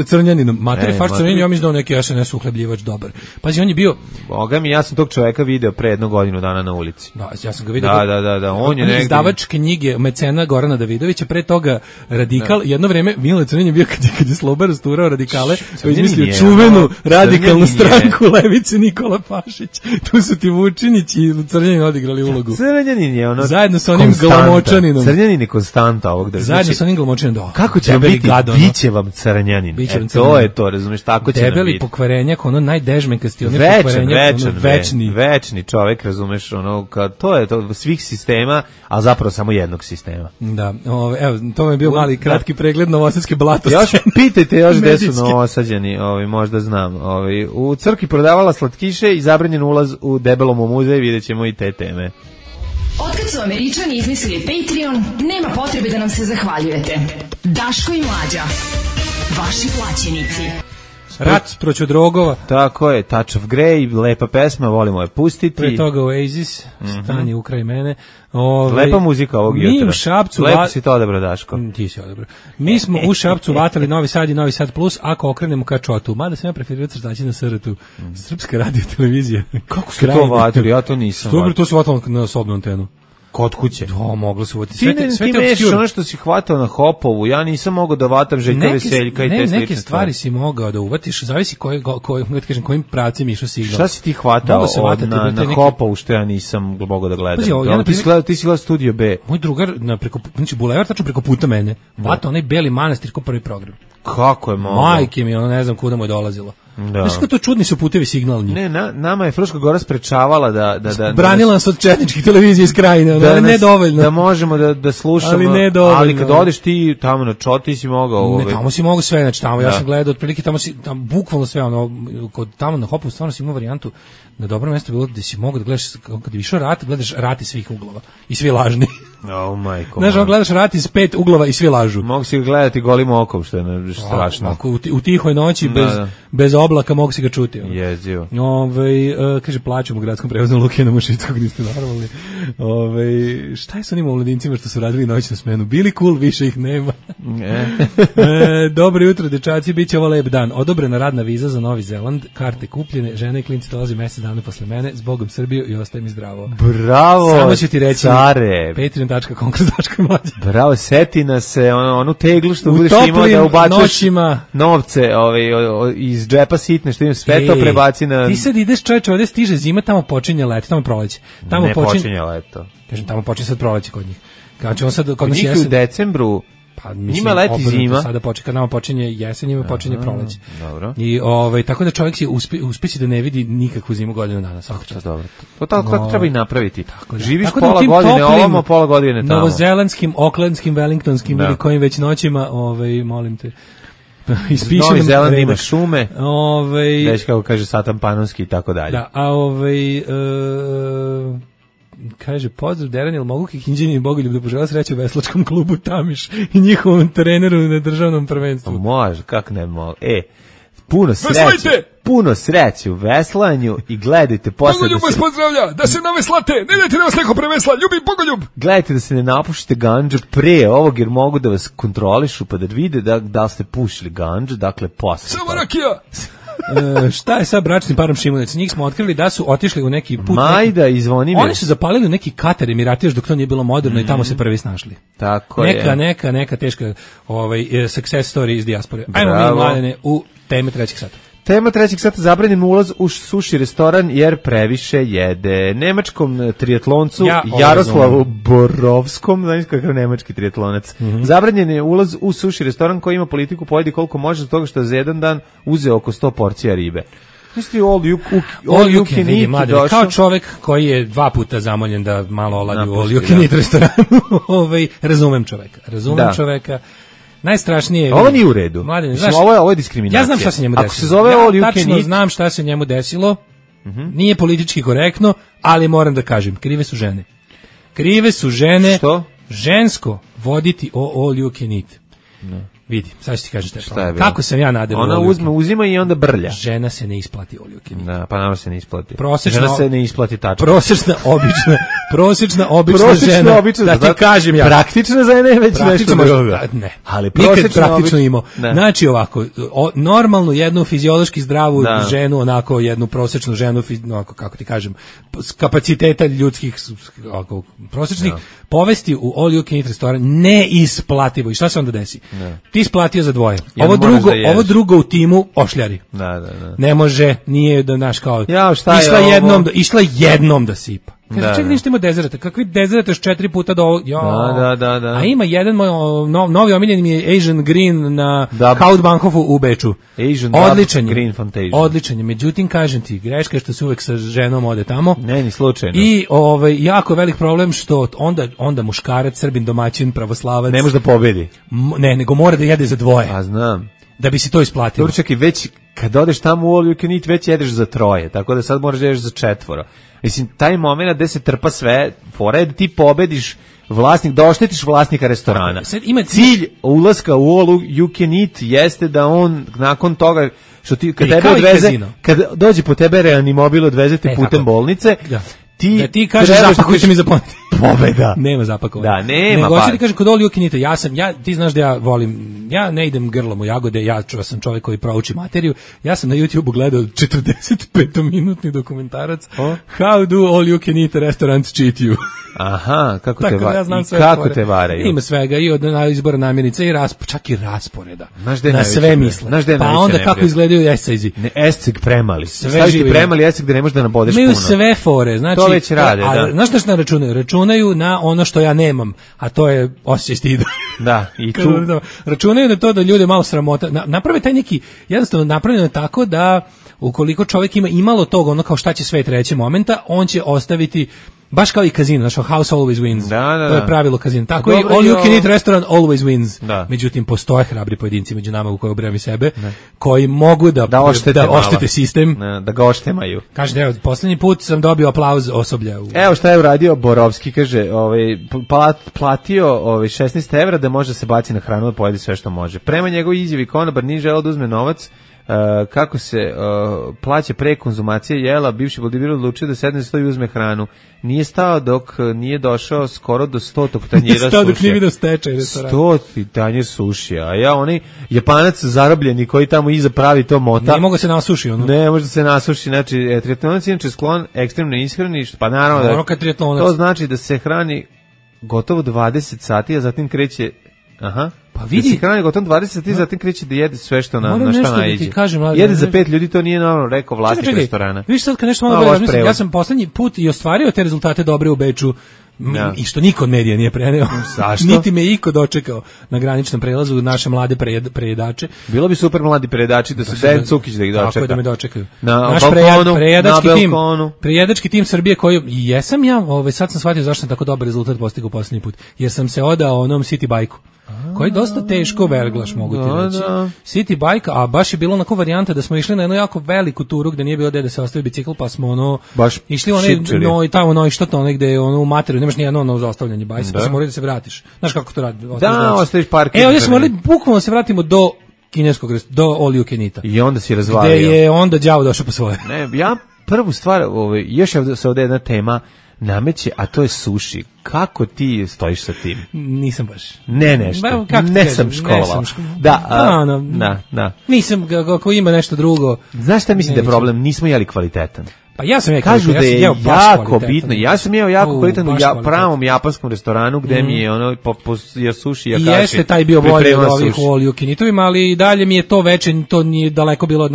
Crnjaninom? Materij faš Crnjanin, ja mislim da on neki SNS uhlebljivač dobar. Pazi, on je bio... Boga mi, ja sam tog čoveka video pre 1 godinu dana na ulici. Da, ja sam ga video. Da. On je izdavač knjige mecena Gorana Davidovića, pre toga radikal. Jedno vreme Mile Crnjanin bio kad je Sloba rasturao radikale, to je izmislio čuvenu radikalnu stranku levice Nikola Pašić. Tu su ti Vučinić i Crnjanin odigrali ulogu. Crnjanin je ono... Zajedno sa onim Glamočaninom. Crnjanin je konstanta ovog država. Zajedno sa onim Glamočaninom, da. Kako će vam biti? Biće vam Crnjanin. To je to, razumiješ, tako će nam biti. Debeli pokvarenjak, ono najdežmenkasti, ono večni čovek, razumeš, ono, to je to svih sistema, a zapravo samo jednog sistema. Da, evo, to mi je bio mali kratki pregled novosadske blatosti. Još pitajte još gde su Novosađani, možda znam. U crkvi prodavala slatkiše i zabranjen ulaz u Debelom muzej, vidjet ćemo i te teme. Otkad su Američani izmislili Patreon, nema potrebe da nam se zahvaljujete. Daško i Mlađa, vaši plaćenici. Rat proću drogova. Tako je, Touch of Grey, lepa pesma, volimo je pustiti. Pre toga Oasis, stani ukraj mene. Lepa muzika ovog jutra. Mi u Šapcu... Lepo si to odabrao, Daško. Ti si odabrao. Mi smo u Šapcu vatali Novi Sad i Novi Sad Plus, ako okrenemo ka Čotu. Mada sam ja preferirao crtaći na SRT-u. Srpska radio televizija. Kako ste to vatili? Ja to nisam vatili. To su vatali na osobnu antenu. Kod kuće. Da, moglo se uvati. Ti meš ono što si hvatao na Hopovu, ja nisam mogao da vatam Željka Veseljka i te slične neke stvari si mogao da uvatiš, zavisi kojim pravcem išao signal. Šta si ti hvatao na Hopovu što ja nisam mogao da gledam? Ti si gledao Studio B. Moj drugar, znači Bulevar, tačno preko puta mene, vatao onaj Beli Manastir kao prvi program. Kako je mogao? Majke mi, ne znam kuda mu je dolazilo. Znaš kako to čudni su putevi signalni. Ne, nama je Fruška Gora sprečavala da branila nas od četničkih televizija iz krajine, ali ne dovoljno. Da možemo da slušamo, ali kad odeš ti tamo na Čoti si mogao. Ne, tamo si mogao sve, znači tamo ja sam gledao otprilike tamo bukvalno sve, kod tamo na Hopu stvarno si imao varijantu na dobro mesto bilo da si mogao da gledaš, kad je išao rat, gledaš rat iz svih uglova i svi lažni. Oh majko. Znaš, gledaš rat iz 5 uglova i svi lažu. Mogu si gledati golim okom, što je strašno. U tihoj noći, bez oblaka mogu si ga čuti. Jezivo. Kaže, plaćamo u gradskom prevozu Lukijana Mušickog, niste normalni. Šta je sa onim omladincima što su radili noćnu smenu? Bili cool, više ih nema. Dobro jutro, dečaci, bit će ovo lep dan. Odobrena radna viza za Novi Zeland, karte kupljene, žene i klinci dolazi mesec dana posle mene, zbogom Srbiju i ostaje mi zdravo. Bravo, samo ću ti reći, care. Patreon.com/Daško. Bravo, seti nas se onu teglu što budeš imao da ubaciš novce iz džepa sitne, što im sve to prebaci na... Ti sad ideš, čovječe, ovdje stiže zima, tamo počinje leto, tamo proleće. Ne počinje leto. Kažem, tamo počinje sad proleće kod njih. Kod njih u decembru, njima leti zima. Sada kad nama počinje jesen, njima počinje proleće. Dobro. I tako da čovjek će uspeći da ne vidi nikakvu zimu godinu dana. Dobro. To tako treba i napraviti. Živiš pola godine ovamo, pola godine tamo. Novozelandskim, Aucklandskim, Wellingtonskim ili kojim već noćima, molim te. Novi Zeland ima šume, već kako kaže Satan Panonski i tako dalje. Da, kaže, pozdrav Deran, mogu Kikinđani i Bogoljub da požela sreću u veslačkom klubu Tamiš i njihovom treneru na državnom prvenstvu. Može, kako ne mogu. Puno sreće u veslanju i gledajte posle Bogoljub vas pozdravlja, da se naveslate, ne dajte da vas neko prevesla, ljubi Bogoljub. Gledajte da se ne napušite gandžu pre ovog, jer mogu da vas kontrolišu pa da vide da li ste pušili gandžu, dakle posle. Samo rakija. Šta je sa bračnim parom Šimunec? Njih smo otkrili da su otišli u neki put. Majda i Zvonimir. Oni su zapalili u neki Katar Emirati još dok to nije bilo moderno i tamo se prvi snašli. Tako neka teška success story iz dijaspore. Ajmo mi, Mladene, u teme trećeg sata. Tema trećeg sata: zabranjen ulaz u suši restoran jer previše jede. Nemačkom triatloncu Jaroslavu Borovskom, znaš kakav nemački triatlonac, zabranjen je ulaz u suši restoran koji ima politiku pojedi koliko može zbog toga što za jedan dan uzeo oko 100 porcija ribe. Misli all you can eat došao. Kao čovjek koji je 2 puta zamoljen da malo oladi u all you can eat restoranu. Razumem čoveka. Najstrašnije je... Ovo nije u redu. Mladine, znaš, ovo je diskriminacija. Ja znam šta se njemu desilo. Ako se zove all you can eat... znam šta se njemu desilo. Nije politički korektno, ali moram da kažem, krive su žene. Što? Žensko voditi all you can eat. No. Vidi, sad ću ti kažem šta je. Kako sam ja nadeo. Ona uzima i onda brlja. Žena se ne isplati all you can eat. Da, pa nama se ne isplati. Žena se ne isplati tačka. Prosječna obična žena. Da ti kažem ja. Praktična žena je već nešto drugo. Ne. Ali nikad praktično imao. Znači ovako, normalnu jednu fiziološki zdravu ženu, onako jednu prosječnu ženu, onako kako ti kažem, kapaciteta ljudskih prosječnih, povesti u all you can eat restoran neisplativo. I šta se onda desi? Ti isplatio za dvoje. Ovo drugo u timu ošljari. Ne može, nije da naš kao išla jednom da sipa. Kaže, čekaj, ništa ima dezerata. Kakvi dezerata još 4 puta do ovog? Da. A ima jedan moj novi omiljen mi je Asian Green na Hauptbahnhofu u Beču. Odličan je. Međutim, kažem ti, greška je što se uvek sa ženom ode tamo. Ne, ni slučajno. I jako velik problem što onda muškarac, Srbin, domaćin, pravoslavac ne može da pobedi. Ne, nego mora da jede za dvoje. A znam. Da bi si to isplatilo. Dobro, čekaj, već kad odeš tamo u all you can eat, već jedeš za 3, tako da sad moraš da jedeš za 4. Mislim, taj moment gde se trpa sve, fora je da ti pobediš da oštetiš vlasnika restorana. Cilj ulaska u all you can eat jeste da on nakon toga što ti kad tebe odveze, kad dođe po tebe reanimobil, odveze te putem bolnice, da ti kažeš zapakujte mi za pobeda. Nema zapakovanja. Da, nema. Hoću ti kažem, kod all you can eat, ti znaš da ja volim, ja ne idem grlom u jagode, ja sam čovjek koji prouči materiju, ja sam na YouTubeu gledao 45-minutni dokumentarac How do all you can eat restaurants cheat you. Aha, kako te varaju? Ima svega, i od izbora namirnica i čak i rasporeda. Na sve misle. Pa onda kako izgledaju esejzi. Esceg premali. Staviš ti premali esceg da ne možeš da nabodeš puno. Imaju sve fore, znači. To već rade, da. Znaš šta računaju? Računaju na ono što ja nemam, a to je osjećaj stida. Da, i tu. Računaju na to da ljude malo sramota. Naprave taj neki, jednostavno napravljeno tako da ukoliko čovjek ima imalo tog, ono kao šta će svet reći momenta, on će ostaviti baš kao i kazino, znači house always wins. Da. To je pravilo kazina. Tako i all you can eat restaurant always wins. Da. Međutim, postoje hrabri pojedinci među nama u koje ubrajam i sebe, koji mogu da oštete sistem. Da ga oštemaju. Kaže, evo, posljednji put sam dobio aplauz osoblja. Evo šta je uradio Borovski, kaže, platio 16 evra da može se baci na hranu da pojedi sve što može. Prema njegovoj izjavi konobar nije želeo da uzme novac, kako se plaća pre konzumacije jela, bivši bodybuilder odlučio da sedne za sto i uzme hranu. Nije stao dok nije došao skoro do 100 tanjira sušija. Stao dok nije vidio stečaj restorana. 100 tanjir sušija. A ja, onaj Japanac zarobljeni koji tamo iza pravi to mota. Ne mogu se nasuši ono. Ne može se nasuši. Znači, triatlonac je inače sklon ekstremnoj ishrani, pa naravno to znači da se hrani gotovo 20 sati, a zatim kreće pa vidi, da se hrani gotovo 20 sati, zatim kreće da jede sve što na šta naiđe. Jede za 5 ljudi, to nije normalno, rekao vlasnik restorana. Viš sad kad nešto malo razmislim, ja sam poslednji put i ostvario te rezultate dobre u Beču, i što niko od medija nije preneo. Zašto? Niti me iko dočekao na graničnom prelazu, naše mlade prejedače. Bilo bi super mladi prejedači da se Dejan Cukić da ih dočeka. Tako je, da me dočekaju. Naš prejedački tim Srbije koji, jesam ja, sad sam shvatio zašto sam tako dobar rezultat postigao poslednji put, jer sam se odao onom City Bike-u. Koji je dosta teško verglaš, mogu ti reći. City Bike, a baš je bilo onako varijanta da smo išli na jednu jako veliku turu gde nije bilo gde da se ostavi bicikl, pa smo išli tamo što to negde u materiju, nemaš nijedno za ostavljanje bajsa, pa se morali da se vratiš. Znaš kako to radi? Ostaviš park. Ovdje smo morali bukvalno se vratimo do kineskog, do all you can eata. I onda si razvalio. Gde je onda đavo došao po svoje. Ne, ja prvu stvar, još se ovdje jedna tema, nameće, a to je suši. Kako ti stojiš sa tim? Nisam baš. Ne nešto. Ne sam škola. Da. Nisam, ako ima nešto drugo. Znaš šta mislim da je problem? Nismo jeli kvalitetan. Pa ja sam kažu da je jako bitno. Ja sam jeo jako kvalitetan u pravom japanskom restoranu gde mi je ono ja suši ja kaši. I jeste taj bio bolji od ovih u all you can eatovima, ali i dalje mi je to večer, to nije daleko bilo od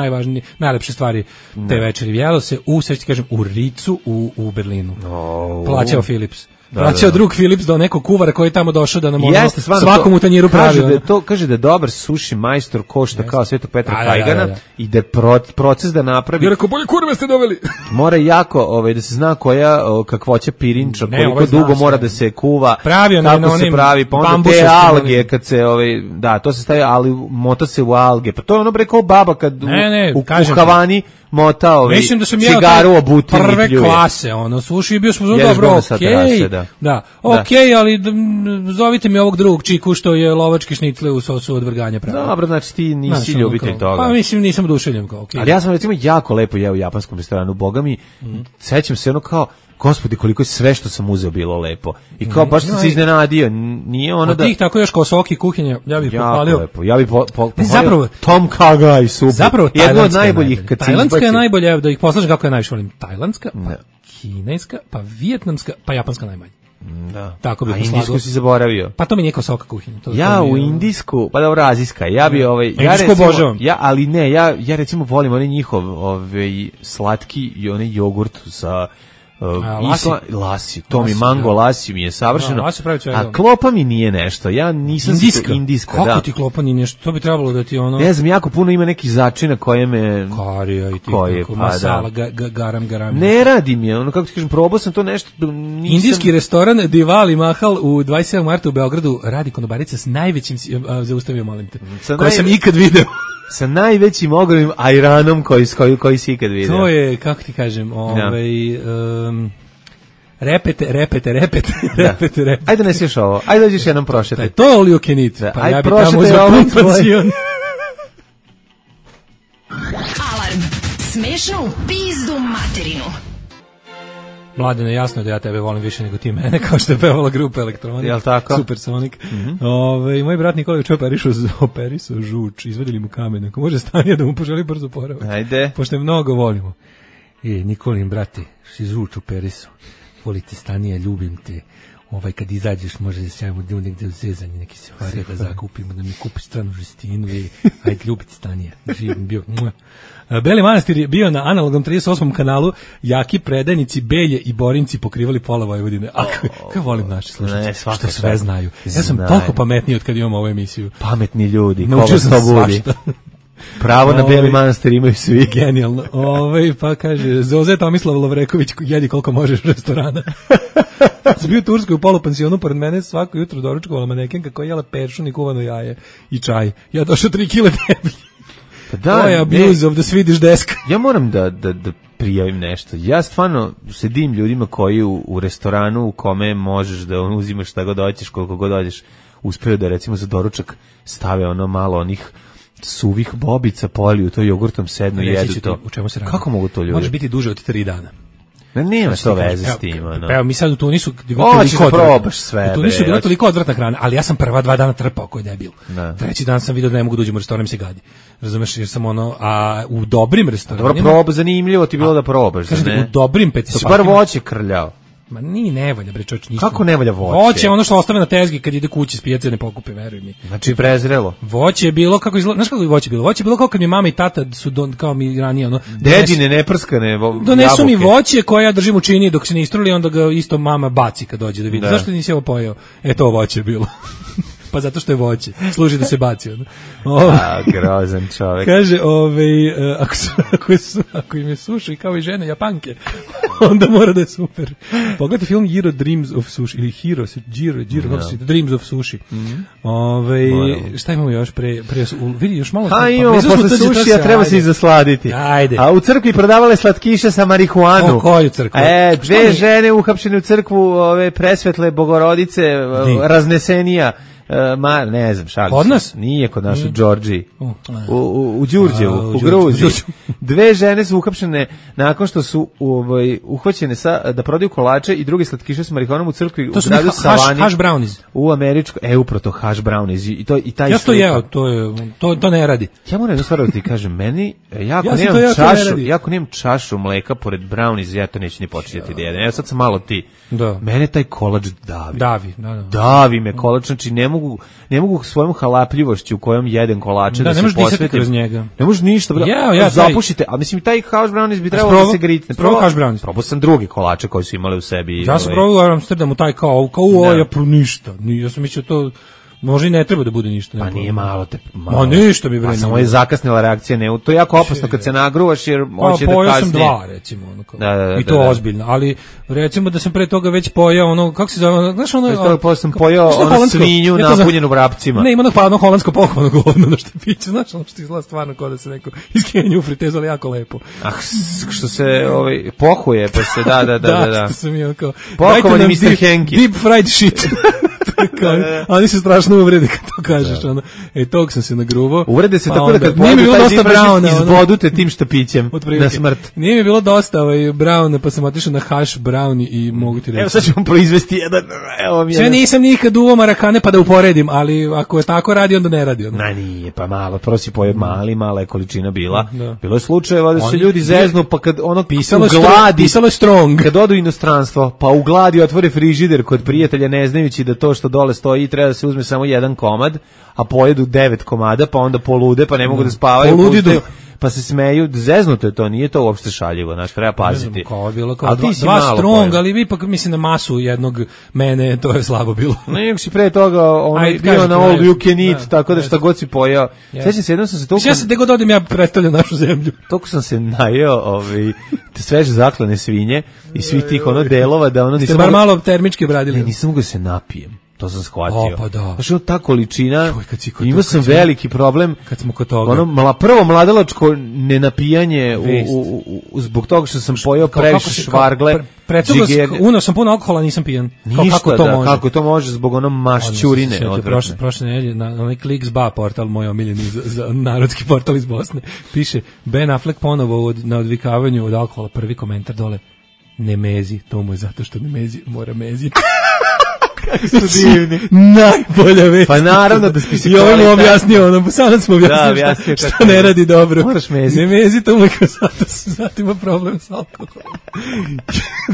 najlepše stvari te večeri. Jelo se u Ricu u Berlinu. Plaćao Philips. Vraćao drug Philips do nekog kuvara koji je tamo došao da nam svakom u tanjiru pravi. Kaže da je dobar suši majstor košta kao Svetog Petra Kajgana i da je proces da napravi. Ja rekao, bolje kurve ste doveli. Mora jako da se zna koja kakvoća pirinča, koliko dugo mora da se kuva, kako se pravi, pa onda te alge kad se to se stavi, ali mota se u alge. Pa to je ono rekao baba kad u Havani mota cigaru obuti prve klase, suši bio smo dobro, da, okej, ali zovite mi ovog drugog čiku što je lovački šnicle u sosu od vrganja pravi. Dobro, znači ti nisi ljubitelj toga. Pa mislim nisam oduševljen kao, okej. Ali ja sam recimo jako lepo jeo u japanskom restoranu, boga mi, sećam se kao, gospodi koliko je sve što sam uzeo bilo lepo. I kao baš sam se iznenadio, nije ono da... Od tih tako još kao soki kuhinja, ja bih pohvalio. Lepo. Ja bih pohvalio Tom Kha Gai super. Zapravo, jedno od najboljih. Tajlandska je najbolja, da ih poslažem kako je najviše volim. Tajlandska, pa kineska, pa vijetnamska, pa japanska najmanje. Da. Tako bih poslagao. A indijsku si zaboravio. Pa to mi nije kao soka kuhinja. Ja u indijsku, pa dobro, azijska, ja bi indijsku obožavam. Ali ne, ja recimo volim onaj njihov slatki i onaj jogurt sa lasi, to mi mango lasi mi je savršeno, a klopa mi nije nešto, ja nisam indijska, kako ti klopa nije nešto, to bi trebalo da ti ono... Ne znam, jako puno ima nekih začina koje me... Karija i ti masala, garam. Ne radi mi je, ono kako ti kažem, probao sam to nešto... Indijski restoran Diwali Mahal u 27. marta u Beogradu radi konobarica s najvećim, zaustavio molim te, koji sam ikad video. Sa najvećim ogromnim ajranom koji si ikad vidio. To je, kako ti kažem, repete. Ajde ne sješ ovo, ajde dođeš jednom prošetaj. To je all you can eat, pa ja bi tamo uzeo kompansion. Alarm, smešno u pizdu materinu. Mladene, jasno je da ja tebe volim više nego ti mene, kao što je pevala grupa Elektronik. Jel tako? Supersonik. Moj brat Nikola je operisao žuč, izvedili mu kamen. Ako može Stanija da mu poželi brzo poravak. Ajde. Pošto je mnogo volimo. Nikolin, brate, si žuč operisao. Volite Stanija, ljubim te. Kad izađeš može da se javimo negde u zezanje, neki sefari da zakupimo, da mi kupiš stranu žestinu i ajde ljubiti Stanija. Živim bio. Beli Manastir je bio na analognom 38. kanalu, jaki predajnici, Belje i Borinci pokrivali pola Vojvodine. Kako volim naše slušalce, što sve znaju. Ja sam toliko pametniji od kad imam ovu emisiju. Pametni ljudi, naučio sam svašta. Pravo na Beli Manastir imaju svi. Genijalno. Pa kaže, Zoze Tomislav Lovreković, jedi koliko možeš restorana. Sam bio u Turskoj u polupansionu, pored mene svako jutro doručkovala manekenka koja jela peršun i kuvano jaje i čaj. Ja došao 3 kila deblji. To je abuse of the Swedish desk. Ja moram da prijavim nešto. Ja stvarno sedim ljudima koji u restoranu u kome možeš da uzimaš šta god hoćeš, koliko god hoćeš, uspeo da recimo za doručak stave ono malo onih suvih bobica, poliju to jogurtom, sednu i jedu to. U čemu se radi? Kako mogu to ljudi? Može biti duže od 3 dana. Nema što veze s tim. Evo, mi sad u Tunisu probaš sve. U Tunisu je bila toliko odvratna hrana, ali ja sam prva 2 dana trpao koji je debil. Treći dan sam vidio da ne mogu da uđem u restoran, mi se gadi. Razumeš, jer sam a u dobrim restoranima... Dobro, proba, zanimljivo ti bilo da probaš. Kažete, u dobrim pecisopartima... Si bar voće krljao. Ma ne valja, bre, čovječ, ništa. Kako ne valja voće? Voće je ono što ostave na tezgi kad ide kući s pijace, ne pokupe, veruj mi. Znači prezrelo. Voće je bilo, znaš kako je voće bilo? Voće je bilo kao kad mi mama i tata su, kao mi ranije, dedine, neprskane donesu mi voće koje ja držim u čini dok se ne istruli, onda ga isto mama baci kad dođe da vidi. Zašto nisi ovo pojeo? To voće je bilo. Pa zato što je voće. Služi da se baci. Grozan čovjek. Kaže, ako im je suši kao i žene Japanke, onda mora da je super. Pogledajte film Hero Dreams of Sushi, ili Dreams of Sushi. Šta imamo još vidi još malo. Imamo posle sušija, treba se i zasladiti. Ajde. A u crkvi prodavale slatkiše sa marihuanu. Koju crkvu? Dve žene uhapšene u crkvu, presvetle Bogorodice, raznesenija, Ne znam, šalim. Kod nas? Nije kod nas, u Đorđiji. U Đurđevu, u Gruziji. 2 žene su uhapšene nakon što su uhvaćene da prodaju kolače i druge slatkiše s marihuanom u crkvi u gradu Savani. Hash brownies. U američko, upravo to hash brownies. I taj ja to jeo, to ne radi. Ja moram jednu stvar da ti kažem, meni, ako nemam čašu mleka pored brownies, ja to neću ni početi da jedem. Ja sad sam malo ti. Da. Mene taj kolač davi. Davi me kolač, znači ne mogu svojom halapljivošću kojom jedem kolače da se posvetim. Ne možeš disati kroz njega. Ne možeš ništa, zapušite. A mislim, taj hash brownies bi trebalo da se gritne. Probao hash brownies. Probao sam drugi kolače koji su imali u sebi. Ja sam probao u Amsterdamu taj kao ništa. Ja sam mislio to može i ne treba da bude ništa. Pa nije malo te. Ma ništa mi bre. Pa samo je zakasnila reakcija, ne. To je jako opasno kad se nagruvaš jer hoće da kasnije. Pojao sam 2 recimo i to ozbiljno, ali recimo da sam pre toga već pojao kako se zove, znaš posle sam pojao svinju napunjenu vrapcima. Ne, ima ono holandsko pohvalno govno na štapiću, znaš, što izgleda stvarno kao da se neko iz Kenije u fritezu, ali jako lepo. Što se pohuje, pa se da. Da, što sam ja kao. Pohovani Mr. Henki. Deep fried shit. Oni se strašno uvrede kad to kažeš, tog sam se nagruvao. Uvrede se tako da kad pojedu taj dim browna izbodu te tim štapićem na smrt. Nije mi bilo dosta browna, pa sam otišao na hash browni i mogu ti reći. Evo sad ću vam proizvesti jedan, Ja nisam nikad uvao marakane pa da uporedim, ali ako je tako radi, onda ne radi. Nije, pa malo, prvo si pojeo mala je količina bila. Bilo je slučajeva da se ljudi zeznu, pa kad ugladi, pisalo je strong. Kad odu inostranstvo, pa ugladi otvore frižider kod prijatelja ne znajući da to što dole stoji treba da se uzme samo jedan komad, a pojedu 9 komada, pa onda polude, pa ne mogu da spavaju, pa se smeju, zeznuto je to, nije to uopšte šaljivo, znači treba paziti. Ne znam, kao je bilo kao 2 strong, ali ipak mislim na masu jednog mene, to je slabo bilo. Nego si pre toga, bio na all you can eat, tako da šta god si pojao. Sećam se, jednom sam se toliko... Ja se gde god odim, ja predstavljam našu zemlju. Toliko sam se najeo sveže zaklane svinje i svih tih delova, da nisam... Ste bar malo termički bradili. Ne, nisam mogu da se napijem. To sam shvatio. Pa da. Znači, ta količina, imao sam veliki problem. Kad smo kod toga. Prvo mladalačko nenapijanje zbog toga što sam pojeo previše švargle. Unao sam puno alkohola, nisam pijan. Ništa, kako to može zbog mašćurine. Prošle nedelje na onaj Kliks.ba portal, moj omiljeni za narodski portal iz Bosne, piše Ben Affleck ponovo na odvikavanju od alkohola, prvi komentar dole, ne mezi, to mu je zato što ne mezi, mora meziti. Kako su divni. Najbolja vest. Pa naravno da spisi i ovo mu objasnio, sad smo objasnili što ne radi dobro. Moraš meziti. Ne mezi, to mu je zato ima problem s alkoholom.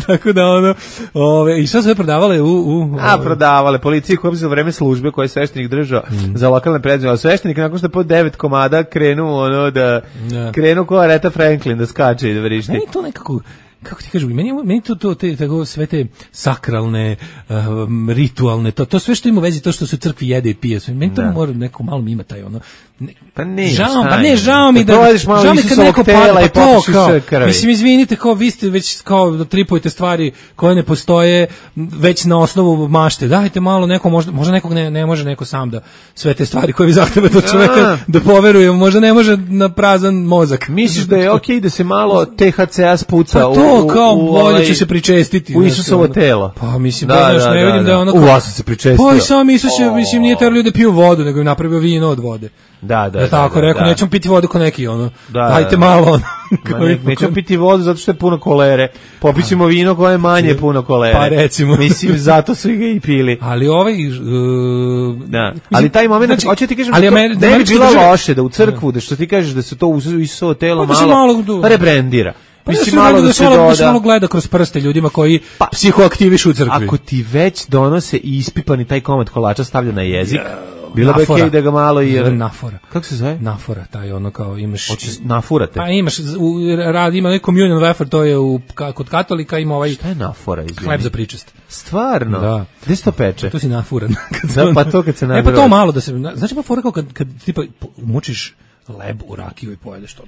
Tako da i šta su prodavale prodavale policiji koja za vreme službe koje je sveštenik držao za lokalne predstavnike, ali sveštenik nakon što je po 9 komada krenu krenu ko Aretha Franklin da skače i da vrišti. Meni to nekako, kako ti kažu, meni to tako sve te sakralne, ritualne, to sve što ima vezi, to što se u crkvi jede i pije, meni to mora neko malo ima taj žao mi da žao mi kad neko pada, pa to kao, mislim, izvinite, kao vi ste već kao tripujete stvari koje ne postoje već na osnovu mašte, dajte malo neko, možda nekog ne može neko sam da sve te stvari koje vi zahtevate od čoveka da poveruje, možda ne može na prazan mozak. Misliš da je okej da se malo THC-a spuca kao bolje će se pričestiti u Isusovo telo. Pa mislim, ne vidim da je ono u vas se pričestio. Pa sam Isus je, mislim, nije terao ljude piju vodu, nego im napravio vino od vode. Da. Tako rekao, nećemo piti vodu ko neki, dajte malo, nećemo piti vodu zato što je puno kolere. Popićemo vino koje je manje puno kolere. Pa recimo. Mislim, zato su ga i pili. Ali ali taj moment, hoće ti kažem, ne bi bilo loše da u crkvu, da što ti kažeš da se to u Isusovo telo malo rebrandira. Mislim, malo da se malo gleda kroz prste ljudima koji psihoaktivišu u crkvi. Ako ti već donose i ispipani taj komad kolača stavlja na jezik, bilo bi okej da ga malo i... Nafora. Kako se zove? Nafora, taj kao imaš... Nafurate? Pa imaš, ima ovaj communion wafer, to je kod katolika, ima ovaj... Šta je nafora, izvini? Hleb za pričest. Stvarno? Da. Gde se to peče? To si nafuran. Pa to kad se nagrava. Pa to malo da se... Znači pa fora kao kad tipa mučiš hleb u rakiju i pojedeš to,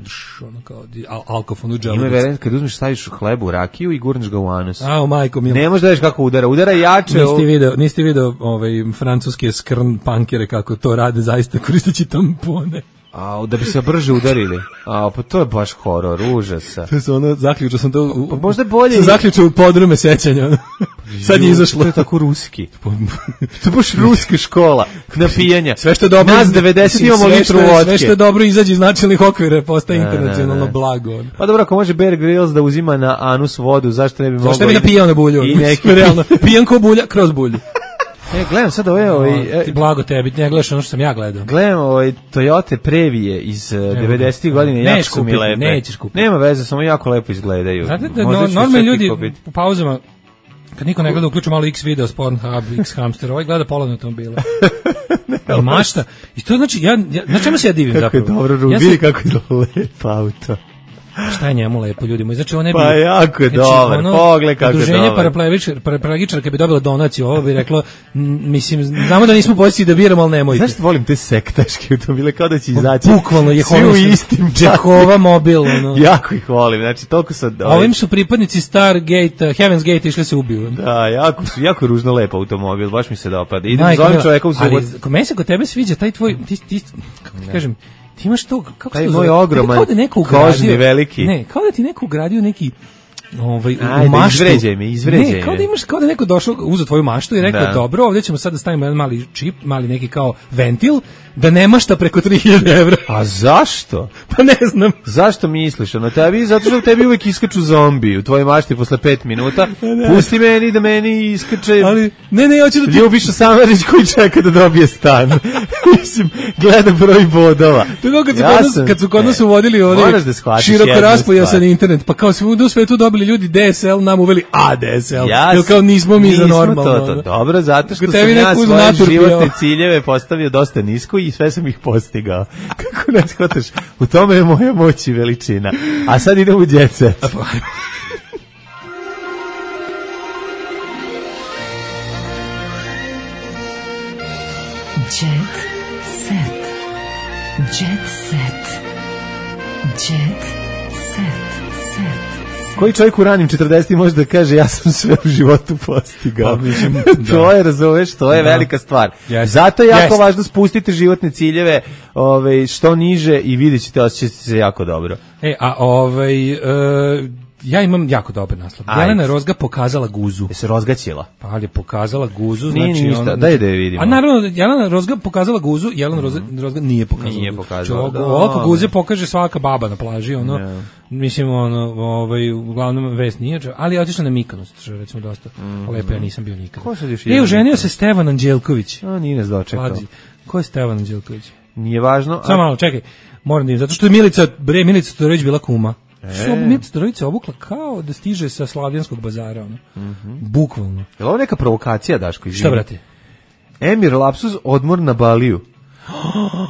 kao alkofon u dželu. Ima veren, kad uzmeš, staviš hleb u rakiju i gurneš ga u anus. Majko milo. Ne možeš da vidiš kako udara jače. Niste video francuske skrn pankere kako to rade zaista koristeći tampone. Da bi se brže udarili. Pa to je baš horor, užasa. To je ono, zaključio sam to... Pa možda bolje... Sam zaključio u podrume sećanja. Sad je izašlo. To je tako ruski. To je baš ruska škola napijanja. Sve što je dobro... Nas 90 imamo litru vodke. Sve što je dobro izađe iz načelnih okvira, postaje internacionalno blago. Pa dobro, ako može Bear Grylls da uzima na anus vodu, zašto ne bi mogao... Zašto ne bi napijao na bulju? I neki... Realno, pijan ko bulja, kroz bulju. Gledam sad ti blago tebi, ne gledaš ono što sam ja gledao. Gledam Toyota Previje iz 90-ih godina, jako su mi lepe. Nećeš kupiti. Nema veze, samo jako lepo izgledaju. Znate da normalni ljudi u pauzama, kad niko ne gleda, uključu malo X video, Pornhub, X hamster, ovaj gleda polovne automobile. I mašta. I to znači, na čemu se ja divim zapravo? Kako je dobro, vidi kako je lepo auto. Šta je njemu lepo, ljudi moji? Znači, on ne bi... Pa jako je dobar, pogled kako je dobar. Udruženje paraplegičara bi dobilo donaciju, ovo bi reklo, mislim, znamo da nismo poziciji da biramo, ali nemojte. Znaš što volim te sektaške automobile, kao da će izaći bukvalno je svi u istim Jehova mobil. Jako ih volim, znači toliko sad... Ovim su pripadnici Stargate, Heaven's Gate išli se ubiju. Da, jako ružno lepo automobil, baš mi se dopada. Idem zovem čoveka u subot. Ali meni se kod tebe sviđa taj tvoj, kako ti kažem, ti imaš to, kako se to zove? Taj moj ogroman, kožni, veliki. Ne, kao da ti neko ugradio neki u maštu. Izvređaj me. Kao da imaš, kao da neko došao, uzeo tvoju maštu i rekao, dobro, ovdje ćemo sad da stavimo jedan mali čip, mali neki kao ventil, da nema šta preko 3000 evra. A zašto? Pa ne znam. Zašto misliš? Zato što u tebi uvek iskaču zombi u tvojoj mašti posle 5 minuta. Pusti meni da meni iskače. Ali, ne, hoću da ti... Ljubiša Samarić koji čeka da dobije stan. Mislim, gleda broj bodova. To je kad su kod nas uvodili ovdje široko raspojasan internet, pa kao svuda u svetu dobili ljudi DSL, nam uveli ADSL. Jer kao nismo mi za normalno. To. Dobro, zato što sam ja svoje životne ciljeve postavio dosta nisko i sve sam ih postigao. Kako ne shvataš? U tome je moja moć i veličina. A sad idem u Jet Set. Jet Set. Jet Set. Jet Set. Koji čovjek u ranim 40 može da kaže ja sam sve u životu postigao? To je, razumeš, to je velika stvar. Zato je jako važno spustiti životne ciljeve što niže i vidjet ćete, osjećati se jako dobro. Ja imam jako dobar naslov. Jelena Rozga pokazala guzu. Je se rozgaćila? Pa ali je pokazala guzu, nije znači ništa, daj da je vidimo. A naravno, Jelena Rozga pokazala guzu, Jelena Rozga nije pokazala. Nije pokazala. Ovako guze pokaže svaka baba na plaži, mislim, uglavnom vest nije, ali je otišla na Mikonos, što je recimo dosta lepo, ja nisam bio nikada. Ko sad još oženio se Stevan Anđelković. Nije nas dočekao. Ko je Stevan Anđelković? Nije važno. Samo malo, čekaj, moram da im, zato što je Milica Todorović bila kuma. Što Milica Todorović obukla kao da stiže sa Slavljanskog bazara, bukvalno. Je li ovo neka provokacija, Daško? Izvini. Šta, brate? Emir Lapsus, odmor na Baliju.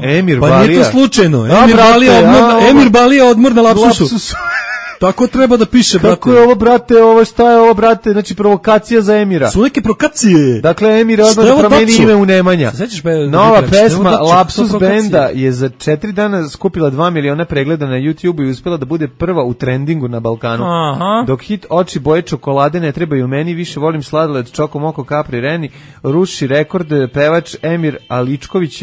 Emir Balija. Pa nije to slučajno. Emir Balija, odmor na Lapsusu. Tako treba da piše, brate. Kako je ovo, brate, šta je ovo, brate, znači provokacija za Emira. Su neke provokacije. Dakle, Emir odmah da promeni ime u Nemanja. Nova pesma Lapsus benda je za 4 dana skupila 2 miliona pregleda na YouTube i uspela da bude prva u trendingu na Balkanu. Aha. Dok hit Oči boje čokolade ne trebaju meni, više volim sladoled Čoko Moko Capri Reni, ruši rekord pevač Emir Aličković,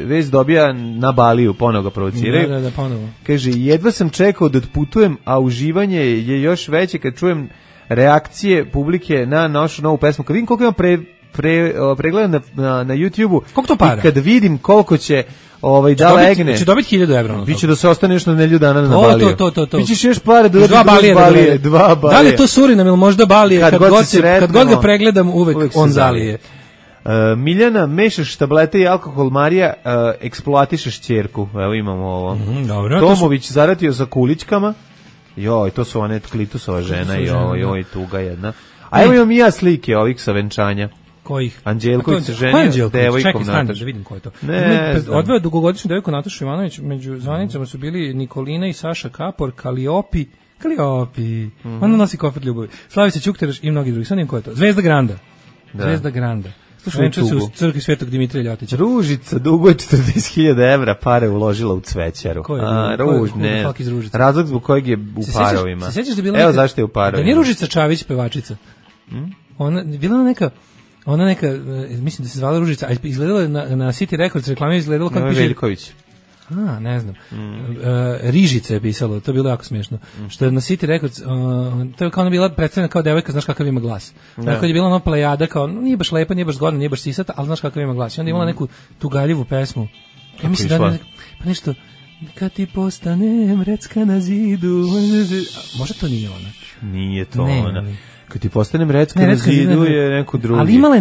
vest dobija na Baliju, ponovo ga provociraju. Da, ponovo. Kaže, jedva sam čekao da otputujem, a uživanje je još veće kad čujem reakcije publike na našu novu pesmu. Kad vidim koliko imam pregleda na YouTube-u i kad vidim koliko će da legne. Će dobiti 1000 evra. Biće da se ostane još na nelju dana na Baliju. To. Bićeš još pare da dva Balije. Da li je to Surinam ili možda Balije? Kad god ga pregledam, uvek on zalije. Miljana, mešaš tablete i alkohol, Marija eksploatišeš ćerku. Evo imamo ovo. Dobro. Tomović zaratio sa kulićkama. Joj, to su one Klitusova žena i joj, tuga jedna. A evo imam i ja slike ovih sa venčanja. Kojih? Anđelković se ženio devojkom Nataša. Čekaj, da vidim ko je to. Odveo dugogodišnju devojku Natašu Ivanović, među zvanicama su bili Nikolina i Saša Kapor, Kaliopi, ona nosi kofer ljubavi, Slavica Ćukteraš i mnogi drugi. Sad nijem ko je to. Zvezda Granda. Slušaj, venča se u crkvi Svetog Dimitrija Ljotića. Ružica duguje 40.000 evra, pare uložila u cvećaru. Ko je? Razlog zbog kojeg je u parovima. Se sjećaš da je bila Evo zašto je u parovima. Da nije Ružica Čavić pevačica? Bila ona neka, mislim da se zvala Ružica, a izgledala je na City Records reklame, izgledala kao piše... Veljković. Ne znam. Rižica je pisalo, to je bilo jako smiješno. Što je na City Records, to je kao ona bila predstavljena kao devojka, znaš kakav ima glas. Tako je bila ona plejada, kao nije baš lepa, nije baš zgodna, nije baš sisata, ali znaš kakav ima glas. I onda je imala neku tugaljivu pesmu. Ja mislim da pa nešto, kad ti postanem recka na zidu. Možda to nije ona. Nije to ona. Kad ti postanem recka na zidu je neko drugi. Ali imala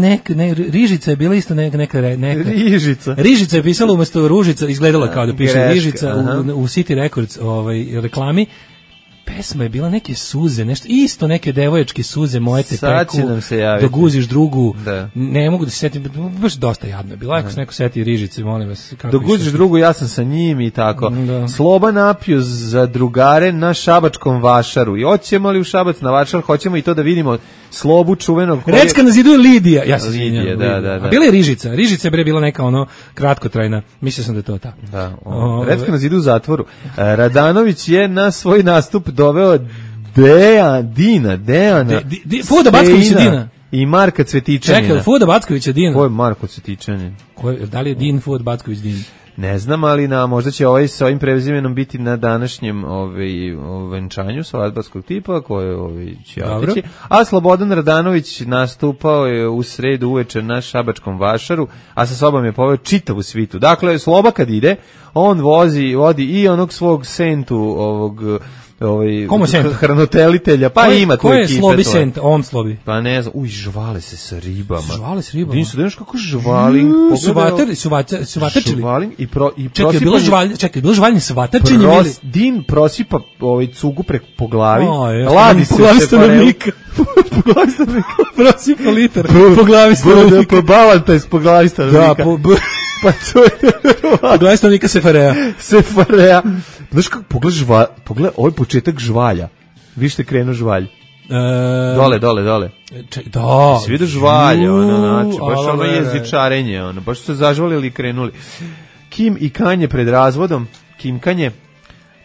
Rižica je bila isto neka Rižica. Rižica je pisala umjesto Ružica, izgledala kao da piše Rižica u City Records reklami. Pesma je bila neke suze, nešto isto neke devoječke suze, moje te peku, dok uziš drugu, ne mogu da se setim, baš dosta jadno je bilo, ako se neko seti Rižice, molim vas. Dok uziš drugu, ja sam sa njim i tako. Sloba napiju za drugare na šabačkom vašaru. I hoćemo li u Šabac na vašar, hoćemo i to da vidimo Slobu čuvenog. Recka na zidu je Lidija. Ja sam Lidija, da. A bila je Rižica. Rižica je bre bila neka kratkotrajna. Mislio sam da je to ta. Da. Recka na zidu u zatvoru. Radanović je na svoj nastup doveo Dejana Fuda Backovića Dina i Marka Cvetićanina. Čekaj, Fuda Backovića Dina. Ko je Marko Cvetićanin? Da li je Din Fuda Backović Din? Ne znam, ali možda će sa ovim prezimenom biti na današnjem venčanju svadbarskog tipa koje će otići. A Slobodan Radanović nastupao je u sredu uveče na Šabačkom vašaru, a sa sobom je poveo čitavu svitu. Dakle, Sloba kad ide, on vodi i onog svog sentu hranitelitelja, pa ima tu ekipe. Ko je Slobi sent, on Slobi? Pa ne znam, žvale se sa ribama. Žvale s ribama? Dinsu, znaš kako žvalim? Suvatrčili? Žvalim i Čekaj, bilo žvaljni suvatrčenje ili? Din prosipa cugu po glavi, ladi se stanovnika. Po glavi stanovnika. Prosipa litar po glavi stanovnika. Po balantajs po glavi stanovnika. Da, pa to je glavi stanovnika Sefarea. Znaš kako, pogledaj ovaj početak žvalja. Vište krenu žvalj. Dole. Da. Si vidio žvalje, baš ono jezičarenje, baš su se zažvalili i krenuli. Kim i Kanje pred razvodom, Kim Kanje.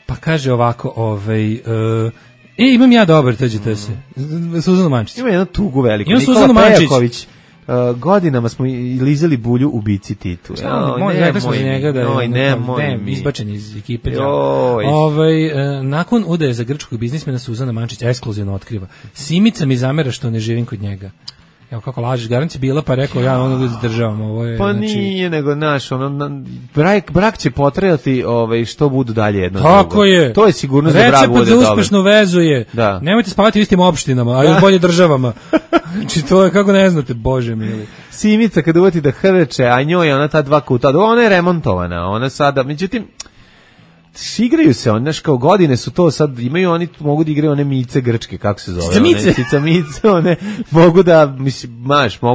Pa kaže ovako, imam ja dobar, tađete se. Suzana Mančić. Ima jednu tugu veliku. Nikola Pejaković. Godinama smo lizali bulju u bici Titu. Izbačen iz ekipe. Nakon udaje za grčkog biznismena Suzana Mančić ekskluzivno otkriva. Simica mi zamera što ne živim kod njega. Evo kako lažeš, garancija bila, pa rekao ja ono zadržavam. Pa nije, nego brak će potrajati što budu dalje jedno drugo. Tako je. To je sigurnost da brak bude dobro. Recept za uspešnu vezu je, nemojte spavati u istim opštinama, a još bolje državama. Znači to je, kako ne znate, bože mili. Simica kad uvati da hrče, a njoj je ona ta 2 kuta, ona je remontovana, ona sada, međutim, igraju se, znaš, kao godine su to sad, imaju oni, mogu da igraju one mice grčke, kako se zove? Cicamice, one, mogu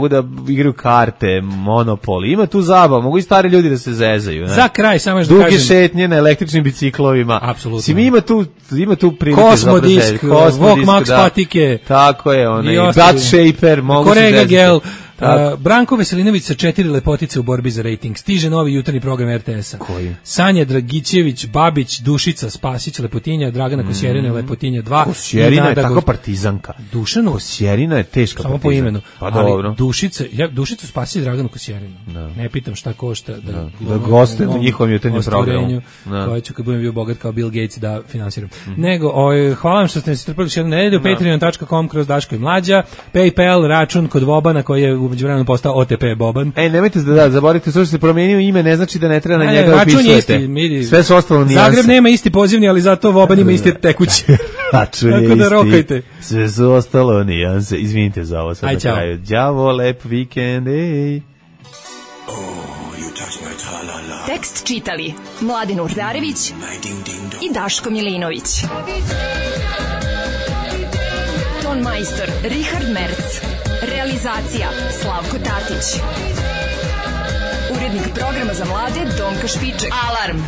da igraju karte, monopoli, ima tu zabav, mogu i stari ljudi da se zezaju. Ne? Za kraj, samo još da kažem. Duge šetnje na električnim biciklovima. Apsolutno. Ima tu prilike Kosmodisk, Vok Max patike. Tako je, Gut Shaper, mogu se zezati. Gel. Branko Veselinović sa 4 lepotice u borbi za rejting. Stiže novi jutarnji program RTS-a. Koji? Sanja Dragićević, Babić, Dušica, Spasić, Lepotinja, Dragana Kosjerina, Lepotinja 2. Kosjerina je tako partizanka. Dušanu? Kosjerina je teška samo partizanka. Po imenu. Pa dobro. Dušicu Spasić, Draganu Kosjerinu. Ne pitam šta košta da goste na njihovom jutarnjem programu. Koje ću kad budem bio bogat kao Bill Gates da finansiram. Nego, hvala vam što ste se strpali još jednu nedelju. Patreon.com kroz Daško i Mlađa. PayPal, račun kod Vobana koji je u međuvremenu postao OTP Boban. Nemojte zaboravite, što se promenio ime, ne znači da ne treba na njega upisujete. Sve su ostalo nijanse. Zagreb nema isti pozivni, ali zato Voban ima isti tekući. Račun je isti. Sve su ostalo nijanse. Izvinite za ovo sad na kraju. Đavo, lep vikend, ej. Tekst čitali Mladin Urdarević i Daško Milinović. Ton majstor Richard Merc. Realizacija Slavko Tatić. Urednik programa za mlade Donka Špiček. Alarm!